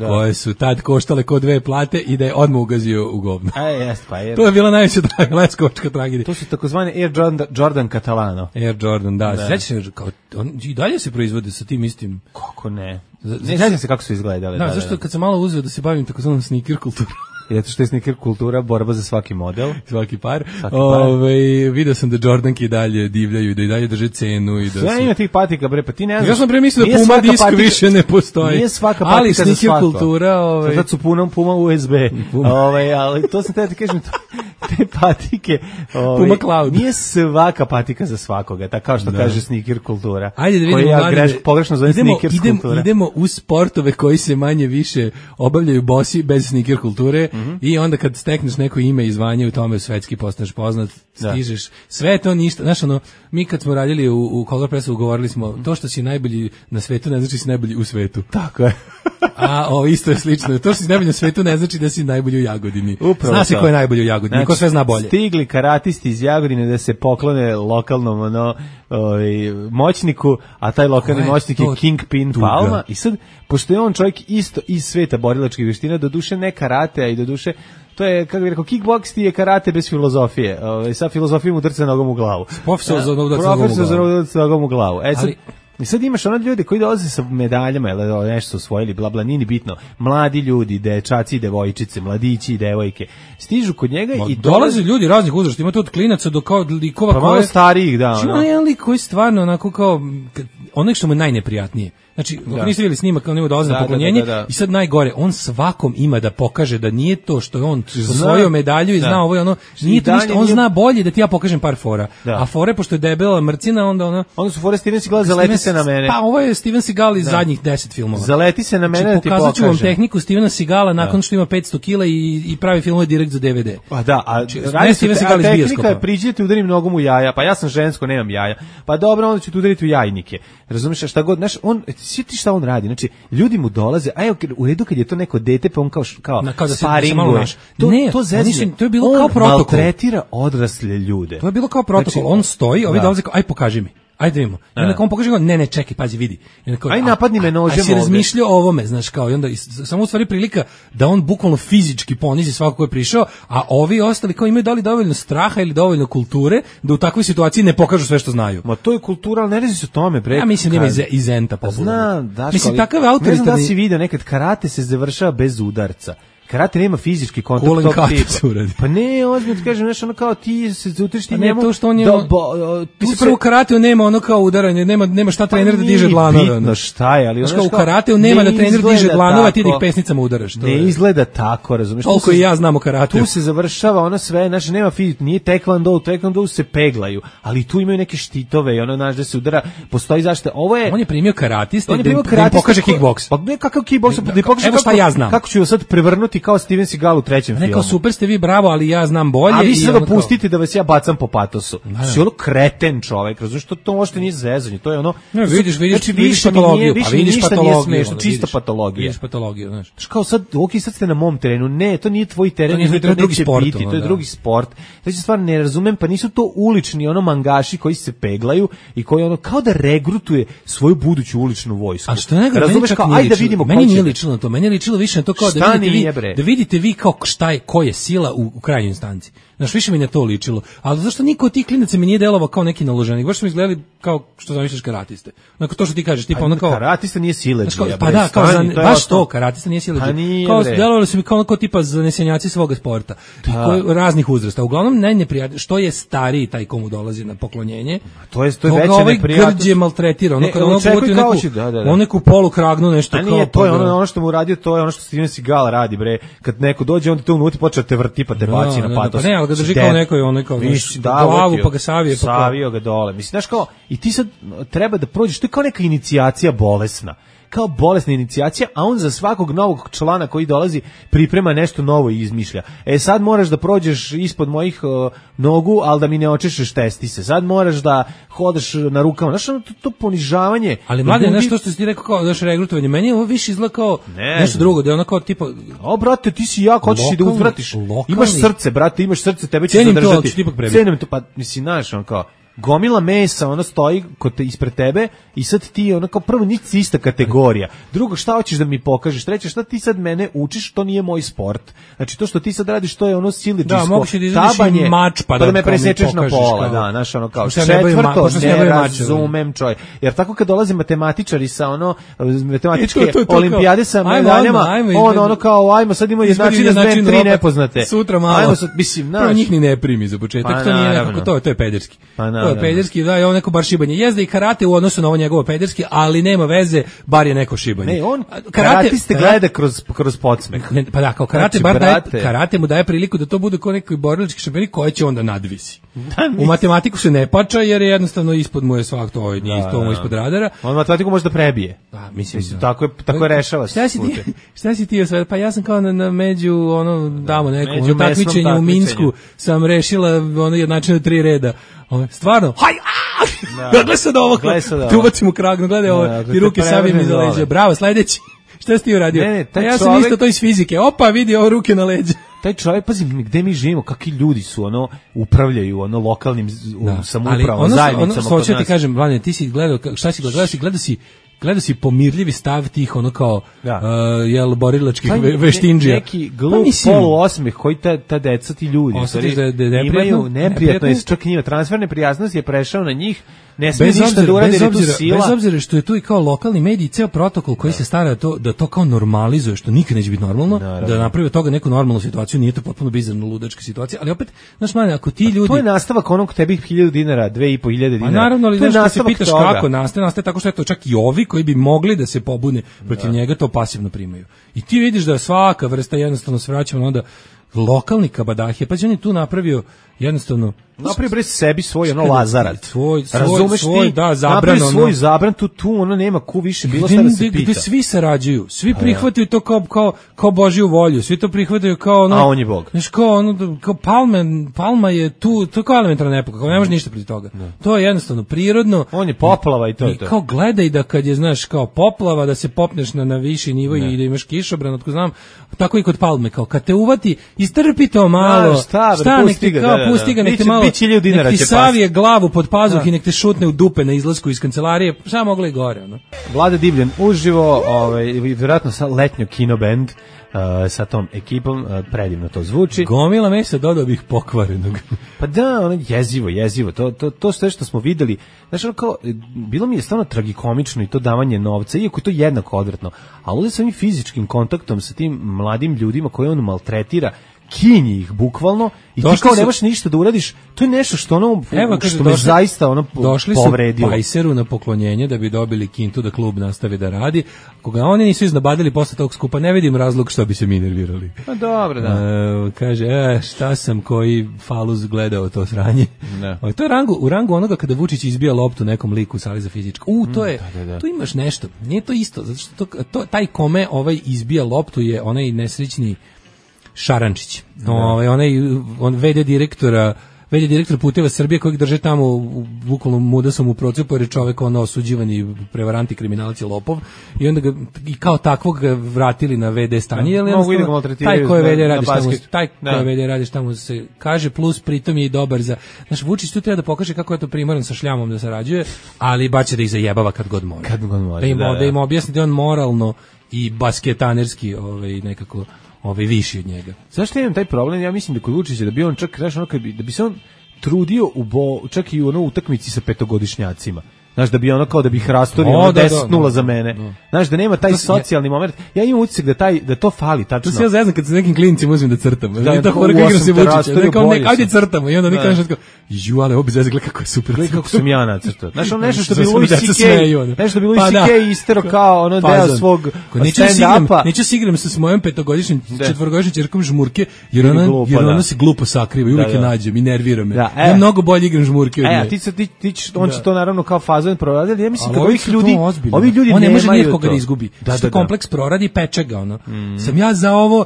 koje su tad koštale kod 2 plate i da je odmah ugazio u govno. To je bila najveća leskovačka tragedija. To su takozvane Air Jordan Catalano. Air Jordan, da. Sećaš se, i dalje se proizvode sa tim istim. Kako ne? Ne znam se kako su izgledale. Da, zašto kad sam malo uzeo da se bavim takozvanom sneaker kulturom. Zato što je sneaker kultura borba za svaki model. Svaki par. Vidio sam da Jordanke i dalje divljaju, da i dalje drže cenu. I da sve ima tih patika, bre, pa ti ne znaš. Ja sam pre mislio da Puma disk više ne postoji. Nije svaka patika za svako. Kultura, sad su Puma USB. Ali to sam te kažem, te patike. Puma Cloud. Nije svaka patika za svakoga, tako kao što kaže sneaker kultura. Ajde da vidimo, pogrešno zovem sneaker kultura. Idemo u sportove koji se manje više obavljaju bosi bez sneaker kulture. I onda kad stekneš neko ime i zvanje u tome svetski postaneš poznat, stižeš, sve je to ništa. Znaš, mi kad smo radili u Color Pressu govorili smo, to što si najbolji na svetu ne znači si najbolji u svetu. Tako je. A isto je slično. To što si najbolji na svetu ne znači da si najbolji u Jagodini. Zna se ko je najbolji u Jagodini, ko sve zna bolje. Stigli karatisti iz Jagodine da se poklone lokalnom moćniku, a taj lokalni moćnik je Kingpin Palma. I sad, pošto je on čovjek isto iz sveta borilačkih vještina, doduše ne karate, a i doduše to je, kako bih rekao, kickboks ti je karate bez filozofije. Sa filozofijom udrca nogom u glavu. Profesor za nogom u glavu. I sad imaš one ljude koji dolaze sa medaljama, ili nešto su osvojili, bla bla, nije ni bitno. Mladi ljudi, dečaci i devojčice, mladići i devojke, stižu kod njega i dolaze ljudi raznih uzrasta, ima to od klinaca do kao likova pa malo starijih, da. Ima jedan lik koji stvarno onako kao ono što mu je najneprijatnije. Znači, ako niste vidjeli snimak, kao nema dolaze na poklonjenje i sad najgore, on svakom ima da pokaže da nije to što je on osvojio medalju i zna ovo je ono, nije to ništa, on zna bolje da ti ja pokažem par fora. A fore, pošto je debela mrcina, onda su fore Steven Seagal, zaleti se na mene. Pa ovo je Steven Seagal iz zadnjih 10 filmova. Zaleti se na mene da ti pokažem. Pokazat ću vam tehniku Stevena Seagala nakon što ima 500 kila i pravi filmove direkt za DVD. Pa da, a tehnika je priđete udarim nogom u jaja, pa ja sam žensko, nemam jaja. Pa dobro, onda ću ti udariti u jajnike. Razumiješ, šta god, znaš, sjeti šta on radi, znači, ljudi mu dolaze, a evo, u redu kad je to neko dete, pa on kao sparinguje. To zezne, to je bilo kao protokol. On maltretira odrasle ljude. To je bilo kao protokol, on stoji, ovi dolaze kao, aj pokaži mi. Ajde vidimo. I onda on pokaže, ne, čekaj, pazi, vidi. Aj napadni me nožem ovdje. Aj si razmišljao o ovome, znaš, kao, i onda samo u stvari prilika da on bukvalno fizički ponizi svako ko je prišao, a ovi ostali kao imaju da li dovoljno straha ili dovoljno kulture da u takvoj situaciji ne pokažu sve što znaju. Ma to je kultura, ali ne rezi se o tome, bre. Ja mislim da ima i zenta popularno. Znam, Daško, mislim, takav autoritarni... Ne znam da si vidio, nekad karate se završava bez udarca. Karate nema fizički kontakt tog tipa. Pa ne, ozbiljno ti kažem, nešto ono kao ti se utriš ti njemu. Pa ne, to što on je... Mislim, prvo u karateu nema ono kao udaranje, nema šta trener da diže dlanove. Pa bitno šta je, ali ono što... U karateu nema da trener diže dlanove, ti da ih pesnicama udaraš. Ne izgleda tako, razumiješ? Toliko i ja znam o karateu. Tu se završava ono sve, znači nema fizički, nije taekwondo se peglaju, ali tu imaju neke štitove i ono, znaš, da se udara, postoji zaštita. Ovo je... On je primio karatiste da im pokaže kickboks. Pa ne, kakav kickboks, da pokaže kako ću sad prevrnuti kao Steven Seagal u trećem filmu. Neko super ste vi, bravo, ali ja znam bolje. A vi se dopustite da vas ja bacam po patosu. Si ono kreten čovek, razumiješ, to možete nije zezanje, to je ono... Ne, vidiš patologiju, pa vidiš patologiju. Čista patologija. Vidiš patologiju, znaš. Kao sad, sad ste na mom terenu, ne, to nije tvoj teren, to je drugi sport, to je drugi sport. Znači, stvarno ne razumem, pa nisu to ulični ono mangaši koji se peglaju i koji ono, kao da regrutuje svoju buduću uličnu vojsku. A što ne razumeš, kao, ajde da vidimo ko će... Meni nije ličilo na to, meni je ličilo više na to kao da vidite vi kao ko je sila u krajnjoj instanci. Znaš, više mi ne to ličilo. Ali zašto niko od tih klinaca mi nije delovao kao neki naloženik? Baš su mi izgledali kao što zamisliš karatiste. Onako to što ti kažeš, tipa ono kao karatista nije siledžija. Pa da, kao baš to, karatista nije siledžija. Kao delovali su mi kao tipa zanesenjaci svoga sporta. Raznih uzrasta. Uglavnom najneprijatnije što je stariji taj komu dolazi na poklonjenje. To je veće neprijatnost. Grđe maltretira, ono kada on neku polu kragnu nešto kao. To je ono što mu uradio, to je ono što Steven Seagal radi bre. Kad neko dođe onda te unutra počne te vrti pa te baci na patos. Pa ne, ali ga drži kao neko glavu pa ga savio ga dole. Mislim, znaš kao, i ti sad treba da prođeš, to je kao neka inicijacija bolesna. Kao bolesna inicijacija, a on za svakog novog člana koji dolazi priprema nešto novo i izmišlja. Sad moraš da prođeš ispod mojih nogu, ali da mi ne očešeš testise. Sad moraš da hodaš na rukama. Znaš, to ponižavanje. Ali mlade, nešto što si ti rekao kao daš regrutovanje, meni je ovo više izgleda kao nešto drugo, da je ono kao tipa... brate, ti si jako, hoćeš i da uzvratiš. Imaš srce, brate, imaš srce, tebe će zadržati. Cenim to, pa mislim, znaš, on kao... Gomila mesa, ona stoji ispred tebe i sad ti ono kao prvo nisi ista kategorija. Drugo, šta hoćeš da mi pokažeš? Treće, šta ti sad mene učiš? To nije moj sport. Znači to što ti sad radiš, to je ono siledžijsko tabanje, mač, pa da me presečeš na pola. Da, znaš ono kao četvrto, ne razumem čoj. Jer tako kad dolaze matematičari sa ono matematičke olimpijade sa medaljama, ono kao ajmo sad imamo jednačine s tri nepoznate. Sutra malo. Ajmo sad, mislim, naš. Njih ni ne primi za početak, to nije nekako to je pederski. To je pederski, da, je on neko bar šibanje. Jezda i karate u odnosu na ovo njegovo pederski, ali nema veze, bar je neko šibanje. Ne, on karatiste gleda kroz podsmeh. Pa da, kao karate, karate mu daje priliku da to bude kao neki borilački šampioni koje će onda nadvisi. U matematiku se ne pača jer je jednostavno ispod mu je svak to, nije to mu ispod radara. On matematiku može da prebije. Da, mislim tako je rešava. Šta si ti osvajao? Pa ja sam kao na među nekom takmičenju u Minsku sam rešila jednačine 3 reda. Stvarno, gledaj sad ovo, tu ubacim u kragnu, gledaj ovo, i ruke savijem iza leđa, bravo, sledeći, šta si ti uradio? Ja sam isto to iz fizike, opa, vidi ovo ruke na leđa. Taj čovjek, pazi, gde mi živimo, kakvi ljudi su, upravljaju, lokalnim samoupravom, zajednicama. Hoću ti kažem, Vladine, ti si gledao, šta si gledao si pomirljivi stav tih kao borilačkih veštinđija. Neki glup poluosmeh koji ta deca, ti ljudi imaju neprijatno, čak i njima transferne prijatnosti je prešao na njih, ne smije ništa da urade, jer je tu sila. Bez obzira što je tu i kao lokalni mediji, ceo protokol koji se stara da to kao normalizuje, što nikad neće biti normalno, da napravi od toga neku normalnu situaciju, nije to potpuno bizarno ludačka situacija, ali opet, znaš manje, ako ti ljudi... To je nastavak onog tebi 1000 dinara, 2500 dinara. Naravno, ali znaš, se pitaš kako nastaje tako što je to čak i ovi koji bi mogli da se pobune protiv njega, to pasivno primaju. I ti vidiš da svaka vrsta jednostavno se vraćamo na onda lokalni kabadahije, pa on je tu napravio jednostavno napravi sebi svoj Lazarac. Razumeš ti? Da, zabran, svoj zabran, tu nema ku više bilo šta da se pita. Gde svi sarađuju, svi prihvataju to kao Božju volju, svi to prihvataju kao a on je Bog. Znaš, kao Palma je tu, to je kao elementarna epoka, kao ne može ništa protiv toga. To je jednostavno prirodno. On je poplava i to je to. I kao gledaj da kad je, znaš, kao poplava, da se popneš na viši nivo i da imaš kišobran, otko znam, tako i kod Palme, kao kad te uvati, istrpi to malo, pusti ga, nek te malo, nek ti savije glavu pod pazuh i nek te šutne u dupe na izlasku iz kancelarije, šta mogla i gore. Vlada Divljan uživo, vjerojatno sa letnjo kinoband, sa tom ekipom, predivno to zvuči. Gomila mesa, dodao bih pokvarenog. Pa da, ono jezivo, to sve što smo videli, znaš, ono kao, bilo mi je stvarno tragikomično i to davanje novca, iako je to jednako odvratno, ali ovdje sa ovim fizičkim kontaktom sa tim mladim ljudima koje on maltretira, kinji ih bukvalno i ti kao nemaš ništa da uradiš, to je nešto što što me zaista povredio. Došli su Pajseru na poklonjenje da bi dobili kintu da klub nastavi da radi. Koga oni nisu iznabadili posle tog skupa, ne vidim razlog što bi se mi nervirali. Pa dobro, da. Kaže, šta sam koji faluz gledao to sranje. To je u rangu onoga kada Vučić izbija loptu nekom liku u sali za fizičko. Tu imaš nešto. Nije to isto, zato što taj kome izbija loptu je onaj nesrećni Šarančić, on VD direktor Puteva Srbije kojeg drže tamo bukvalno mudasom u procepu jer je čovek osuđivani prevarant i kriminalac i lopov i onda ga i kao takvog vratili na VD stanje, jer taj ko je VD radi šta mu se kaže, plus pritom je i dobar za, znaš, Vučić tu treba da pokaže kako je to primoran sa šljamom da sarađuje, ali baće da ih zajebava kad god mora. Da im objasni da on moralno i basketanerski nekako viši od njega. Zašto imam taj problem? Ja mislim da kod Vučića da bi on čak da bi se on trudio čak i u ono utakmici sa petogodišnjacima. Znaš, da bi ono kao da bi ih rastorio 10-0 za mene. Znaš, da nema taj socijalni moment. Ja imam utisak da to fali tačno. To se ja zeznam kad se nekim klincima uzmem da crtam. Da, to horaka igram se Vučića. Ajde crtamo. I onda mi kažeš kao, ale ovo bi zezgla kako je super. Gledaj kako sam ja nacrtao. Znaš, ono nešto što bi Louis C.K. istero kao ono deo svog stand-upa. Neću se igram sa mojom petogodišnjim, četvorogodišnjim ćerkom žmurke, jer ona se glupo sakriva i uvijek je nađem i nervira me. Ja mnogo bolje igram žmurke od nje. On će to naravno kao fazu proradili, ja mislim da ovi ljudi on ne može nikoga da izgubi. Što kompleks proradi peče ga ono. Sam ja za ovo,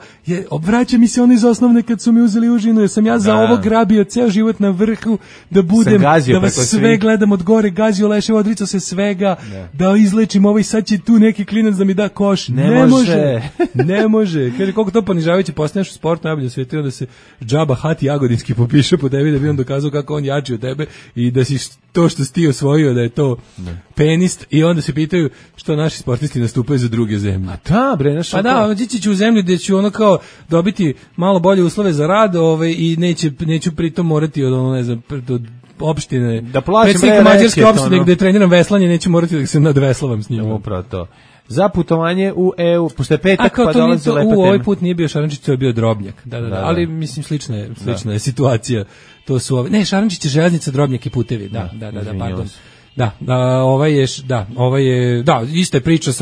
vraća mi se ono iz osnovne kad su mi uzeli užinu, sam ja za ovo grabio ceo život na vrhu, da budem, da vas sve gledam od gore, gazio leševo, odricao se svega, da izlečim ovo i sad će tu neki klinac da mi da koš. Ne može. Kaže, koliko to ponižavajuće postaneš u sportu, najbolje u svijetu, onda se džaba Hati Jagodinski popiše po tebi da bi on dokazao kako on jači od tebe i da si to što si ti osvojio, da je to penist, i onda se pitaju što naši sportisti nastupaju za druge zemlje. A da, bre, naš. Pa da, ići ću u zemlju gdje ću ono kao dobiti malo bolje uslove za rad, i neću pritom morati od ono, ne znam, od opštine, da plaćam mađarske opštine gdje treniram veslanje, neću morati da se nadveslavam s njima. Upravo to. Za putovanje u EU, pošto je petak, pa dolazi lepa tema. Ovaj put nije bio Šarančić, to je bio Drobnjak. Da. Ali mislim slična je situacija. To su Šarančić je železnica, Drobnjak i putevi. Da, pardon. Ista je priča,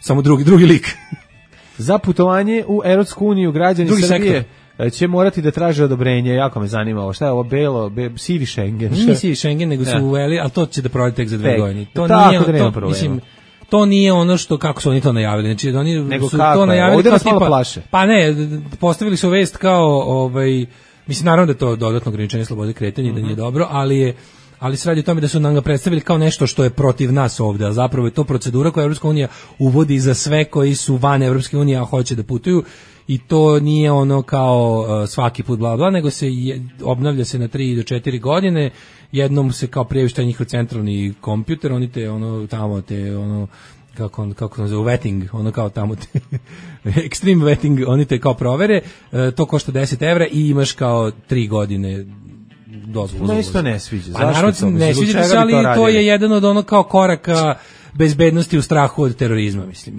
samo drugi lik. Za putovanje u Evropsku uniju građani Srbije će morati da traže odobrenje. Jako me zanima ovo. Šta je ovo sivi Schengen? Nije sivi Schengen, nego su uveli, ali to će da proradi tek za 2 godine. To nije ono što, kako su oni to najavili. Znači, oni su to najavili kao tipa, pa ne, postavili su vest kao, mislim, naravno da je to dodatno ograničenje slobode kretanja, da nije dobro, ali se radi o tome da su nam ga predstavili kao nešto što je protiv nas ovde, a zapravo je to procedura koju Evropska unija uvodi za sve koji su van Evropske unije, a hoće da putuju, i to nije ono kao svaki put bla bla, nego se obnavlja se na 3 do 4 godine, jednom se kao prijavi šta je njihov centralni kompjuter, oni te kako se zove, vetting, ono kao tamo extreme vetting, oni te kao provere, to košta 10 evra i imaš kao 3 godine dozvolu. No, isto ne sviđa. Zašto ne sviđa se, ali to je jedan od ono kao koraka bezbednosti u strahu od terorizma, mislim,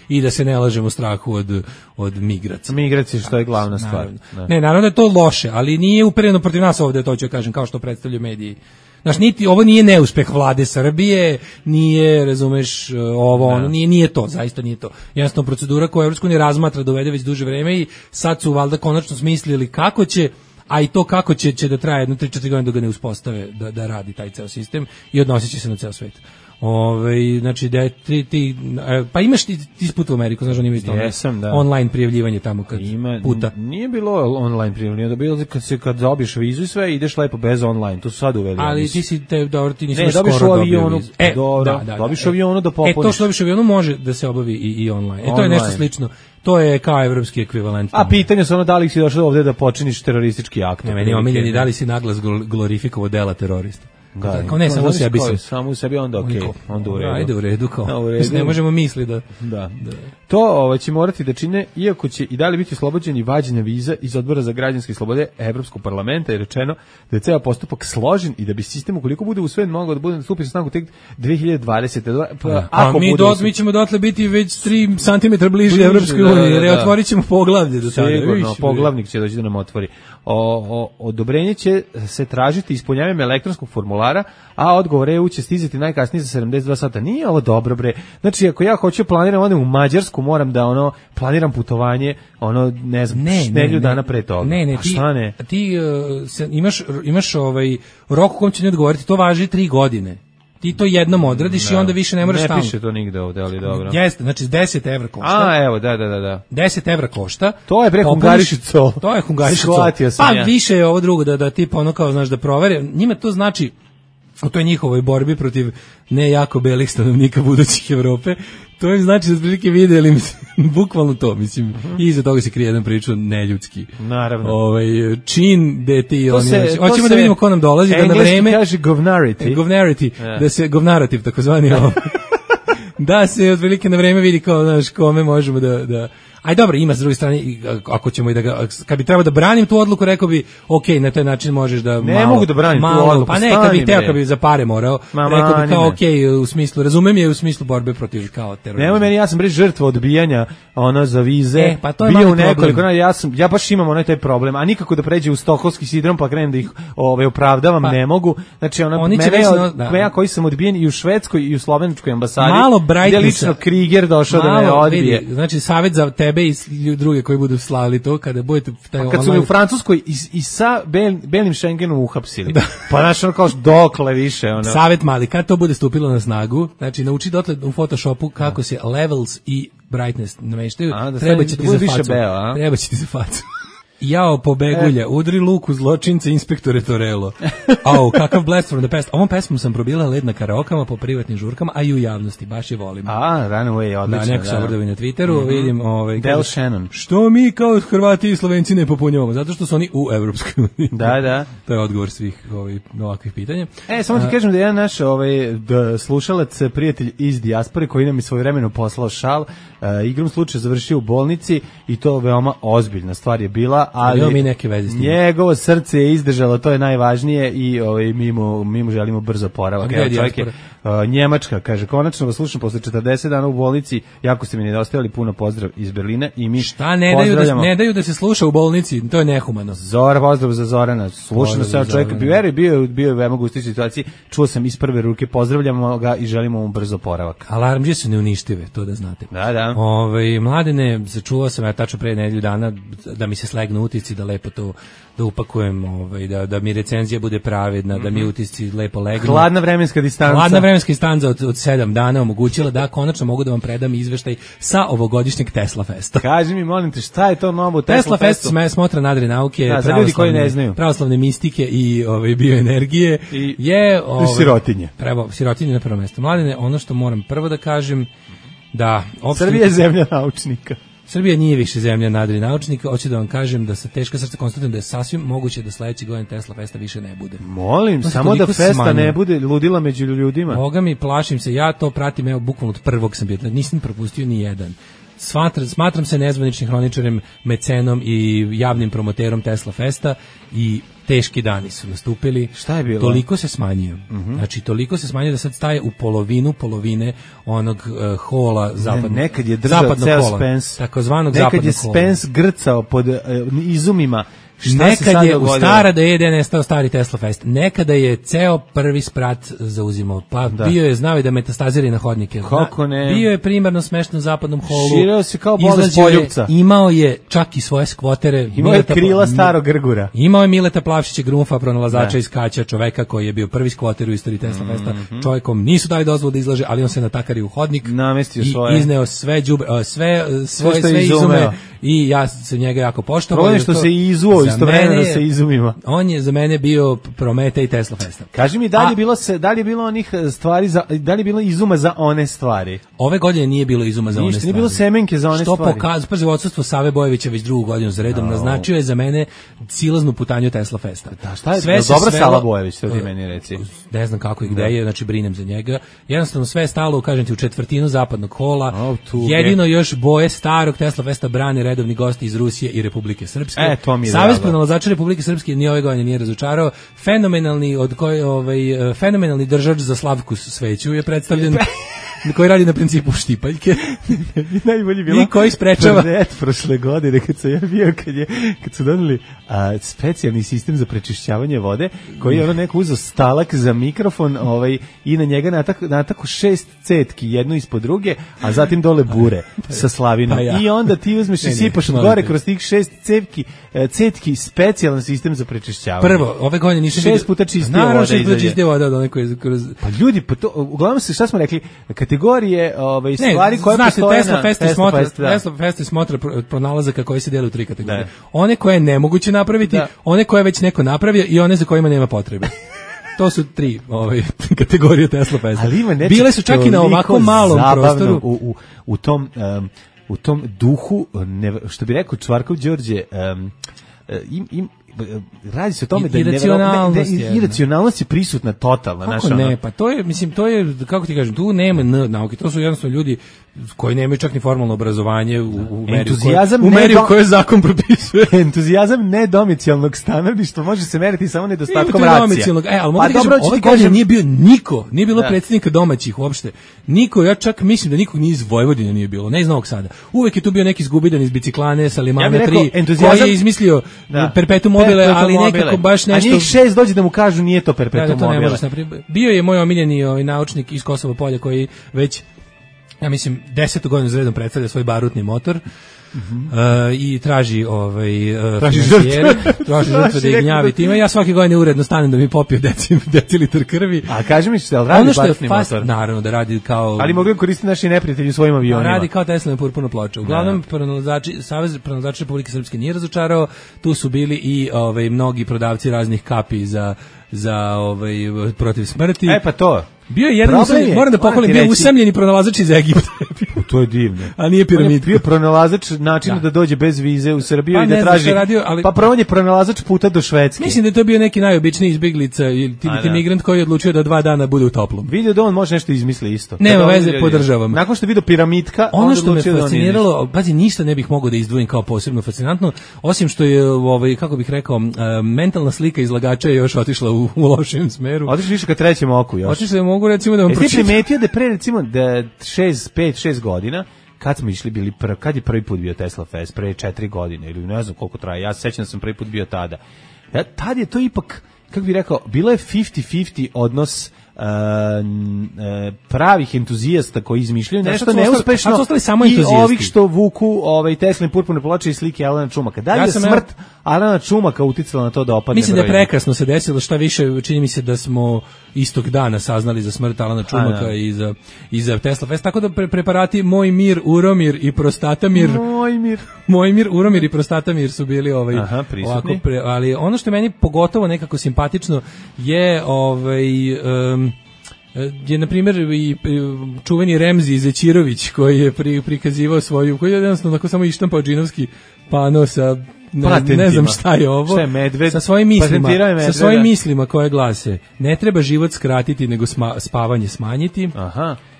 i da se ne lažemo u strahu od migracija. Migracije, što je glavna stvar. Ne, naravno da je to loše, ali nije upereno protiv nas ovde, to ću kažem, kao što predstavljaju mediji. Znaš, ovo nije neuspeh vlade Srbije, nije, razumeš, nije to, zaista nije to. Jednostavno procedura koju Evropska unija razmatra da uvede već duže vreme i sad su valjda konačno smislili kako će, a i to kako će da traje 3-4 godine dok ga ne uspostave da radi taj ceo sistem i odnosit će se na ceo svet. Znači da pa imaš ti put u Ameriku, znaš, on ima isto online prijavljivanje tamo kad puta. Nije bilo online prijavljivanje, da bilo kad dobiješ vizu i sve, ideš lepo bez online, to su sad uveli. Ali ti nisi skoro dobio vizu. Dobiš u avionu da popuniš. To što dobiš u avionu može da se obavi i online. To je nešto slično. To je kao evropski ekvivalent. A pitanje su da li si došao ovdje da počiniš teroristički akt. Ne, meni omiljeni, da li si naglas glorifikovao dela terorista. Kao ne, samo sebi se. Samo u sebi, onda okej, onda u redu. Ajde u redu, kao. Ne možemo misliti da. To će morati da čine, iako će i dalje biti oslobođeni vađenja viza iz Odbora za građanske slobode Evropskog parlamenta, je rečeno da je ceo postupak složen i da bi sistem, ukoliko bude usvojen, mogao da bude stupi na snagu tek 2020. Mi ćemo dotle biti već 3 cm bliže Evropskoj uniji, jer otvorit ćemo poglavlje do tada. Sigurno, poglavnik će doći da nam otvori. Odobrenje će se tražiti ispunjavanjem elektronskog formulara, a odgovor EU će stizati najkasnije za 72 sata. Nije ovo dobro, bre. Znači, ako ja hoću planiram odem u Mađarsku, moram da planiram putovanje, ne znam, nedelju dana pre toga. Ne, ti imaš rok u kom će ne odgovoriti, to važi 3 godine. Ti to jednom odradiš i onda više ne moraš stalno. Ne piše to nigde ovde, ali dobro. Jeste, znači 10 evra košta. A, evo, da. 10 evra košta. To je bre Hungarišico. To je Hungarišico. Pa više je ovo drugo, da tipa ono kao, znaš, da provere. Njima to znači, u toj njihovoj borbi protiv ne jako belih stanovnika budućih Evrope, to im znači da prilike vidjeli, bukvalno to, mislim, i iza toga se krije jedan priča neljudski. Naravno. Čin gde ti hoćemo da vidimo ko nam dolazi, da na vreme kaže govnarity. Da se govnarativ takozvani da se otprilike na vreme vidi kao, znaš, kome možemo da Aj dobro, ima s druge strane, ako ćemo i da ga, kad bi trebao da branim tu odluku, rekao bi, ok, na taj način možeš da ne mogu da branim tu odluku, pa ne, kad bi teo, kad bi za pare morao, rekao bi kao, ok, u smislu, razumem je u smislu borbe protiv kao terorizma. Nemoj meni, ja sam žrtva odbijanja za vize, pa to je bio u nekoliko, ja baš imam onaj taj problem, a nikako da pređe u stokholmski sindrom, pa krenem da ih opravdavam, ne mogu, znači ja koji sam odbijen i u švedskoj i u slovenačkoj ambasadi, gdje lično Kriger došao da me odbije. Vidi, znači savjet za tebe i druge koji budu slavili to, kada budete kad su me u Francuskoj i sa belim Schengenom uhapsili. Pa znaš, ono kao dokle više. Savjet mali, kad to bude stupilo na snagu, znači nauči dotle u Photoshopu kako se levels i brightness nameštaju, treba će ti za facu. Treba će ti za facu. Jao, pobegulja, udri luku zločince, inspektore Torello. Au, kakav blast from the past. Ovom pesmom sam probila led na karaokama po privatnim žurkama, a i u javnosti, baš je volim. Runaway, odlično. Da, neko se obrdovi na Twitteru, vidim... Del Shannon. Što mi kao Hrvati i Slovenci ne popunjavamo? Zato što su oni u Evropskoj uniji. Da. To je odgovor svih ovakvih pitanja. Samo ti kažem da jedan naš slušalac, prijatelj iz dijaspore, koji nam je svojevremeno poslao šal, igrom slučaja završio u bolnici i to veoma ozbiljna stvar je bila, ali njegovo srce je izdržalo, to je najvažnije i mi mu želimo brzo oporavak. Njemačka, kaže, konačno vas slušam posle 40 dana u bolnici, jako ste mi nedostajali, puno pozdrav iz Berlina i mi ne daju da se sluša u bolnici, to je nehumano. Pozdrav za Zorana, slušam se čovjek, bio je veoma gustoj situaciji, čuo sam iz prve ruke, pozdravljamo ga i želimo mu brzo oporavak. Alarmđe su neuništive, to da znate. Da. Mladene, začuo sam ja tačno pre nedelju dana da mi se slegnu utisci, da lepo to da upakujem, da mi recenzija bude pravedna, da mi utisci lepo legnu. Hladna vremenska distanca od 7 dana omogućila da konačno mogu da vam predam izveštaj sa ovogodišnjeg Tesla Festa. Kaži mi, molim te, šta je to novo Tesla Fest? Smotra nadre nauke, pravoslavne mistike i bioenergije je sirotinje. Sirotinje na prvo mesto. Mladene, ono što moram prvo da kažem, da Srbija je zemlja naučnika. Srbija nije više zemlja nadri naučnika, hoću da vam kažem da sa teška srca konstatujem da je sasvim moguće da sledeći godin Tesla Festa više ne bude. Molim, samo da festa ne bude ludila među ljudima. Boga mi, plašim se, ja to pratim, evo, bukvalno od prvog sam bio, nisam propustio ni jedan. Smatram se nezvaničnim hroničarem, mecenom i javnim promoterom Tesla Festa i teški dani su nastupili. Šta je bilo? Toliko se smanjio. Znači, toliko se smanjio da sad staje u polovine onog hola zapadnog. Nekad je držao ceo Spence. Takozvanog zapadnog hola. Nekad je Spence grcao pod izumima. Nekad je u stara da je nestao stari Tesla Fest. Nekada je ceo prvi sprat zauzimao. Pa bio je, znao je da metastazira na hodnike. Kako ne? Bio je primarno smešten u zapadnom holu. Širao se kao bolest poljupca. Imao je čak i svoje skvotere. Imao je krila starog grgura. Imao je Mileta Plavšića Grunfa, pronalazača iz Kaća, čoveka koji je bio prvi skvoter u istoriji Tesla Festa. Čovjekom nisu dali dozvolu da izlaže, ali on se natakari u hodnik. Namestio svoje. I izneo sve izume. I ja sam njega jako poštovao. Problem što se izuo istovremeno sa izumima. On je za mene bio Prometej Tesla Festa. Kaži mi, da li je bilo onih stvari, da li je bilo izuma za one stvari? Ove godine nije bilo izuma za one stvari. Nije bilo semenke za one stvari. Što pokazuje, odsustvo Save Bojevića već drugu godinu za redom naznačio je za mene silaznu putanju Tesla Festa. Da, šta je? Dobra Sava Bojević, to ti meni reci. Ne znam kako i gde je, znači brinem za njega. Jednostavno sve je stalo, kažem ti, u četvrtinu zapadnog hola. Jedino još boje starog Tesla Festa brane redovni gosti iz Rusije i Republike Srpske. Savez pronalazača Republike Srpske ni ove godine nije razočarao. Fenomenalni držač za Slavku Sveću je predstavljen koji radi na principu štipaljke. Najbolji bilo. I koji sprečava. Prošle godine kad sam ja bio, kad su doneli specijalni sistem za prečišćavanje vode, koji je neko uzeo stalak za mikrofon i na njega natako 6 cetki, jednu ispod druge, a zatim dole bure sa slavinom. I onda ti uzmeš i sipaš od gore kroz tih 6 cetki specijalan sistem za prečišćavanje. Prvo, ove godine nisam 6 puta čistije voda. Naravno, 6 puta čistije voda od one koje kroz... Pa ljudi, uglavnom šta smo rekli, kategorije stvari koje postoje na Tesla Fest smotra pronalazaka koji se dele u 3 kategorije. One koje je nemoguće napraviti, one koje već neko napravio i one za kojima nema potrebe. To su 3 kategorije Tesla Festa. Bile su čak i na ovako malom prostoru. U tom duhu, što bi rekao Čvarkov Đorđe, radi se o tome da iracionalnost je prisutna totalna. Kako ne, pa to je, mislim, to je, kako ti kažem, tu nema nauke, to su jednostavno ljudi koji nemaju čak ni formalno obrazovanje u meri u kojoj zakon propisuje. Entuzijazam nedomicijalnog stanovništva može se meriti samo nedostatkom racija. Ali mogu da kažem, ove godine nije bio niko, nije bilo predsjednika domaćih uopšte. Niko, ja čak mislim da nikog ni iz Vojvodine nije bilo, ne iz Novog Sada. Uvek je tu bio neki zgubidan iz biciklane sa Limane 3, koji je izmislio perpetuum mobile, ali nekako baš nešto... A njih 6 dođe da mu kažu nije to perpetuum mobile. Bio je moj omiljeni naučnik iz Kosova Polja koji već, ja mislim, 10. godinu za redom predstavlja svoj barutni motor. I traži žrtve da ih gnjavi time. Ja svake godine uredno stanem da mi popio decilitar krvi. A kaži mi što radi barutni motor? Naravno da radi kao... Ali mogli koristiti naši neprijatelji u svojim avionima. Radi kao Teslina purpurna ploča. Uglavnom, Savez pronalazača Republike Srpske nije razočarao. Tu su bili i mnogi prodavci raznih kapi za protiv smrti. Pa to. Bio je jedan, moram da pohvalim, bio usamljeni pronalazač iz Egipta. To je divno. A nije piramid. On je bio pronalazač načina da dođe bez vize u Srbiju i da traži. Pa prvo je pronalazač puta do Švedske. Mislim da je to bio neki najobičniji izbeglica ili migrant koji je odlučio da 2 dana bude u toplom. Vidio da on može nešto izmisli isto. Nema veze, podržavam. Nakon što je vidio piramidka, ono što me fasciniralo, pazi, ništa ne bih mogao da izdvojim kao posebno fascinantno, osim što je, kako bih rekao, mentalna slika izlagača je još otišla u lošem smeru. Otišli više ka trećem oku još. Mogu recimo da vam pročitam. Ti primetio da pre recimo da 5-6 godina kad smo išli kad je prvi put bio Tesla Fest, pre 4 godine ili ne znam koliko traje, ja se sećam da sam prvi put bio tada. Tad je to ipak, kako bih rekao, bilo je 50-50 odnos pravih entuzijasta koji izmišljaju nešto neuspešno i ovih što vuku Teslin purpurne ploče i slike Alana Čumaka. Da li je smrt Alana Čumaka uticala na to da opadne? Mislim da je prekrasno se desilo, šta više, čini mi se da smo istog dana saznali za smrt Alana Čumaka i za Tesla Fest, tako da preparati Moj mir, Uromir i Prostatamir Uromir i Prostatamir su bili prisutni. Ali ono što je meni pogotovo nekako simpatično je je na primjer i čuveni Remzi Zećirović koji je prikazivao svoju, koji je jednostavno tako samo ištampao džinovski pano sa ne znam šta je ovo, sa svojim mislima koje glase: ne treba život skratiti nego spavanje smanjiti.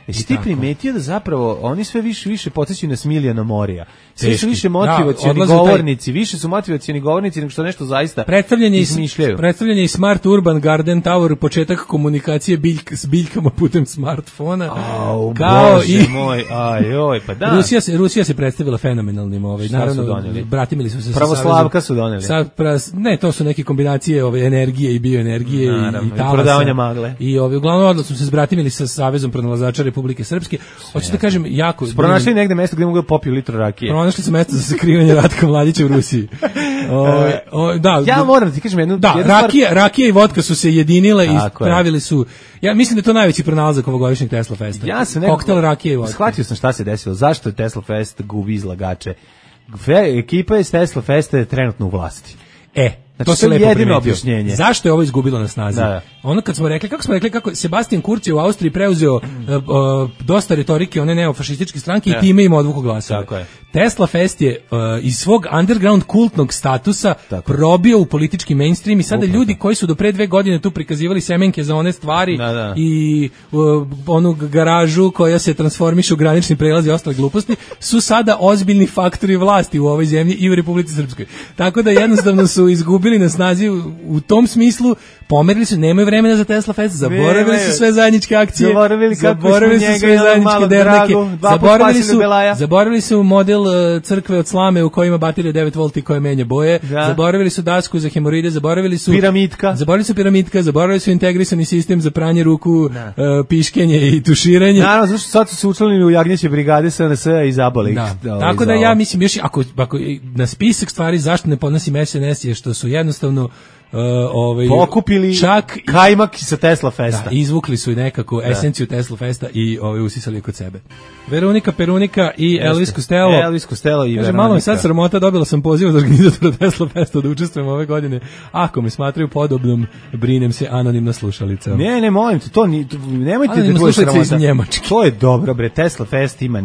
Jesi ti primetio da zapravo oni sve više podsjećaju na Smiljana Morija? Svi su više motivacioni govornici, više su motivacioni govornici nego što nešto zaista izmišljaju. Predstavljanje i Smart Urban Garden Tower, početak komunikacije s biljkama putem smartfona. Bože moj, pa da. Rusija se predstavila fenomenalnim, naravno, bratimili su se Pravoslavka su doneli. Ne, to su neke kombinacije energije i bioenergije i talasa. Prodavanja magle. I uglavnom odnosno se zbratimili sa Savezom pronalazača Republike Srpske. Hoću da kažem, jako... Pronašli negde mesto gde mogu da popiju litru rakije. Pronašli su mesto za sakrivanje Ratka Mladića u Rusiji. Ja moram ti kažem jednu... Rakija i vodka su se jedinile i pravili su... Ja mislim da je to najveći pronalazak ovogodišnjeg Tesla Festa. Koktel rakije i vodka. Shvatio sam šta se desilo. Zašto je Tesla Fest gubi izlagače? Ekipa iz Tesla Festa je trenutno u vlasti. Znači, to se lepo jedino objašnjenje. Zašto je ovo izgubilo na snazi? Ono kad smo rekli, kako Sebastian Kurz je u Austriji preuzeo dosta retorike one neofašističke stranke i time im odvuku glasove. Tesla Fest je iz svog underground kultnog statusa probio u politički mainstream i sada ljudi koji su do pre 2 godine tu prikazivali semenke za one stvari i onu garažu koja se transformiše u granični prelaz i ostale gluposti su sada ozbiljni faktori vlasti u ovoj zemlji i u Republici Srpskoj. Tako da jednostavno su izgubili na snazi u tom smislu, pomerili su, nemaju vremena za Tesla Fest, zaboravili su sve zajedničke akcije, zaboravili su sve zajedničke derneke, zaboravili su model crkve od slame u kojima baterija 9 volti koja menja boje, zaboravili su dasku za hemoroide, zaboravili su piramidka, zaboravili su integrisani sistem za pranje ruku, piškenje i tuširanje. Naravno, zašto sad su se učlanili u jagnjeće brigade SNS i zaboli. Tako da ja mislim, još ako na spisak stvari zašto ne podnosim SNS je što su jednostavno pokupili čak kajmak sa Tesla Festa. Da, izvukli su i nekako esenciju Tesla Festa i usisali kod sebe. Veronika Perunika i Elvis Costello. Elvis Costello i Veronika. Malo mi sad sramota, dobila sam poziv od organizatora Tesla Festa da učestvujem ove godine. Ako me smatraju podobnom, brinem se, anonimna slušalica. Ne, molim te, nemojte da budeš sramota. To je dobro, bre, Tesla Fest ima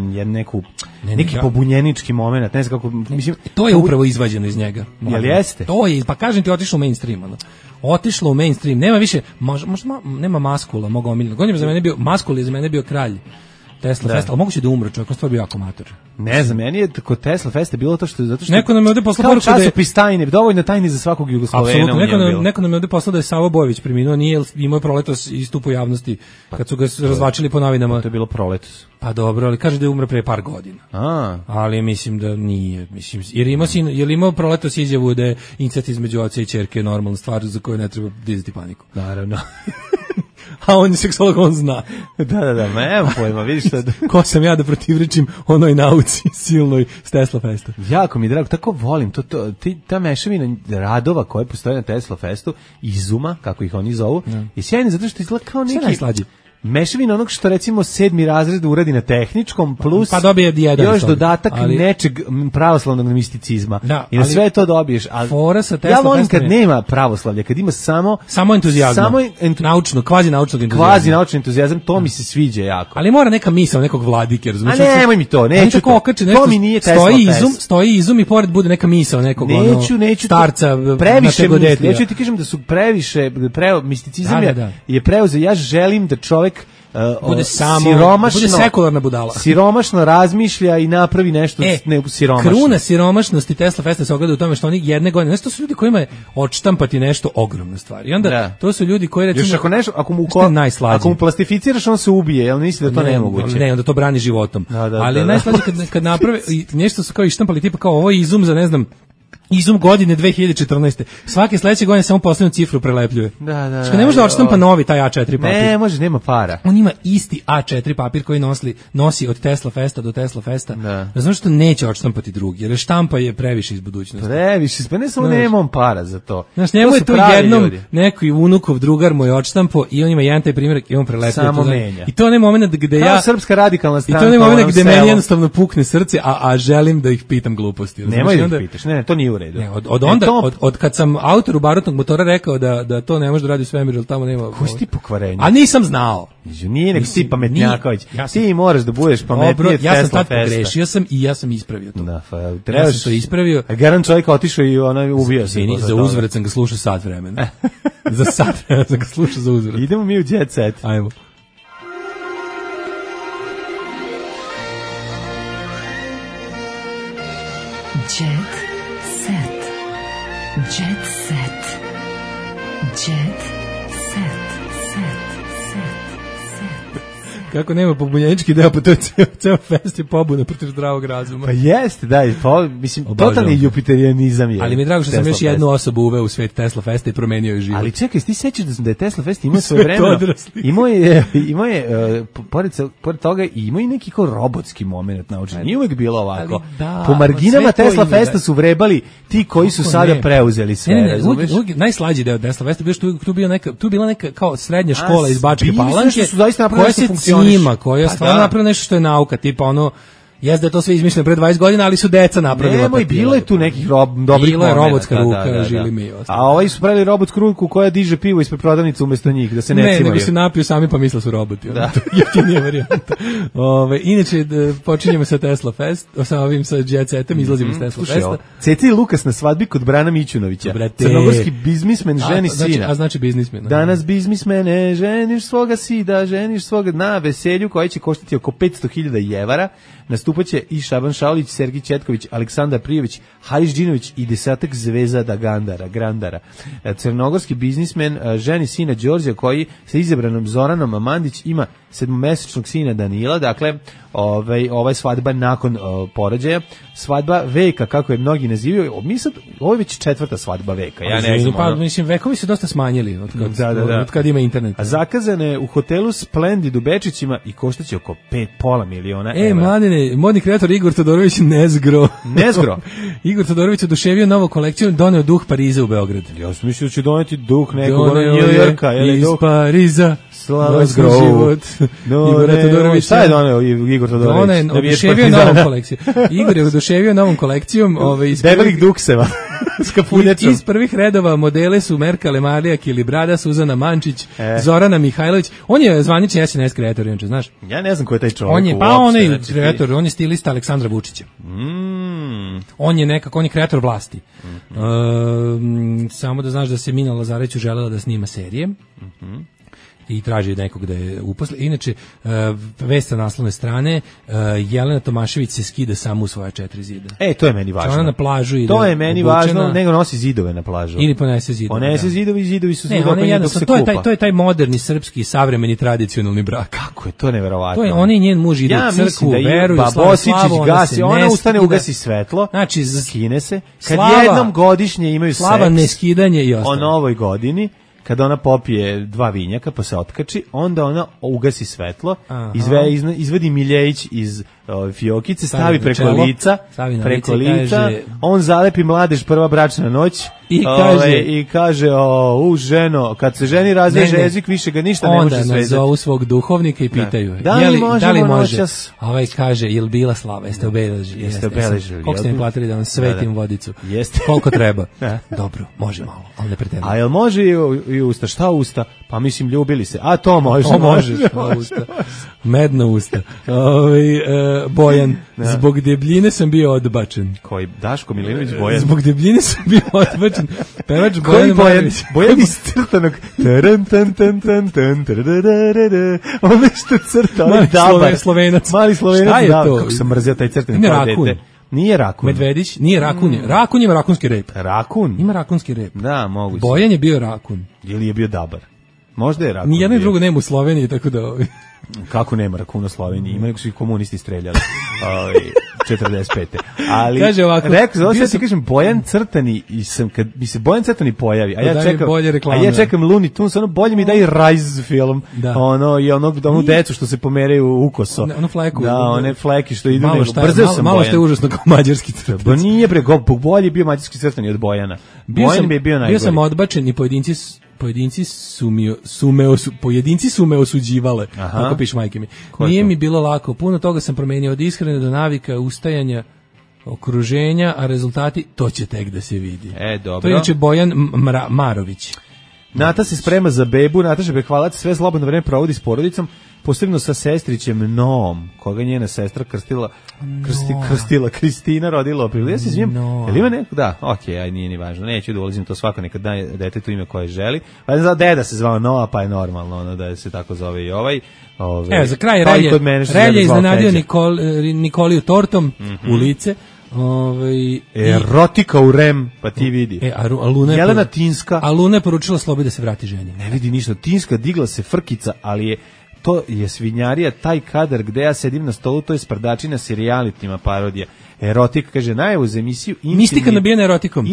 neki pobunjenički moment, ne znam kako, mislim... To je upravo izvađeno iz njega. Jel jeste? To je, pa kažem ti, otišlo u mainstream, otišlo u mainstream, nema više, nema Maskula, mogu omiljeno. Godinima za mene bio, Maskul je za mene bio kralj Tesla Festa, ali moguće da umre čovjek, on stvar bio jako amator. Ne znam, meni je kod Tesla Festa bilo to što... Zato što neko nam je ovdje poslao poruku da je... časopis tajne, dovoljno tajni za svakog Jugoslovena. Apsolutno, neko nam je ovdje poslao da je Savo Bojević preminuo, nije imao proletos istup u javnosti, kad su ga razvačili po novinama. To je bilo proletos. Pa dobro, ali kaže da je umre pre par godina. Ali mislim da nije, jer imao proletos izjavu da je incest između oca i ćerke normalna stvar za koju ne treba dizati paniku. Naravno. A on je seksolog, on zna. Da, nema pojma, vidiš šta... Ko sam ja da protivrečim onoj nauci silnoj s Tesla Festa. Jako mi drago, tako volim, ta mešavina radova koje postoje na Tesla Festu, izuma, kako ih oni zovu, je sjajno zato što izgleda kao neki... Sve najslađe. Mešavina onog što recimo 7. razred uradi na tehničkom plus pa dobije još dodatak nečeg pravoslavnog misticizma. I na sve to dobiješ. Ja volim kad nema pravoslavlja, kad ima samo entuzijazma. Naučno, kvazi naučnog entuzijazma. Kvazi naučni entuzijazam, to mi se sviđa jako. Ali mora neka misao nekog vladike, razumiješ? A nemoj mi to, neću to. To mi nije Tesla Fest. Stoji izum i pored bude neka misao nekog starca na tegodetija. Neću ti kažem da su previše, misticizam je preuzeo, ja želim da čovjek bude sekularna budala. Siromašno razmišlja i napravi nešto siromašno. Kruna siromašnosti Tesla Festa se ogleda u tome što oni jedne godine, to su ljudi kojima je odštampati nešto ogromna stvar. I onda to su ljudi koji recimo... Još ako mu plastificiraš, on se ubije, jel misli da to nemoguće? Ne, onda to brani životom. Ali najslađe kad naprave, nešto su kao ištampali, tipa kao ovo izum za, ne znam, izum godine 2014. Svake sledeće godine samo poslednju cifru prelepljuje. Što ne može da odštampa novi taj A4 papir. Ne, može, nema para. On ima isti A4 papir koji nosi od Tesla Festa do Tesla Festa. Zato što neće odštampati drugi, jer štampa je previše iz budućnosti. Previše, pa ne samo nemam para za to. Znaš, njemu je to jednom neki unukov drugar mu je odštampo i on ima jedan taj primjerak i on prelepljuje. Samo menja. I to je onaj moment gde ja... Kao Srpska radikalna stranka. I to je onaj moment gde meni jednostavno pukne srce, a želim da ih pitam gluposti. Nemoj da ih pitaš, ne, to nije u redu. Od kad sam autoru barutnog motora rekao da to ne može da radi u svemiru, jer tamo nema... Koji si ti pokvarenje? A nisam znao. Nije nek ti pametnjaković. Ti moraš da budeš pametniji od Tesla Festa. Ja sam tad pogrešio i ja sam ispravio to. Ja sam to ispravio. Garant čovjek otišao i ubio se. Za uzvrat sam ga slušao sat vremena. Za sat vremena sam ga slušao za uzvrat. Idemo mi u Jet Set. Ajmo. Jet Set. Jet Set. Jet Set. Kako nema pobunjenički deo, pa to je ceo fest je pobuna protiv zdravog razuma. Pa jeste, mislim, totalni jupiterijanizam je. Ali mi je drago što sam još jednu osobu uveo u svet Tesla Festa i promenio je život. Ali čekaj, ti sećaš da je Tesla Fest imao svoje vremena? Imao je pored toga imao i neki kao robotski moment naučen. Nije uvek bilo ovako. Po marginama Tesla Festa su vrebali ti koji su sada preuzeli sve. Najslađi deo Tesla Festa bio što tu bila neka kao srednja škola iz Bačke Palanke koja se cima, koja je stvarno napravila nešto što je nauka, tipa ono, jeste da je to sve izmišljeno pre 20 godina, ali su deca napravila. Nemoj, bilo je tu nekih dobrih momenta. Bilo je robotska ruka, žili mi. A ovaj su pravili robotsku ruku koja diže pivo ispred prodavnice umjesto njih, da se ne cimaju. Ne, nego se napiju sami pa misle su roboti. Jeftinija varijanta. Inače, počinjemo sa Tesla Fest, sa ovim sa Jet Setom, izlazimo iz Tesla Festa. Ceci i Lukas na svadbi kod Brana Mićunovića. Crnogorski biznismen ženi sina. A znači biznismen. Danas biznismene, ženiš svoga sida, ženiš svoga na veselju koji će koštati oko 500.000 jevara. Nastupaće i Šaban Šaulić, Sergij Četković, Aleksandar Prijević, Haris Džinović i desetak zvezada Grandara. Crnogorski biznismen ženi sina Đorđa koji sa izabranom Zoranom Mandić ima sedmomesečnog sina Danila, dakle, ova je svadba nakon porođaja, svadba veka, kako je mnogi nazivaju, ovo je već 4. svadba veka, ja ne znam. Pa, mislim, vekovi se dosta smanjili od kad ima internet. A zakazane u hotelu Splendid u Bečićima i koštaće oko 5,5 miliona evra. Mladine, modni kreator Igor Todorović Nezgro. Igor Todorović oduševio novu kolekciju, doneo duh Pariza u Beograd. Ja sam mislio da će doneti duh nekog Njujorka. Iz Pariza. Slavenski život. Igor Todorović. Šta je doneo Igor Todorović? Oduševio novom kolekcijom. Igor je oduševio novom kolekcijom. Debelih dukseva. Iz prvih redova modele su Merka Lemarija, Kilibrada, Suzana Mančić, Zorana Mihajlović. On je zvanični SNS kreator, inače, znaš? Ja ne znam ko je taj čovjek. On je, kreator, on je stilista Aleksandra Vučića. On je kreator vlasti. Samo da znaš da se Mina Lazarević želela da snima serije. I traži nekog da je uposle. Inače, vest sa naslovne strane, Jelena Tomašević se skida samo u svoja 4 zida. To je meni važno. Ona na plažu ide. To je meni važno, nego nosi zidove na plažu. Ili ponese zidove. Ponese zidove i zidovi su svuda dok se kupa. To je taj moderni, srpski, savremeni, tradicionalni brak. Kako je to neverovatno. To je, on i njen muž idu u crkvu, veruju, Bosičić gasi, ona ustane, ugasi svetlo, znači, skine se. Kad jednom godišnje imaju seks, slava, neskidanje i ostalo. O novoj godini, kada ona popije 2 vinjaka pa se otkači, onda ona ugasi svetlo, izvadi Miljević iz fiokice, stavi preko lica, kaže, on zalepi mladež prva bračna noć i kaže ženo, kad se ženi razveže jezik, više ga ništa ne može svezati. Onda nazovu svog duhovnika i pitaju da li može? A ovaj kaže, jel bila slava, jeste obeležili? Koliko ste mi platili da vam svetim vodicu? Koliko treba? Dobro, može malo, ali ne pretendam. A jel može i usta? Šta usta? Pa mislim, ljubili se. A to može. Usta. Medna usta. Bojan, zbog debljine sam bio odbačen. Koji? Daško Milinović Bojan? Zbog debljine sam bio odbačen. Pevač Bojan Marković. Bojan iz crtanog. Ono što crta, on je dabar. Slovenac. Mali Slovenac. Šta je to? Kako sam mrzio taj crtani kao dete. Nije rakun. Medvedić nije rakun. Rakun ima rakunski rep. Rakun? Ima rakunski rep. Da, moguće. Bojan je bio rakun. Ili je bio dabar. Možda je rakun. Nijedno i drugo nema u Sloveniji, tako da... Kako nema rakuna u Sloveniji? Ima nego su i komunisti streljali. 45. Ali, kaže ovako, kažem, Bojan Crtani, kad mi se Bojan Crtani pojavi, a ja čekam Looney Tunes, ono bolje mi daj Rise film, i onu decu što se pomeraju ukoso. Onu fleku. Da, one fleki što idu. Malo što je užasno kao mađarski Crtani. Ba nije bre, bolje je bio mađarski Crtani od Bojana. Bojan bi bio najgori. Bio sam odbačen i pojedinci su me osuđivale, tako piše majke mi. Nije mi bilo lako, puno toga sam promenio od ishrane do navika, ustajanja, okruženja, a rezultati to će tek da se vidi. Dobro. To je inače Bojan Marović. Nata se sprema za bebu, Nataša Bekvalac sve slobodno vreme provodi s porodicom, posebno sa sestrićem Noom, koga njena sestra krstila Kristina rodila u aprilu. Ja se izvijem, jel ima neko? Da, okej, nije ni važno, neću da ulazim to, svako nekad daje detetu ime koje želi. Pa ne znam, deda se zvao Noa, pa je normalno da se tako zove i ovaj. Za kraj Relje iznenadio Nikoliju tortom u lice. Erotika u REM, pa ti vidi. Jelena Tinska. A Luna je poručila Slobi da se vrati ženi. Ne vidi ništa, Tinska digla se frkica, ali to je svinjarija, taj kadar gde ja sedim na stolu, to je sprdačina s realitima parodija. Erotika, kaže, najavu za emisiju Mistika nabijena erotikom.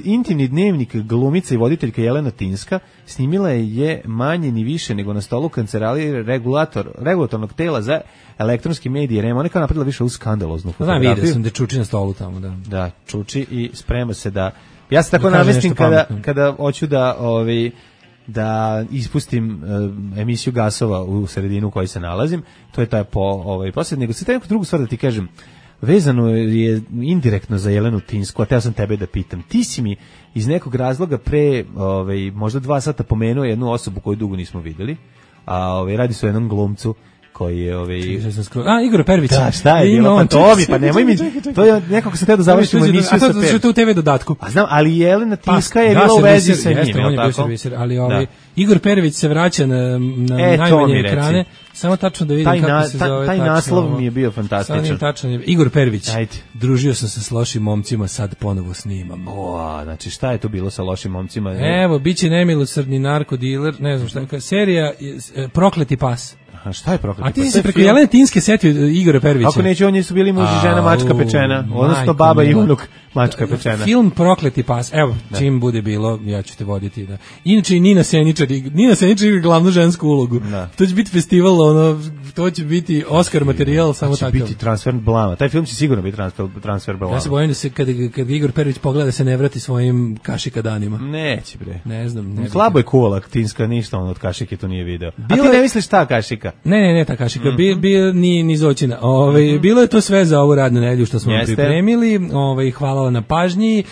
Intimni dnevnik glumica i voditeljka Jelena Tinska snimila je manje ni više nego na stolu kancelarije regulatornog tela za elektronski medije REM. Ona je kao napravila više u skandaloznu fotografiju. Vidio sam da čuči na stolu tamo. Da, čuči i sprema se da... Ja se tako namestim kada hoću da ispustim emisiju gasova u sredinu u kojoj se nalazim. To je taj posled. Nego se taj neku drugu stvar da ti kažem, vezano je indirektno za Jelenu Tinsku, a teo sam tebe da pitam. Ti si mi iz nekog razloga pre možda 2 sata pomenuo jednu osobu koju dugo nismo videli, a radi se o jednom glumcu koji je Igor Pervić. Da, šta je bilo? Pa nemoj mi. To je nekako se da završimo emisiju sa Pervić. A to u TV dodatku. A znam, ali Jelena Tinska je bila u vezi sa njim, on je bio serviser, ali Igor Pervić se vraća na najmanje ekrane. Samo tačno da vidim kako se zove. Taj naslov mi je bio fantastičan. Igor Pervić. Družio sam se s lošim momcima, sad ponovo snimam. Znači šta je to bilo sa lošim momcima? Evo, biće nemilosrdni narkodiler, ne znam šta. Serija Prokleti pas. A šta je Prokleti pas? A ti To je se preko film- Jelene Tinske setio Igora Pervića. Ako neće, oni su bili muž i žena mačka pečena, odnosno baba i unuk mačka pečena. Film Prokleti pas, evo, čim bude bilo, ja ću te voditi. Da. Inače i Nina Seničar igra glavnu žensku ulogu. To će biti festival, to će biti Oscar materijal, samo će takav. biti transfer blama. Taj film će sigurno biti transfer blama. Ja se bojim da se kad Igor Pervić pogleda se ne vrati svojim kašika danima. Neće bre. Ne znam. Slabo je kuvala Tinska, ništa on od kašike to nije video. A ti ne misliš ta kašika? Ne, ta kašika. Ni Zoćina. Bilo je to sve za ovu radnu nedelju što smo vam pripremili. Hvala na pažnji.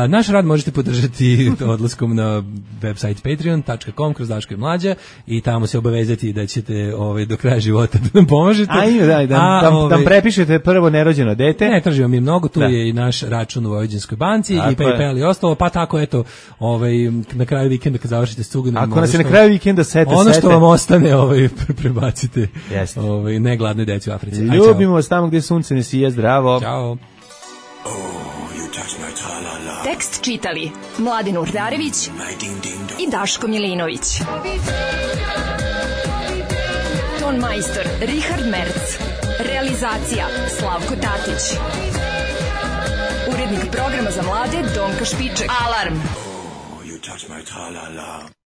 Naš rad možete podržati odlaskom na website patreon.com kroz Daško i Mlađa i tamo se obavezati da ćete do kraja života da nam pomožete. Da prepišete prvo nerođeno dete. Ne, tražimo mi mnogo, tu je i naš račun u Vojvođanskoj banci i PayPal i ostalo, pa tako eto, na kraju vikenda kad završite s cuganom. Ako nas je na kraju vikenda sete. Ono što vam ostane, prebacite ne gladnoj deci u Africi. Ljubimo vas tamo gdje sunce ne sije, zdravo. Ćao. Tekst čitali Mladin Urdarević i Daško Milinović. Ton majstor Richard Merc. Realizacija Slavko Tatić. Urednik programa za mlade Donka Špiček. Alarm!